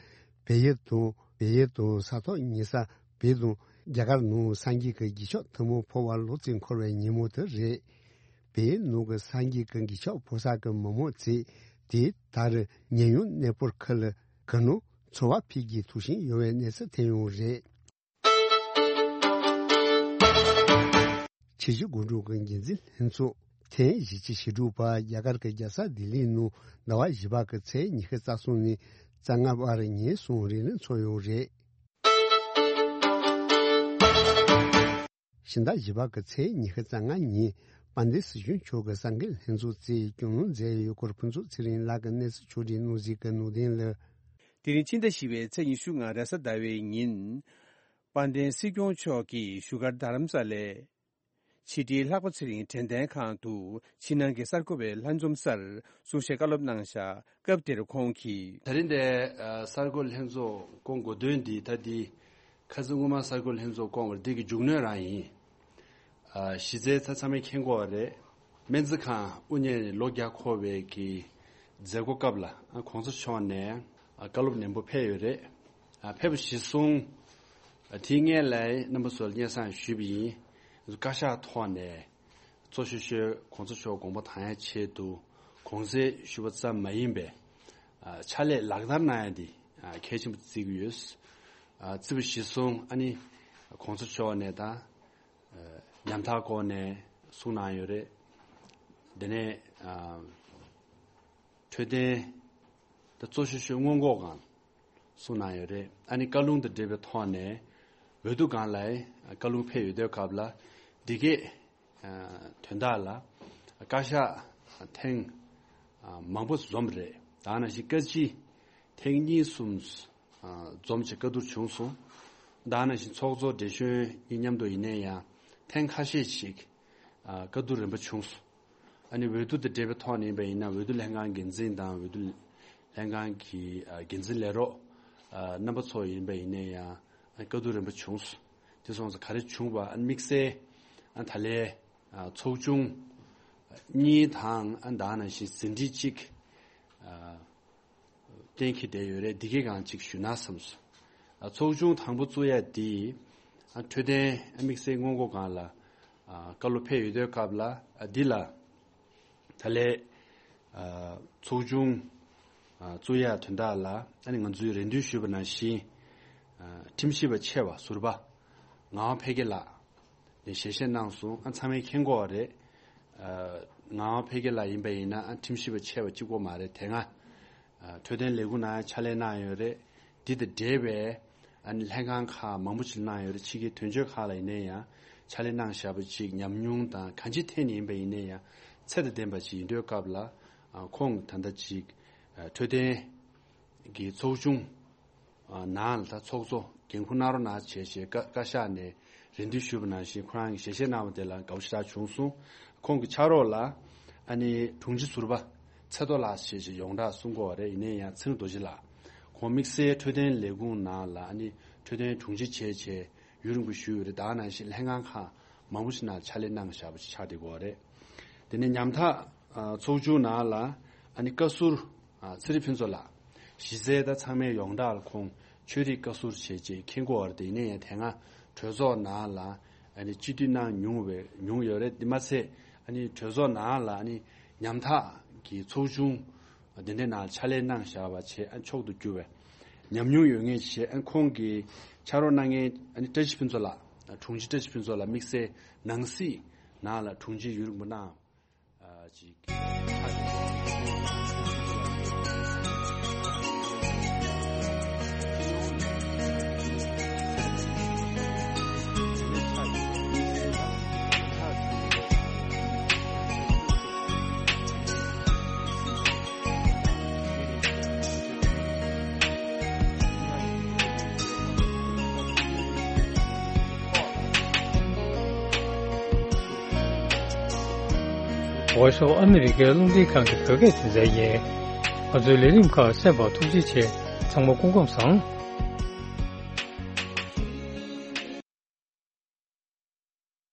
བལ་ཡུལ་དང་བལ་ཡུལ་དང་ས་ཐོག་ཉེ་ས་བོད་དང་རྒྱ་གར་ནང་སངས་རྒྱས་ཀྱི་རྒྱལ་མཆོག་ཐུན་མོང་འཕོ་བ་ལོ་གཅིག་འཁོར་བའི་ཉིན་མོ་དེ་རེད། བལ་ཡུལ་ནང་གི་སངས་རྒྱས་ཀྱི་རྒྱལ་མཆོག་འཕོ་ས་གི་མི་མང་ཚོས་དེ་ལྟར་ཉེ་ཡོང་གནས་སྤོར་ཁུལ་ལ་གུ་ནང་འཚོ་བ་འཕེལ་རྒྱས་ཐུབ་བཞིན་ཡོད་པའི་གནས་ཚུལ་ཐོན་ཡོད་རེད། ཆུ་བཞི་སྒོ་འགྲམ་གྱི་འགན་འཛིན་ལྷན་ཚོགས་ཐེངས་བཞི་བཅུ་ཞེ་དྲུག་པ་རྒྱ་གར་གྱི་རྒྱལ་ས་ལྡི་ལིའི་ནང་ཟླ་བ་བཞི་པ་གི་ཚེས་ཉི་ཤུ་རྩ་གསུམ་ནས་རྩ་ལྔ་བར་ཉིན་གསུམ་རིང་ལ་འཚོགས་ཡོད་རེད། ཕྱི་ཟླ་བཞི་པ་གི་ཚེས་ཉི་ཤུ་རྩ་ལྔ་ཉིན་དཔལ་ལྡན་སྲིད་སྐྱོང་མཆོག་གིས་གསར་འགོད་ལྷན་ཚོགས་སྩལ་བའི་སྐུ་ངོ་མཛད་ཡོད་སྐོར་ཕུན་ཚོགས་ཚེ་རིང་ལགས་ཀྱིས་གནས་ཚུལ་ཕྱོགས་སྒྲིག་གནང་གཟིགས་ཀྱི་ནང་དོན་ལ། དེ་རིང་ཕྱི་ཟླ་བཞི་པའི་ཚེས་ཉི་ཤུ་ལྔ་རེས་གཟའ་ཟླ་བའི་ཉིན། དཔལ་ལྡན་སྲིད་སྐྱོང་མཆོག་གིས་བཞུགས་སྒར་རྡ་རམ་ས་ལའི་ཕྱི་དྲིལ་ལྷག་པ་ཚེ་རིང་དྲན་རྟེན་ཁང་དུ་ཕྱི་ནང་གི་གསར་འགོད་པའི་ལྷན་འཛོམས་སར་གསུང་བཤད་བཀའ་སློབ་གནང་བཞག་སྐབས་དེར་ཁོང་གིས། ད་རིང་འདིར་གསར་འགོད་ལྷན་ཚོགས་བསྐོང་དགོས་དོན་འདི་ད་འདི་ཁ་སང་སྔོན་མ་གསར་འགོད་ལྷན་ཚོགས་བསྐོང་བར་འདི་གི་མཇུག་གནོན་རང་ཡིན། གཞི་རྩའི་ཚ་ཚང་མས་མཁྱེན་གོ་བ་རེད། སྨན་རྩིས་ཁང་དབུ་བརྙེས་ནས་ལོ་བརྒྱ་འཁོར་བའི་གི་མཛད་སྒོ་སྐབས་ལ་གོང་ས་མཆོག་ནས་བཀའ་སློབ་ནན་པོ་ཕེབས་ཡོད་རེད། ཕེབས་པ་གཞིར་བཟུང་དེའི་སྔོན་ལ་རྣམ་པ་ཚོར་སྙན་སེང་ཞུས་པ་ཡིན། བཀའ་ཤག་ཐོག་ནས་གཙོ་ཤོས་ཤོས་གོང་ས་མཆོག་དགོངས་པ་དྭངས་ཡ་ཆེད་དུ་གོང་ཚད་ཞུ་བ་ཙམ་མ་ཡིན་པའི་ཕྱག་ལས་ལག་བསྟར་གནང་ཡ་འདི་གལ་ཆེན་པོ་བརྩི་གི་ཡོད། བརྩི་བ་གཞིར་བཟུང་ཨ་ནི་གོང་ས་མཆོག་ནས་ད། ཉམ་ཐག་སྐོར་ནས་གསུང་གནང་ཡོད་རེད། དེ་ནས་འཕྲོད་བསྟེན་ད་གཙོ་ཤོས་ཤོས་སྔོན་འགོག་སྒང་གསུང་གནང་ཡོད་རེད། ཨ་ནི་བཀའ་ལུང་དང་འབྲེལ་བའི་ཐོག་ནས་འོས་བསྡུ་སྒང་ལ་བཀའ་ལུང་ཕེབས་ཡོད་དུས་སྐབས་ལ་འདི་གས་དོན་དག་ལ་བཀའ་ཤག་ཐེངས་མང་པོ་འཛོམས་རེད། ད་ནང་བཞིན་བཀའ་སྤྱི་ཐེངས་གཉིས་གསུམ་འཛོམས་བྱས་བཀའ་བསྡུར་བྱུང་སོང་། ད་ནང་བཞིན་ཚོགས་གཙོ་བགྲེས་གཞོན་གཉིས་མཉམ་དུ་ཡིན་ན་ཡང་ཐེངས་ཁ་ཤས་ཤིག་བཀའ་བསྡུར་རིམ་པ་བྱུང་སོང་། ཨ་ནི་འོས་བསྡུ་དང་འབྲེལ་བའི་ཐོག་ནས་ཡིན་པ་ཡིན་ན་འོས་བསྡུ་ལྷན་ཁང་འགན་འཛིན་དང་འོས་བསྡུ་ལྷན་ཁང་གི་འགན་འཛིན་ལས་རོགས་རྣམ་པ་ཚོ་ཡིན་པ་ཡིན་ན་ཡང་བཀའ་བསྡུར་རིམ་པ་བྱུང་སོང་། དེ་སོང་ཙང་ག་རེ་བྱུང་བ་ཨ་ནི་དམིགས་བསལ་ད་ལས་ཚོགས་ཆུང་གཉིས་དང་ཨ་ད་ནང་བཞིན་ཟིན་བྲིས་གཅིག་གཏན་འཁེལ་བསྡད་ཡོད་རེད། འདི་གའི་སྒང་ཅིག་ཞུས་ན་བསམ་སོང་། ཨ་ཚོགས་ཆུང་དང་པོ་བཙུགས་ཡ་དེ་ཨ་འཕྲོད་བསྟེན་དམིགས་བསལ་སྔོན་འགོག་སྒང་ལ་ཨ་བཀའ་སློབ་ཕེབས་ཡོད་དུས་སྐབས་ལ་ཨ་འདི་ལ་ད་ལས་ཨ་ཚོགས་ཆུང་ཨ་བཙུགས་ཡ་དོན་དག་ལ་ཨ་ནི་ང་ཚོས་རེ་འདུན་ཞུས་པ་ནང་བཞིན་ཨ་ཁྲིམས་ཞིབ་པ་ཆེ་བ་ཟུར་པ་ངག་དབང་འཕེལ་རྒྱས་ལགས་ནས་ཞལ་བཞེས་གནང་སོང་། ཨ་ཚང་མས་མཁྱེན་གོ་བ་རེད། ཨ་ངག་དབང་འཕེལ་རྒྱས་ལགས་ཡིན་པ་ཡིན་ན་ཨ་ཁྲིམས་ཞིབ་པ་ཆེ་བ་གཅིག་པོ་མ་རེད། དེ་སྔ་ཨ་འཕྲོད་བསྟེན་ལས་ཁུངས་ནང་ཕྱག་ལས་གནང་ཡོད་རེད། འདི་དང་འབྲེལ་བའི་ཨ་ནི་ལྷན་ཁང་ཁག་མང་པོ་ཞིག་གནང་ཡོད་རེད། ཕྱི་རྒྱལ་དོན་གཅོད་ཁག་ལ་ཡིན་ན་ཡང་ཕྱག་ལས་གནང་བཞག་པ་ཅིག་ཉམས་མྱོང་དང་གང་ཅིའི་ཐད་ནས་ཡིན་པ་ཡིན་ན་ཡང་ཚད་དང་ལྡན་པ་ཅིག་ཡིན་དུས་སྐབས་ལ་ཨ་ཁོང་ད་ལྟ་ཅིག་ཨ་འཕྲོད་བསྟེན་གྱི་ཚོགས་ཆུང་ནང་ལ་ད་ཚོགས་གཙོ་འགན་འཁུར་གནང་རོགས་གནང་བྱས་བྱས་བཀའ་བཀའ་ཤག་ནས་རེ་འདུན་ཞུས་པ་ནང་བཞིན་ཁོ་རང་གིས་ཞལ་བཞེས་གནང་བ་དེ་ལ་དགའ་པོ་ཞེ་དྲག་བྱུང་སོང་། ཁོང་གི་ཕྱག་རོགས་ལ་ཨ་ནི་དྲུང་ཆེ་ཟུར་པ་ཚེ་རྡོ་ལགས་ཞེས་བྱས་ཡོངས་གྲགས་གསུང་གི་ཡོད་རེད། ཡིན་ན་ཡང་ཚེ་རིང་རྡོ་རྗེ་ལགས་ཁོང་དམིགས་བསལ་འཕྲོད་བསྟེན་ལས་ཁུངས་ནང་ལ་ཨ་ནི་འཕྲོད་བསྟེན་དྲུང་ཆེ་བྱས་བྱས་ཡུན་རིང་པོ་བཞུགས་ཡོད་རེད། ད་ནང་བཞིན་ལྷན་ཁང་ཁག་མང་པོ་ཞིག་ནང་ཕྱག་ལས་གནང་བཞག་པ་ཞིག་ཆགས་བསྡད་ཀྱི་ཡོད་རེད། དེ་ནས་ཉམ་ཐག་ཚོགས་ཆུང་ནང་ལ་ཨ་ནི་བཀའ་ཟུར་ཚེ་རིང་ཕུན་ཚོགས་ལགས། གཞི་རྩའི་ད་ཚང་མས་ཡོངས་གྲགས་ལ་ཁོང་ཆོས་རིག་བཀའ་ཟུར་བྱས་རྗེས་མཁྱེན་གྱི་ཡོད་རེད། དེ་ཡིན་ན་ཡང་དེ་སྔ་གྲོས་ཚོགས་ནང་ལ་ཨ་ནི་སྤྱི་འཐུས་གནང་མྱོང་བའི་མྱོང་ཡོད་རེད། དེ་མ་ཚད་ཨ་ནི་གྲོས་ཚོགས་ནང་ལ་ཨ་ནི་ཉམ་ཐག་གི་ཚོགས་ཆུང་དེ་འདྲའི་ནང་ཕྱག་ལས་གནང་བཞག་པ་བྱས་ཨ་མཆོག་ཏུ་གྱུར་བའི་ཉམས་མྱོང་ཡོད་མཁན་བྱས་ཨ་ཁོང་གི་ཕྱག་རོགས་གནང་མཁན་ཨ་ནི་བཀྲ་ཤིས་ཕུན་ཚོགས་ལགས། དྲུང་ཆེ་བཀྲ་ཤིས་ཕུན་ཚོགས་ལགས་དམིགས་བསལ་ནང་སྲིད་ནང་ལ་དྲུང་ཆེ་ཡུན་རིང་པོ་གནང་། ཅིག Voice of America ཨ་མི་རི་ཀའི་རླུང་འཕྲིན་ཁང་གི་བོད་སྐད་སྡེ་ཚན་ཡིན། ང་ཚོའི་ལས་རིམ་ཁག་གསན་པར་ཐུགས་རྗེ་ཆེ། ཚང་མ་སྐུ་ཁམས་བཟང་།